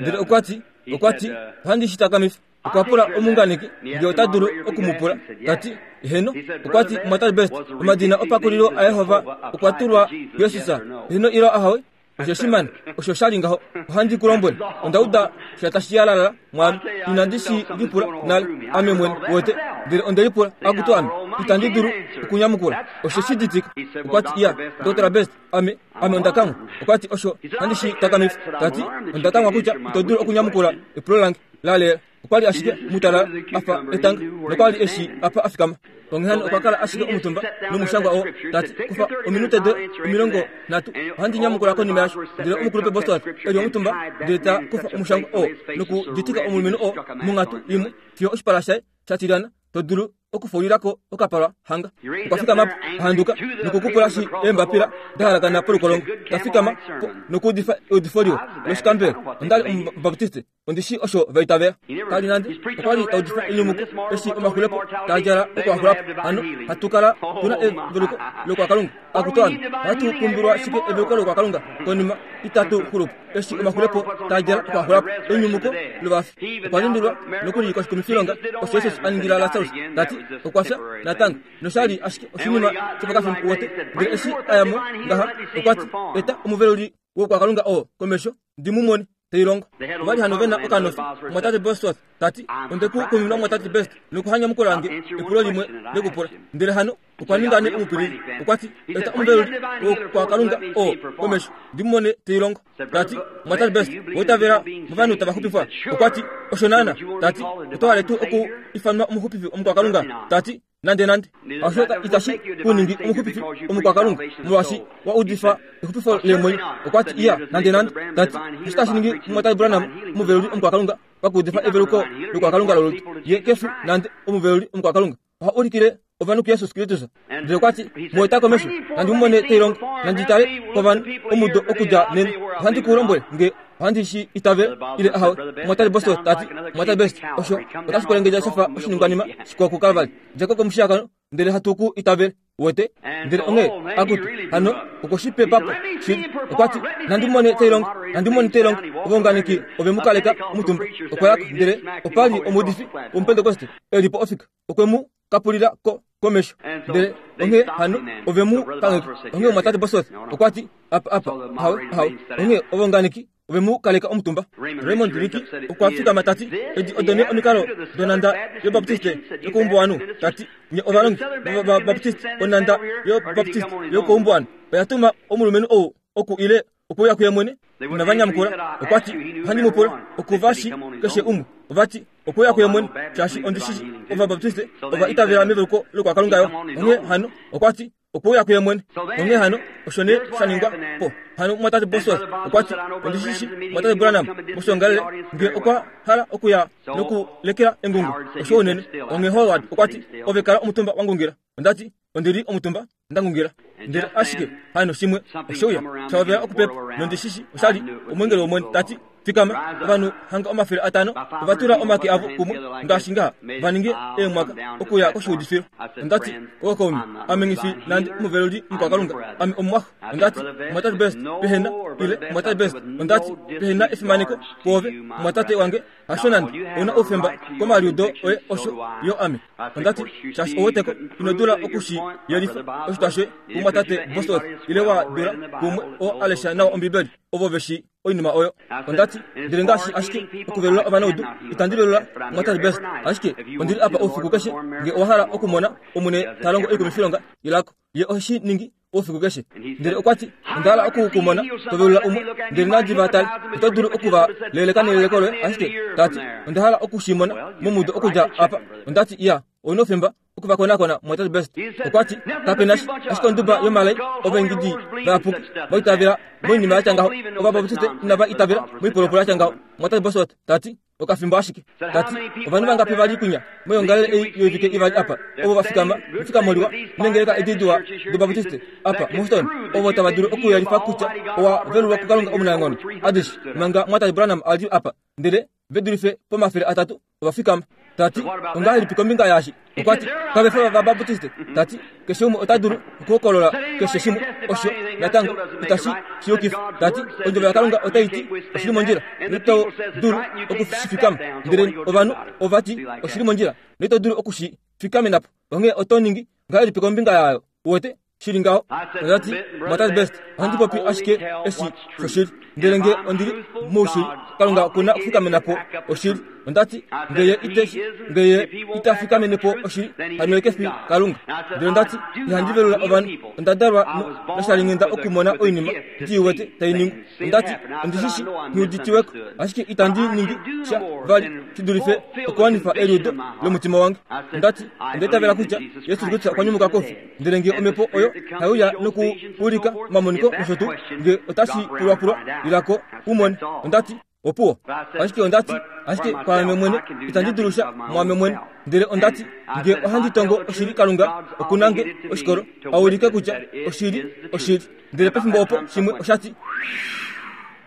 [SPEAKER 1] ndele okwati okwati ohandi shitakamifa okwa pula omunganeki nge ota dulu okumupula tati eheno okwati mwatate Best omadina opakulilo aYehova okwa tulwa kuYesus eheno ile ahawe osho shimana osho shali ngaho ohandi ku lombwele onda uda sha tashi yalala mwami inandi shi lipula nale ame mwene wete ndele onde lipula akutu ame itandi dulu okunyamukula osho shiditika okwati iya Ndokotola Best ame ame onda kamwa okwati osho handi shi takamifa tati onda kamwa kutya ito dulu okunyamukula epulo lange lalela okwali ashike mutalala afa etanga nokwali eshi apa afikama onghee hano okwa kala ashike omutumba nomushangwa oo tati kufa ominute de omilongo nhatu ohandi nyamukula konima yasho ndele omukulupe Bosworth eli omutumba ndele ta kufa omushangwa oo nokuditika omulumenhu oo monghatu imwe fiyo oshipala shaye sha tilyana to dulu okufuulilako okapalwa hanga okwa fikama po ahanduka nokukupula shi eembapila da halakana polukolongo ta fikama po nokuudifa eudifo liwa loshikambelo ondali omubaptiste ondishi osho vaitavela kali nande okwali taudifa enyumuko eshi omaxulepo taadjala okuaxulapo hano hatukala tuna eveluko lokwakalunga akutu ame ohatu pumbilwa shike eveluko lokwakalunga konima itatu xulupo eshi omaxulepo taadjala okuaxulapo enyumuko lovafi okwa lundulwa nokuli koshikumifilonga osho Jesus a ningila Lasarus tati okwa fya natango noshali ashike oshinima shopakafimbo wote ndele eshi ayamo ngaha okwati eta omuveluli wokwakalunga oo komesho ndimumone teilongo ovali hano vena okanofi mwatate Bosworth tati onde ku kuminwa mwatate Best nokuhanyamukula nge epulo limwe lekupula ndele hano okwa ninga ne omupilili okwati eta omuveluli wokwakalunga oo komesho ndimumone teilongo tati mwatate Best woitavela movanhu tava xupifwa okwati osho naana tati oto tuu oku ifanwa omuxupifi omukwakalunga tati nande nande osho itashi kuningi omuxupifi omukwakalunga molwaashi wa udifa exupifo lemwenyo okwati iya nande nande tati oshitashi ningi mwatate Branham omuveluli omukwakalunga pakuudifa eveluko lokwakalunga lolutu ye kefi nande omuveluli omukwakalunga oha ulikile ovanhu kuYesus Kristus ndele okwati mueta komesho nandi mumone teilongo nandi tale kovanhu omudo okudja nena ohandi ku lombwele nge ohandi shi itavele ile ahawe mwatate Bosworth tati mwatate Best osho otashi kwelengedja shafa oshiningwanima shikwao kuKalvari djako komushiyakano ndele hatu ku itavele wete ndele onghee akutu hano okwoshipepapo shili okwati nandi mumone teilongo nandi mumone teilongo ovaunganeki ove mu kaleka omutumba okwayako ndele opali omuudifi womupentekoste elipo ofika okwe mu kapulila ko komesho ndele onghee hano ove mu kangheka onghee mwatate Bosworth okwati apa apa hawe hawe onghee ovaunganeki ove mu kaleka omutumba Raymond Ricky okwa fikama tati edi odone omikalo donanda yobaptiste yokoumbuwanu tati nye ovalongi vabaptiste onanda yobaptiste yokoumbuwanu oya tuma omulumenhu ou oku ile okuya kuye mwene inavanyamukula okwati ohandi mupula okuvashi keshe umwe ovati okuya kuye mwene shaashi ondishishi ovabaptiste ova itavela meveluko lokwakalunga yo onghee hano okwati okuya kuye mwene onghee hano osho ne sha ningwa po hano mwatate Bosworth okwati ondishishi mwatate Branham moshongalele nge okwa hala okuya nokulekela engungu osho unene onghee Howard okwati ove kala omutumba wangungila ondati ondili omutumba ndangungila ndele ashike hano shimwe oshouya shavela okupepa nondishishi oshali omwengeli womwene tati fikama ovanhu hanga omafele atano ovatula omake avo kumwe ngaashi ngaha vaninge eemwaka okuya koshiudifilo ondati okaume ame ngifi nande omuveluli mukwakalunga ame omumwaxo ondati mwatate Best pehena ile mwatate Best ondati pehena efimaneko kwoove mwatate wange hasho nande ouna oufemba komaliudo oye osho yo ame ondati shaashi oweteko ino dula okushi yelifa oshitwa shoye kumwatate Bosworth ile wa dula kumwe oo alesha nawa ombibeli ovo veshi oinima oyo ondati ndele ngaashi ashike okuvelula ovanaudu itandi velula mwatate Best ashike ondili apa oufiku keshe nge owa hala okumona omune ta longo oikumifilonga ilako ye oshi ningi oufiku keshe ndele okwati onda hala okukumona tovelula umwe ndele nandi vatale oto dulu okuva leleka neleleko loye ashike tati onda hala okushimona momudo okudja apa ondati iya ouna oufemba okuvakonakona mwatate Best. Okwati kapena ashike onduba yomalai ovaingidi vayapuki vaitavela moinima yatya ngaho, ovabaptiste inava itavela moipolopolo yatya ngaho. Mwatate Bosworth tati okafimbo ashike. Tati ovanhu vangapi vali kunya moyongalele ei yoivike ivali apa ovo vafikama mefikamoliwa nengeleka edidiwa dobaptiste apa muHouston, ovo tava dulu okuyelifa kutya owa velulwa kuKalunga omunaenghono adishe manga mwatate Branham ali apa, ndele vedulife pomafele atatu ovafikama. Tati ongahelipi kombinga yaashi? Okwati kave fi vabaptiste. Tati keshe umwe ota dulu okuhokolola keshe shimwe osho natango itashi shiyukifa. Tati ondjovo yaKalunga otai ti oshili mondjila noito dulu okushifikama, ndele ovanhu ovati oshili mondjila noito dulu okushifikamenapo. Onghee oto ningi ngahelipi kombinga yayo? Uwete shili ngaho. Ondati mwatate Best, ohandi popi ashike eshi shoshili, ndele nge ondili moushili, Kalunga okuna okufikamenapo oshili. Ondati ngeye iteshi ngeye itafikamenepo oshili, hano ye kefi Kalunga. Ndele ondati ihandi velula ovanhu, onda dalwa noshalinghenda okumona oinima ndiiwete tai ningwa. Ondati ondishishi nghiuditiweko, ashike itandi ningi sha vali shidulife okuwanifa eliudo lomutima wange. Ondati ondaitavela kutya Yesu Kristus okwa nyumuka koufi, ndele nge omhepo oyo haiuya nokuulika omamoniko nosho tuu, nge otashi pulwapulwa lilako umone. Ondati opuwo. Ashike ondati ashike kwaame mwene itandi dulu sha mwaame mwene, ndele ondati nge ohandi tongo oshili, Kalunga okunange oshikolo aulike kutya oshili oshili. Ndele pefimbo opo shimwe oshati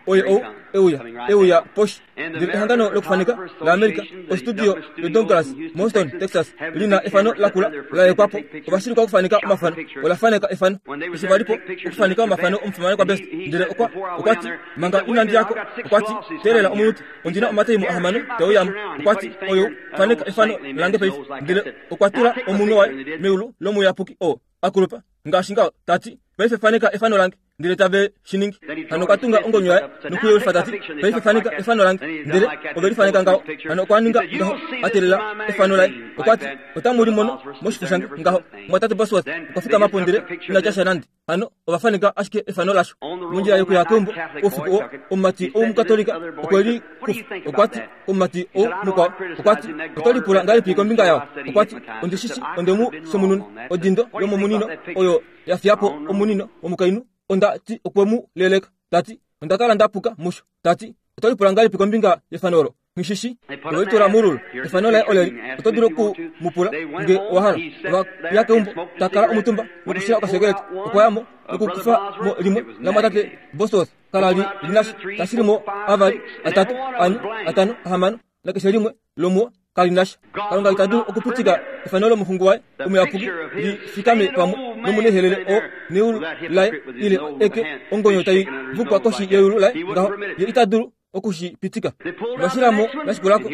[SPEAKER 1] oye ou euya euya poshi. Ndele ehangano lokufaneka laAmerica, ostudio yoDouglas muHouston, Texas, lina efano lakula la yekwapo. Ovashilika okufaneka omafano ola faneka efano eshi valipo okufaneka omafano omufimanekwa Best. Ndele okwa okwati manga inandi yako, okwati teelela omunute, ondina omataimu ahamano teuyamo. Okwati oyo faneka efano lange paife. Ndele okwa tula omunwe waye meulu lomuyapuki oo akulupa ngaashi ngaho, tati paife faneka efano lange. Ndele tave shiningi. Hano okwa tunga ongonyo yaye nokuyelifa tati paife faneka efano lange. Ndele ove lifaneka ngaho. Hano okwa ninga ngaho atelela efano laye. Okwati otamu limono moshifo shange ngaho. Mwatate Bosworth okwa fikama po ndele inatya sha nande. Hano ovafaneka ashike efano lasho. Mondjila yokuya keumbo oufiku oo, omumati oumukatolika okwe li kufa. Okwati omumati ou mukwao okwati oto lipula ngahelipi kombinga yao? Okwati ondishishi ondemu somununa odindo yomomunino oyo yafiyapo omunino womukainhu. Onda ti okwe mu leleka. Tati onda kala ndapuka musho. Tati oto lipula ngahelipi kombinga yefano olo? Ngishishi ovelitula mululu efano laye oleli. Oto dulu okumupula nge owa hala. Ova ya keumbo takala omutumba nokushila okasekeleta. Okwayamo nokukufa mo limwe lamwatate Bosworth kala li linasha tashilimo avali atatu ane atano ahamano nakeshe limwe lomuo kalinasha. Kalunga ita dulu okupitika efano lomuxungu waye omuyapuki li fikame pamwe nomunehelele oo neulu laye ile eke ongonyo tai vukwa koshi yeulu laye ngaho, ye ita dulu okushipitika. Ovashilamo lashikulako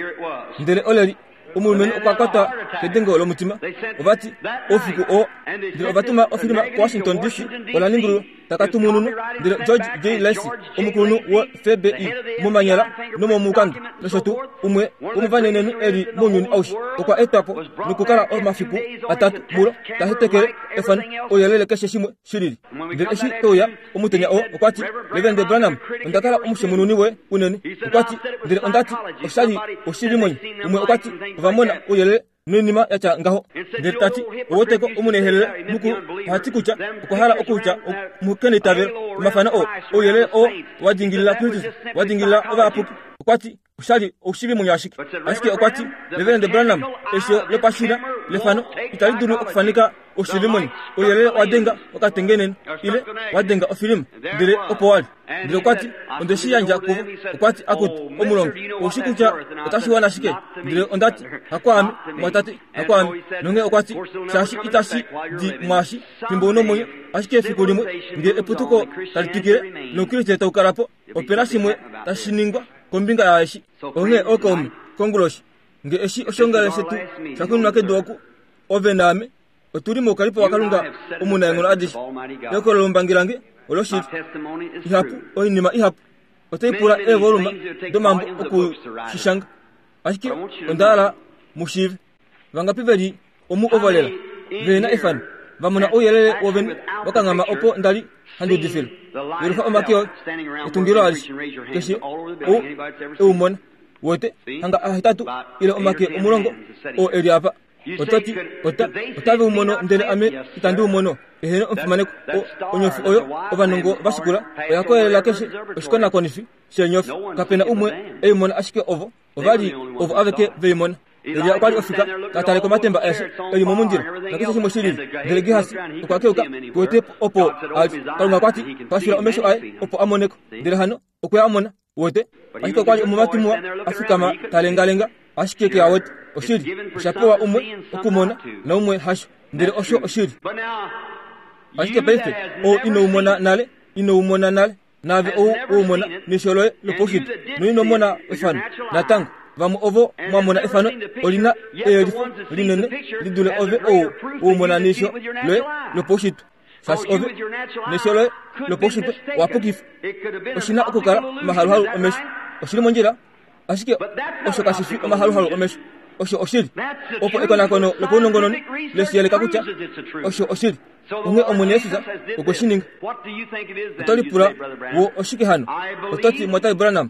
[SPEAKER 1] ndele oleli omulumenhu okwa kwatwa kedengo lomutima. Ovati oufiku oo, ndele ovatuma ofilima kuWashington D C ola ningululwa takatumununwa. Ndele George J. Lacy, omukulunhu wo F B I momanyala nomomukanda nosho tuu, umwe womovanenenhu eli mounyuni aushe, okwa etwapo nokukala omafiku atatu mulo ta hetekele efano ouyelele keshe shimwe shilili. Ndele eshi teuya omutenya oo, okwati Reverend Branham, onda kala omushemununi woye unene. Okwati ndele ondati oshali oshilimwenyo. Umwe okwati ovamona ouyelele noinima yatya ngaho. Ndele tati oweteko omunehelele mukulu ohati kutya okwa hala okutya mukenitavelo omafano oo ouyelele oo wa dingilila Kristus, wa dingilila ovayapuki. Okwati oshali oshilimwenyo ashike. Ashike okwati Reverend Branham, esho lopashina lefano itali dulu okufaneka oshilimwenyo. Ouyelele wa denga okatengenene ile wa denga ofilima, ndele opo wali. Ndele okwati onde shi yandja kuvo. Okwati akutu omulongo oushi kutya otashi wana shike? Ndele ondati hakwaame mwatate, hakwaame. Nonge okwati shaashi itashi di mwaashi fimbo unomwenyo, ashike efiku limwe nge eputuko tali twikile noukriste tau kala po, opena shimwe tashi ningwa kombinga yaeshi. Onghee okaume konguloshi nge eshi oshongale shetu shakunwa kedu oku, ove naame otuli moukalipo waKalunga omunaenghono adishe. Ehokololo lombangi lange oloshili ihapu, oinima ihapu otai pula eevoluma domambo okushishanga, ashike onda hala mushiive. Vangapi veli omu ovolela vehena efano vamona ouyelele wovene wakanghama opo ndali handi udifile. Yelufa omake oye etungilo alishe keshe ou eumona wete hanga ahetatu ile omake omulongo oo eli apa. Ototi ota otave u mono ndele ame itandi u mono. Eheno omufimaneko onyofi oyo ovanongo vashikula oya koyelela keshe oshikonakonifi sheenyofi. Kapena umwe ei mona ashike ovo ovali ovo aveke vei mona. Elia okwa li ofika ta tale komatemba aeshe eli momundilo nakeshe shimwe shilili. Ndele Gehasi okwa keuka kuwete opo ali. Kalunga okwa ti pashula omesho aye opo a moneko. Ndele hano okwe a mona wete. Ashike okwa li omumati muwa a fikama ta lengalenga ashike ke a wete. Oshili osha pewa umwe okumona naumwe hasho. Ndele osho oshili. Ashike paife ou ino umona nale, ino umona nale, naave ou umona nesho loye lopaushitwe noino mona efano natango. Vamwe ovo mwamona efano olina eyelifo linene lidule ove ou umona nesho loye lopaushitwe. Shaashi ove nesho loye lopaushitwe owapukifa. Oshina okukala omahaluhalu omesho. Oshili mondjila, ashike osho kashifi omahaluhalu omesho. Osho oshili. Opo ekonakono lopaunongononi leshiyeleka kutya osho oshili. Onghee Omwene Jesus okwe shi ninga. Oto lipula wo oshike hano? Oto ti Mwatai Branham,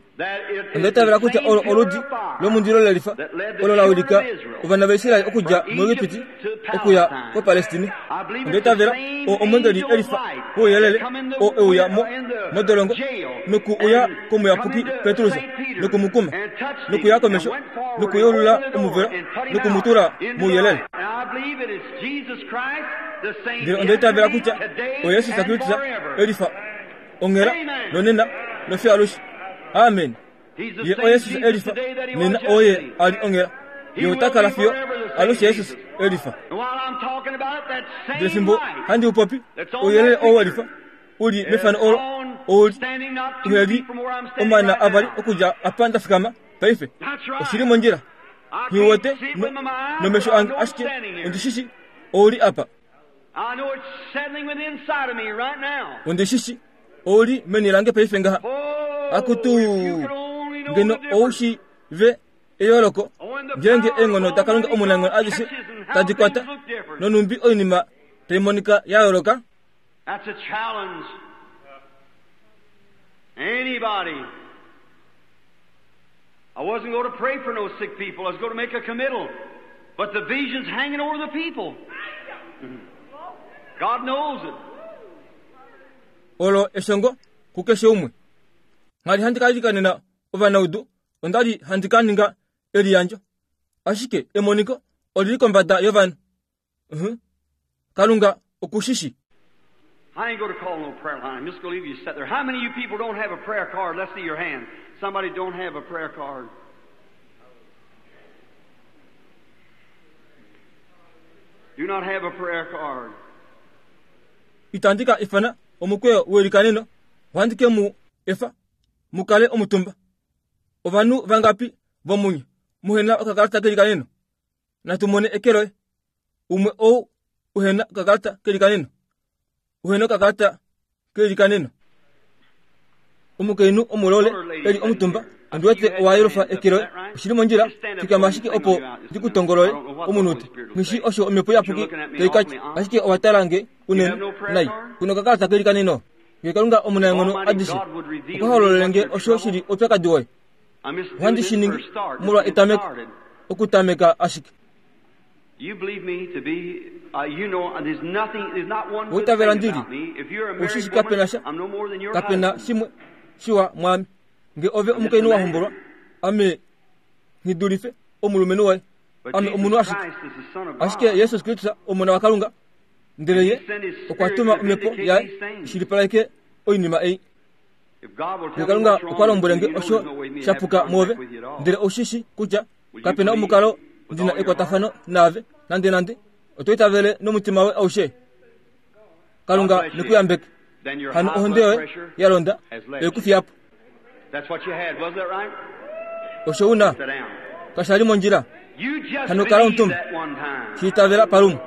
[SPEAKER 1] onda itavela kutya olo oludi lomundilo lelifa olo la wilika ovana vaIsrael okudja muEgipiti okuya koPalestine. Onda itavela oo omweengeli elifa wouyelele oo euya mo modolongo noku uya komuyapuki Petrus nokumukuma nokuya komesho nokuyeulula omuvelo nokumutula mouyelele. Ndele onda itavela kutya oYesus Kristus elifa onghela nonena nofiyo alushe. Amen. Ye oYesus elifa nena oye ali onghela. Ye ota kala fiyo alushe Jesus elifa. Ndele fimbo handi upopi ouyelele oo welifa uli mefano olo ouli uheli omana avali okudja apa nda fikama paife. Oshili mondjila. Nghiwete nomesho ange ashike ondishishi ouli apa. Ondishishi ouli meni lange paife ngaha. Akutu ngeno oushi ve eyooloko ngeenge eenghono daKalunga omunaenghono adishe tadi kwata nonumbi oinima tai monika ya yooloka.
[SPEAKER 2] That's a challenge. Anybody. I wasn't going to pray for no sick people. I was going to make a committal. But the vision's hanging over the people. God knows it.
[SPEAKER 1] Olo eshongo kukeshe umwe. Nghali handi ka ovanaudu, onda li handi ka ninga eliyandjo. Ashike emoniko olili kombada yovanhu. Uh-huh. Kalunga okushishi.
[SPEAKER 2] I ain't going to call no prayer line. I'm just going to leave you sit there. How many of you people don't have a prayer card? Let's see your hand. Somebody don't have a prayer card. Do not have a prayer card.
[SPEAKER 1] Itandika ifana omukweyo welikaneno wandike mu efa mukale omutumba. Ovanhu vangapi vomunye muhena okakalata kelikaneno? Natumone ekeloe umwe ou uhena okakalata kelikaneno. Uhena okakalata kelikaneno. Omukainhu omulole eli omutumba ondiwete owayelufa ekeloe. Oshili mondjila fikama ashike opo ndikutongolole omunute. Nghishi osho omhepo iyapuki taikatya ashike owatalange unene nai. Kuna okakalata kelikaneno. Nge Kalunga omunaenghono adishe okwa hololele osho shili oupyakadi woye. Ohandi shi ningi molwa etameko okutameka ashike. Outavela ndili ushishi kapena sha kapena shimwe shiwa mwami. Nge ove omukainhu wa hombolwa ame nghidulife omulumenhu waye. Ame omunhu ashike. Ashike Jesus Kristus omona waKalunga ndele ye okwa tuma omhepo yaye ishilipaleke oinima ei. Nge Kalunga okwa lombwele nge osho shapuka muove ndele oushishi kutya kapena omukalo ndina ekwatafano naave nande nande oto itavele nomutima we aushe. Kalunga nekuyambeke. Hano ohonde yoye ya londa ekufiyapo. Osho una kashali mondjila. Hano kala omutumba shiitavela palumwe.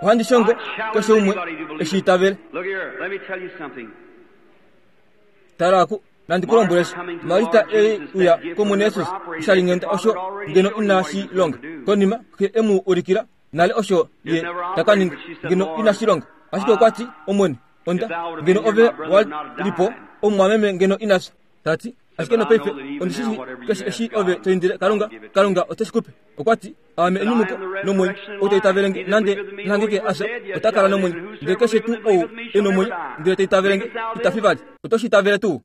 [SPEAKER 1] Ohandi shongo keshe umwe eshiitavele. Tala aku nandikulombwelesha Marita ei uya kOmwene Jesus oshalinghenda osho ngeno ina shi longa. Konima xe emu ulikila nale osho ye taka ninga ngeno ina shi longa. Ashike okwa ti Omwene onda ngeno ove walipo omumwameme ngeno ina fya. Tati Ashike nopaife ondishishi keshe eshi ove to indile Kalunga, Kalunga ote shi kupe. Okwa ti, aame enyumuko nomwenyo, ou ta itavele nge nande nahangike a fya, ota kala nomwenyo. Ndele keshe tuu ou e nomwenyo ndele ta itavele nge, ita fi vali. Oto shi itavele tuu?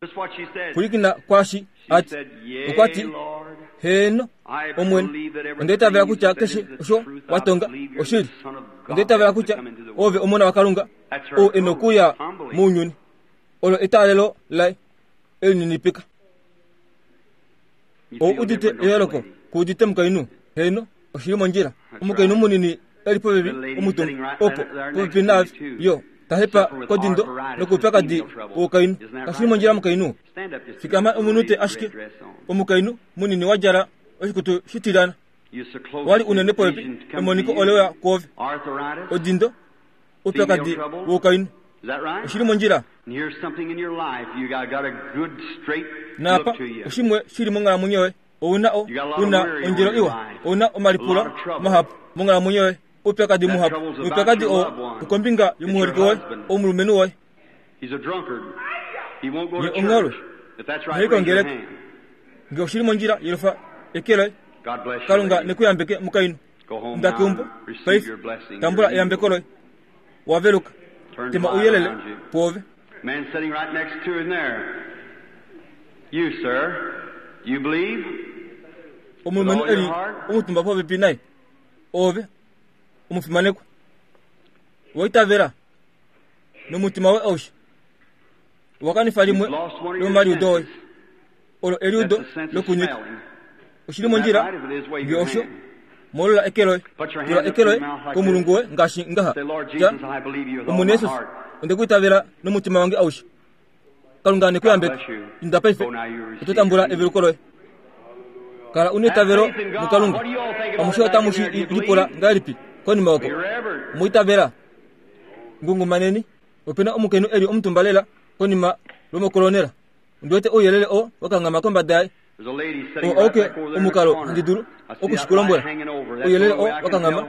[SPEAKER 1] Pwilikina kwaashi a ti. Okwa ti, heeno, Omwene, onda itavela kutya keshe osho wa tonga oshili. Onda itavela kutya ove omona waKalunga ou e nokuya mounyuni. Olo etaalelo laye elininipika. Ou udite eyooloko ku udite omukainhu? Heeno, oshili mondjila. Omukainhu munini eli popepi omutumba opo popepi naave yo ta hepa kodindo nokoupyakadi wokainhu. Kashili mondjila omukainhu? Fikama omunute ashike. Omukainhu munini wa djala oshikutu shitilyana. Wali unene popepi emoniko ole uya kwoove. Odindo, oupyakadi wokainhu. Oshili mondjila. Naapa oshimwe shili monghalamwenyo yoye. Ouna o una ondjelo iwa. Ouna omalipulo mahapu monghalamwenyo yoye. Oupyakadi muhapu. Noupyakadi oo okombinga yomuholike woye, omulumenhu woye. Ye ongholwe. Ihai kongeleka. Nge oshili mondjila yelufa eke loye. Kalunga nekuyambeke mukainhu. Inda keumbo paife, tambula eyambeko loye. Waveluka. Tema ouyelele pwoove.
[SPEAKER 2] Man sitting right next to him there. You, sir, you believe?
[SPEAKER 1] Omulumenhu eli omutumba popepi naye. Ove, omufimanekwa. Owa itavela nomutima woye aushe. Owa kanifa limwe lomomaliudo oye. Olo eliudo lokunyika. Oshili mondjila nge osho molola eke loye. Tula eke loye komulungu woye ngaashi ngaha. Tya, Omwene Jesus, onde ku itavela nomutima wange aushe. Kalunga nekuyambeke. Inda paife, oto tambula eveluko loye. Kala una eitavelo muKalunga. Amushe otamu shi lipula ngahelipi konima oko? Omwa itavela? Ngungumaneni. Opena omukainhu eli omutumba lela konima lomokolonela. Ondi wete ouyelele oo wakanghama kombada yaye. Oo auke omukalo handi dulu oku shi ku lombwela. Ouyelele oo wakanghama,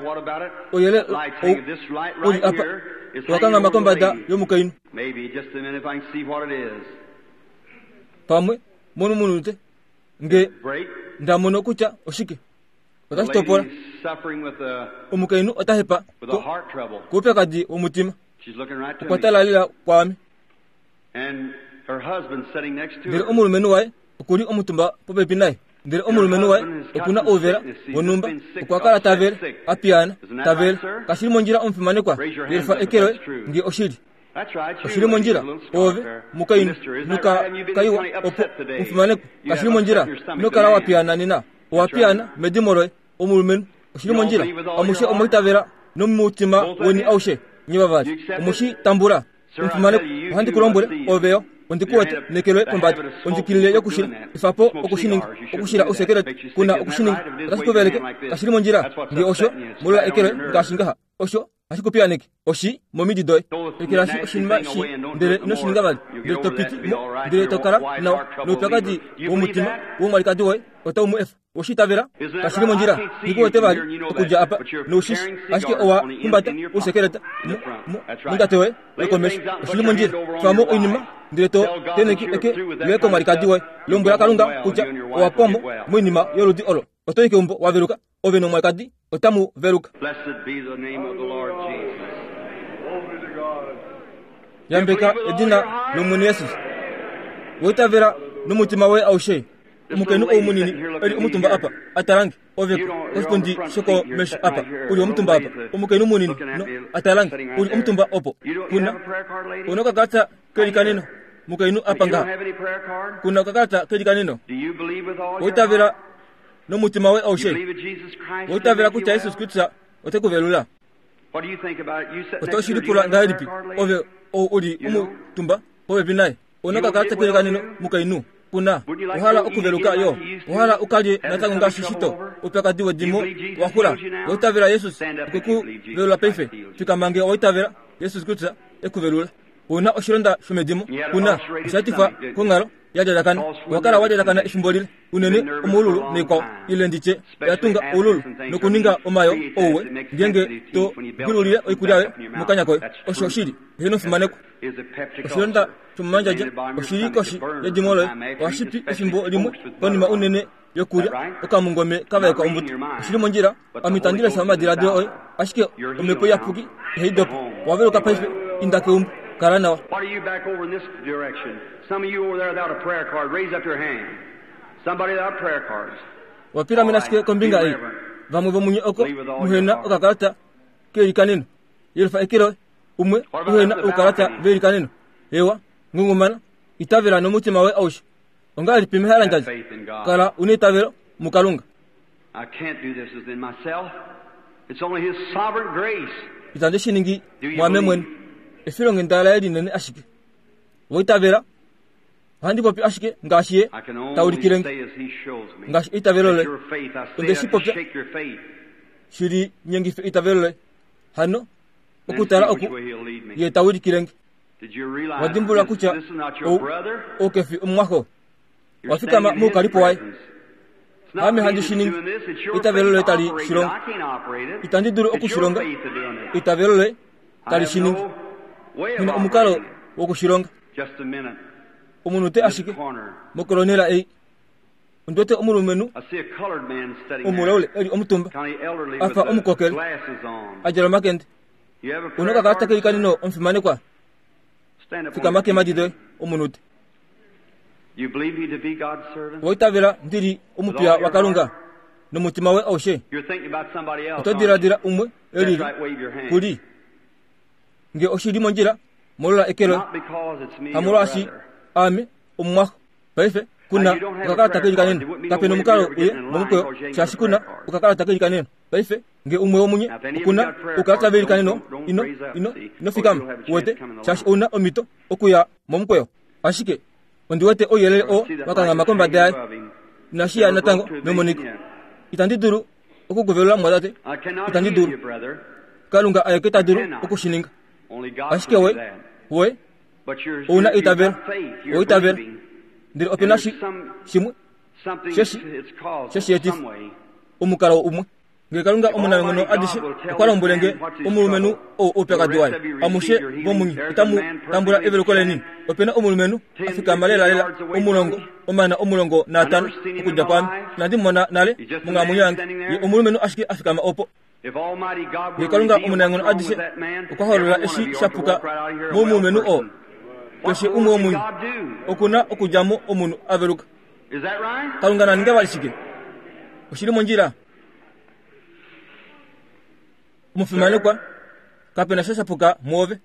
[SPEAKER 1] ouyelele ou uli apa, owakanghama kombada yomukainhu. Pamwe momunute nge nda mono kutya oshike, otashi topola. Omukainhu ota hepa ko koupyakadi womutima. Okwa tala lela kwaame. Ndele omulumenhu waye okuli omutumba popepi naye. Ndele omulumenhu waye okuna ouvela wonhumba. Okwa kala tavele, a piyaana, tavele. Kashili mondjila omufimanekwa, yelifa eke loye nge oshili. Oshili mondjila, ove, mukainhu, nuka kaiwa opo omufimanekwa. Kashili mondjila, ino kala wa piyaana nena. Owa piyaana medimo loye, omulumenhu. Oshili mondjila, amushe omwa itavela nomutima weni aushe, nye vavali. Omushi tambula. Omufimanekwa, ohandi ku lombwele, ove yo, ondi ku wete neke loye pombada. Ondjikilile yokushila, efa po okushininga, okushila ousekelete, kuna okushininga, otashi ku veleke. Kashili mondjila, nge osho, molola eke loye ngaashi ngaha. Osho hashi ku piyaaneke, oshi momidi doye. Ekelashi oshinima shi, ndele ino shi ninga vali, ndele to piti mo, ndele to kala nawa noupyakadi womutima womwalikadi woye otau mu efa. Oweshi itavela? Kashili mondjila. Nghi ku wete vali okudja apa, noushishi, ashike owa humbata ousekeleta mu, mu, mondjato yoye yokomesho. Oshili mondjila. Twamo oinima, ndele to tenheke eke loye komwalikadi woye. Lombwela Kalunga kutya owa pwamo moinima yoludi olo. Oto i keumbo wa veluka, ove nomwalikadi otamu veluka.
[SPEAKER 2] Blessed be the name of the Lord Jesus.
[SPEAKER 1] Yambeka edina lOmwene Jesus. Owa itavela nomutima woye aushe. Omukainhu ou munini eli omutumba apa, a talange, ove ko koshipundi shokomesho apa, uli omutumba apa. Omukainhu munini no, a talange, uli omutumba opo. Kuna, una okakalata kelikaneno, mukainhu apa ngaha. Kuna okakalata kelikaneno. Owa itavela nomutima woye aushe. Owa itavela kutya Jesus Kristus ote ku velula. Oto shi lipula ngahelipi, ove ou uli omutumba popepi naye? Una okakalata kelikaneno, mukainhu? Kuna, ohala okuveluka yo. Ohala ukalye natango ngaashi shito. Oupyakadi wedimo wa xula. Owa itavela Jesus okwe ku velula paife. Fikama nge owa itavela Jesus Kristus e ku velula. Una oshilonda shomedimo. Kuna, osha etifwa konghalo ya lyalakana. Owa kala wa lyalakana efimbo lile, unene omoululu naikwao, ile nditye oya tunga oululu nokuninga omayo ouwe ngeenge to gwilulile oikulya yoye mokanya koye. Osho oshili. Heeno, fimanekwa. Oshilonda shomomandjadja oshili koshi yedimo loye. Ohashi pi efimbo limwe konima unene yokulya okamungome kavaekwa ombuto. Oshili mondjila, ame itandi lesha omadiladilo oye, ashike omhepo iyapuki ihai dopa. Owa veluka paife, inda keumbo, kala nawa.
[SPEAKER 2] What are you back over in this direction? Some of you over there without a prayer card, raise up your hand. Somebody without prayer cards.
[SPEAKER 1] Wapilamena ashike kombinga ei. Vamwe vomunye oko muhena okakalata keilikaneno. Yelufa eke loye. Umwe uhena oukalata veilikaneno. Ewa, ngungumana, itavela nomutima woye aushe. Ongahelipi mehalandjadja?
[SPEAKER 2] Have faith in God.
[SPEAKER 1] Kala una eitavelo muKalunga.
[SPEAKER 2] I can't do this within myself. It's only His sovereign grace.
[SPEAKER 1] Itandi shi ningi
[SPEAKER 2] Do you
[SPEAKER 1] mwaame mwene.
[SPEAKER 2] believe?
[SPEAKER 1] Efilonghenda laye linene ashike. Owa itavela? Ohandi popi ashike ngaashi ye
[SPEAKER 2] I can only
[SPEAKER 1] taulikile nge.
[SPEAKER 2] say as He shows me.
[SPEAKER 1] Ngaashi eitavelo
[SPEAKER 2] That
[SPEAKER 1] loye
[SPEAKER 2] your faith, I say
[SPEAKER 1] Onde
[SPEAKER 2] that
[SPEAKER 1] shi
[SPEAKER 2] to
[SPEAKER 1] popya.
[SPEAKER 2] shake your faith.
[SPEAKER 1] shili nyengife eitavelo loye. Hano
[SPEAKER 2] Then
[SPEAKER 1] okutala
[SPEAKER 2] see which
[SPEAKER 1] oku
[SPEAKER 2] way He'll lead me.
[SPEAKER 1] ye taulikile nge.
[SPEAKER 2] Did you realize
[SPEAKER 1] Wadimbulula
[SPEAKER 2] this,
[SPEAKER 1] kutya
[SPEAKER 2] this is not your
[SPEAKER 1] ou
[SPEAKER 2] brother?
[SPEAKER 1] oukefi omumwaxo.
[SPEAKER 2] You're
[SPEAKER 1] Wafikama
[SPEAKER 2] standing in His
[SPEAKER 1] muukalipo waye.
[SPEAKER 2] presence. It's not
[SPEAKER 1] Ame
[SPEAKER 2] me
[SPEAKER 1] handi
[SPEAKER 2] that's
[SPEAKER 1] shi ningi.
[SPEAKER 2] doing this, it's your
[SPEAKER 1] Eitavelo
[SPEAKER 2] faith
[SPEAKER 1] loye tali
[SPEAKER 2] operating it.
[SPEAKER 1] shilonga.
[SPEAKER 2] I can't operate it.
[SPEAKER 1] Itandi dulu
[SPEAKER 2] It's your
[SPEAKER 1] okushilonga.
[SPEAKER 2] faith that's doing it.
[SPEAKER 1] Eitavelo loye
[SPEAKER 2] I
[SPEAKER 1] tali
[SPEAKER 2] have
[SPEAKER 1] shi ningi.
[SPEAKER 2] no way of
[SPEAKER 1] Ngina omukalo
[SPEAKER 2] operating it.
[SPEAKER 1] wokushilonga.
[SPEAKER 2] Just a minute.
[SPEAKER 1] Omunute
[SPEAKER 2] This
[SPEAKER 1] ashike
[SPEAKER 2] corner.
[SPEAKER 1] mokolonela ei. Ondiwete omulumenhu
[SPEAKER 2] I see a colored man sitting
[SPEAKER 1] omulaule
[SPEAKER 2] there.
[SPEAKER 1] eli omutumba
[SPEAKER 2] Kind of elderly
[SPEAKER 1] afa
[SPEAKER 2] with the
[SPEAKER 1] omukokele
[SPEAKER 2] glasses on.
[SPEAKER 1] a djala omakende.
[SPEAKER 2] You have a
[SPEAKER 1] Una
[SPEAKER 2] prayer
[SPEAKER 1] okakalata
[SPEAKER 2] card?
[SPEAKER 1] keilikaneno omufimanekwa.
[SPEAKER 2] Stand up on
[SPEAKER 1] Fikama
[SPEAKER 2] your feet.
[SPEAKER 1] keemhadi doye omunute.
[SPEAKER 2] You believe me to be God's servant?
[SPEAKER 1] Owa itavela ndili omupiya waKalunga nomutima woye aushe.
[SPEAKER 2] You're thinking about somebody else.
[SPEAKER 1] Oto
[SPEAKER 2] aren't you?
[SPEAKER 1] diladila umwe
[SPEAKER 2] That's
[SPEAKER 1] elili
[SPEAKER 2] right, wave your hand.
[SPEAKER 1] kuli. Nge oshili mondjila molola eke loye.
[SPEAKER 2] Not because it's me, your
[SPEAKER 1] Hamolwaashi
[SPEAKER 2] brother.
[SPEAKER 1] aame omumwaxo. Paife kuna okakalata keilikaneno. Kapena omukalo uye momukweyo shaashi kuna okakalata keilikaneno. Paife nge umwe womunye okuna oukalata veilikaneno ino ino ino fikama uwete shaashi ouna omhito okuya momukweyo. Ashike ondi wete ouyelele oo wakanghama kombada yaye. Inashi ya natango memoniko. Itandi dulu okukuvelula mwatate.
[SPEAKER 2] I cannot
[SPEAKER 1] Itandi
[SPEAKER 2] heal you,
[SPEAKER 1] dulu.
[SPEAKER 2] brother.
[SPEAKER 1] Kalunga aeke ta dulu okushininga.
[SPEAKER 2] Only God
[SPEAKER 1] Ashike
[SPEAKER 2] can do
[SPEAKER 1] we
[SPEAKER 2] that.
[SPEAKER 1] we
[SPEAKER 2] But you're,
[SPEAKER 1] ouna
[SPEAKER 2] you're, you've
[SPEAKER 1] eitavelo.
[SPEAKER 2] got faith. You're
[SPEAKER 1] Oitavelo.
[SPEAKER 2] believing
[SPEAKER 1] Ndele opena shi shimwe
[SPEAKER 2] something.
[SPEAKER 1] Sheshi-
[SPEAKER 2] It's causal
[SPEAKER 1] sheshi etifa.
[SPEAKER 2] some way.
[SPEAKER 1] Omukalo umwe. Nge Kalunga omunanghono adishe okwa lombwele nge omulumenhu ou oupyakadi waye. Amushe vomunye itamu tambula eveluko leni. Opena omulumenhu a fikama lelalela omulongo omana omulongo naatano okudja kwaame. Inandi mu mona nale monghalamwenyo yange. Ye omulumenhu ashike a fikama opo.
[SPEAKER 2] If Almighty God
[SPEAKER 1] Nge
[SPEAKER 2] will
[SPEAKER 1] Kalunga
[SPEAKER 2] reveal what's
[SPEAKER 1] omunanghono
[SPEAKER 2] wrong
[SPEAKER 1] adishe
[SPEAKER 2] with that man,
[SPEAKER 1] okwa holola
[SPEAKER 2] every one of
[SPEAKER 1] eshi
[SPEAKER 2] you
[SPEAKER 1] sha
[SPEAKER 2] ought to
[SPEAKER 1] puka
[SPEAKER 2] walk right out of here a well
[SPEAKER 1] momulumenhu oo.
[SPEAKER 2] person. What
[SPEAKER 1] Keshe
[SPEAKER 2] more
[SPEAKER 1] umwe
[SPEAKER 2] can
[SPEAKER 1] womunye
[SPEAKER 2] God do?
[SPEAKER 1] okuna okudja mo omunhu a veluka.
[SPEAKER 2] Is that right?
[SPEAKER 1] Kalunga na ninge vali shike? Oshili mondjila. Omufimanekwa, kapena sha shapuka mwoove.
[SPEAKER 2] Nothing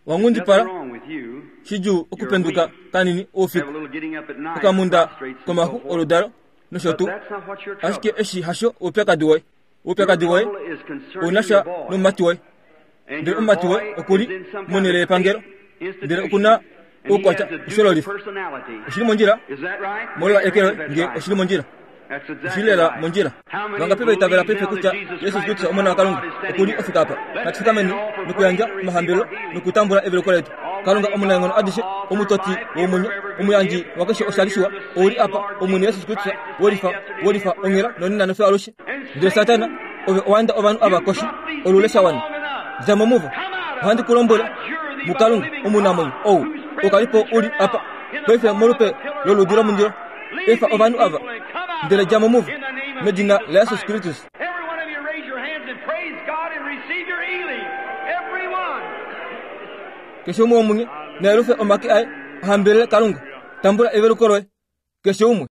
[SPEAKER 1] Wangundipala
[SPEAKER 2] wrong with you.
[SPEAKER 1] shidjuu okupenduka kanini
[SPEAKER 2] Have a
[SPEAKER 1] oufiku.
[SPEAKER 2] little getting up at night,
[SPEAKER 1] Okamunda
[SPEAKER 2] prostrates and so
[SPEAKER 1] komaxu
[SPEAKER 2] forth.
[SPEAKER 1] oludalo nosho
[SPEAKER 2] But
[SPEAKER 1] tuu.
[SPEAKER 2] that's not what your
[SPEAKER 1] Ashike
[SPEAKER 2] trouble.
[SPEAKER 1] eshi hasho oupyakadi woye. Oupyakadi
[SPEAKER 2] Your
[SPEAKER 1] woye
[SPEAKER 2] trouble is concerning
[SPEAKER 1] ouna sha
[SPEAKER 2] your boy.
[SPEAKER 1] nomumati woye.
[SPEAKER 2] And
[SPEAKER 1] Ndele
[SPEAKER 2] your
[SPEAKER 1] omumati woye
[SPEAKER 2] boy
[SPEAKER 1] okuli
[SPEAKER 2] is in some kind
[SPEAKER 1] monhele
[SPEAKER 2] of
[SPEAKER 1] yepangelo.
[SPEAKER 2] state
[SPEAKER 1] Ndele
[SPEAKER 2] institution,
[SPEAKER 1] okuna
[SPEAKER 2] and he
[SPEAKER 1] oukwatya
[SPEAKER 2] has a dual
[SPEAKER 1] ushololifa.
[SPEAKER 2] personality.
[SPEAKER 1] Oshili mondjila
[SPEAKER 2] Is that right?
[SPEAKER 1] molola
[SPEAKER 2] Raise
[SPEAKER 1] eke
[SPEAKER 2] your
[SPEAKER 1] loye
[SPEAKER 2] hand if
[SPEAKER 1] nge
[SPEAKER 2] that's right.
[SPEAKER 1] oshili mondjila.
[SPEAKER 2] That's exactly
[SPEAKER 1] Oshilela
[SPEAKER 2] right.
[SPEAKER 1] mondjila.
[SPEAKER 2] How many
[SPEAKER 1] Vangapi vaitavela
[SPEAKER 2] believe
[SPEAKER 1] paife
[SPEAKER 2] now
[SPEAKER 1] kutya
[SPEAKER 2] that Jesus
[SPEAKER 1] Yesu
[SPEAKER 2] Christ,
[SPEAKER 1] Kristus
[SPEAKER 2] the
[SPEAKER 1] omwana
[SPEAKER 2] Son of
[SPEAKER 1] waKalunga
[SPEAKER 2] God, is standing
[SPEAKER 1] okuli
[SPEAKER 2] here?
[SPEAKER 1] ofika apa.
[SPEAKER 2] Let's
[SPEAKER 1] Natufikameni
[SPEAKER 2] stand all for
[SPEAKER 1] nokuyandja
[SPEAKER 2] praise and receive
[SPEAKER 1] omahambelo
[SPEAKER 2] our healing.
[SPEAKER 1] nokutambula eveluko letu. Kalunga omunaenghono adishe omutoti womwenyo omuyandji wakeshe oshali shiwa ouli apa Omwene Yesu Kristus wolifa wolifa onghela nonena nofyo alushe. Ndele Satana ove owaenda ovanhu ava koshi olule shawana. Dja mo muvo. Ohandi ku lombwele muKalunga omunamwenyo ou okalipo uli apa paife molupe loludi lomundilo. Efa ovanhu ava ndele dja mo muvo medina laYesus Kristus.
[SPEAKER 2] Every one of you raise your hands and praise God and receive your healing. Every one.
[SPEAKER 1] Keshe umwe womunye na yelufe omake aye ahambelele Kalunga. Tambula eveluko loye. Keshe umwe.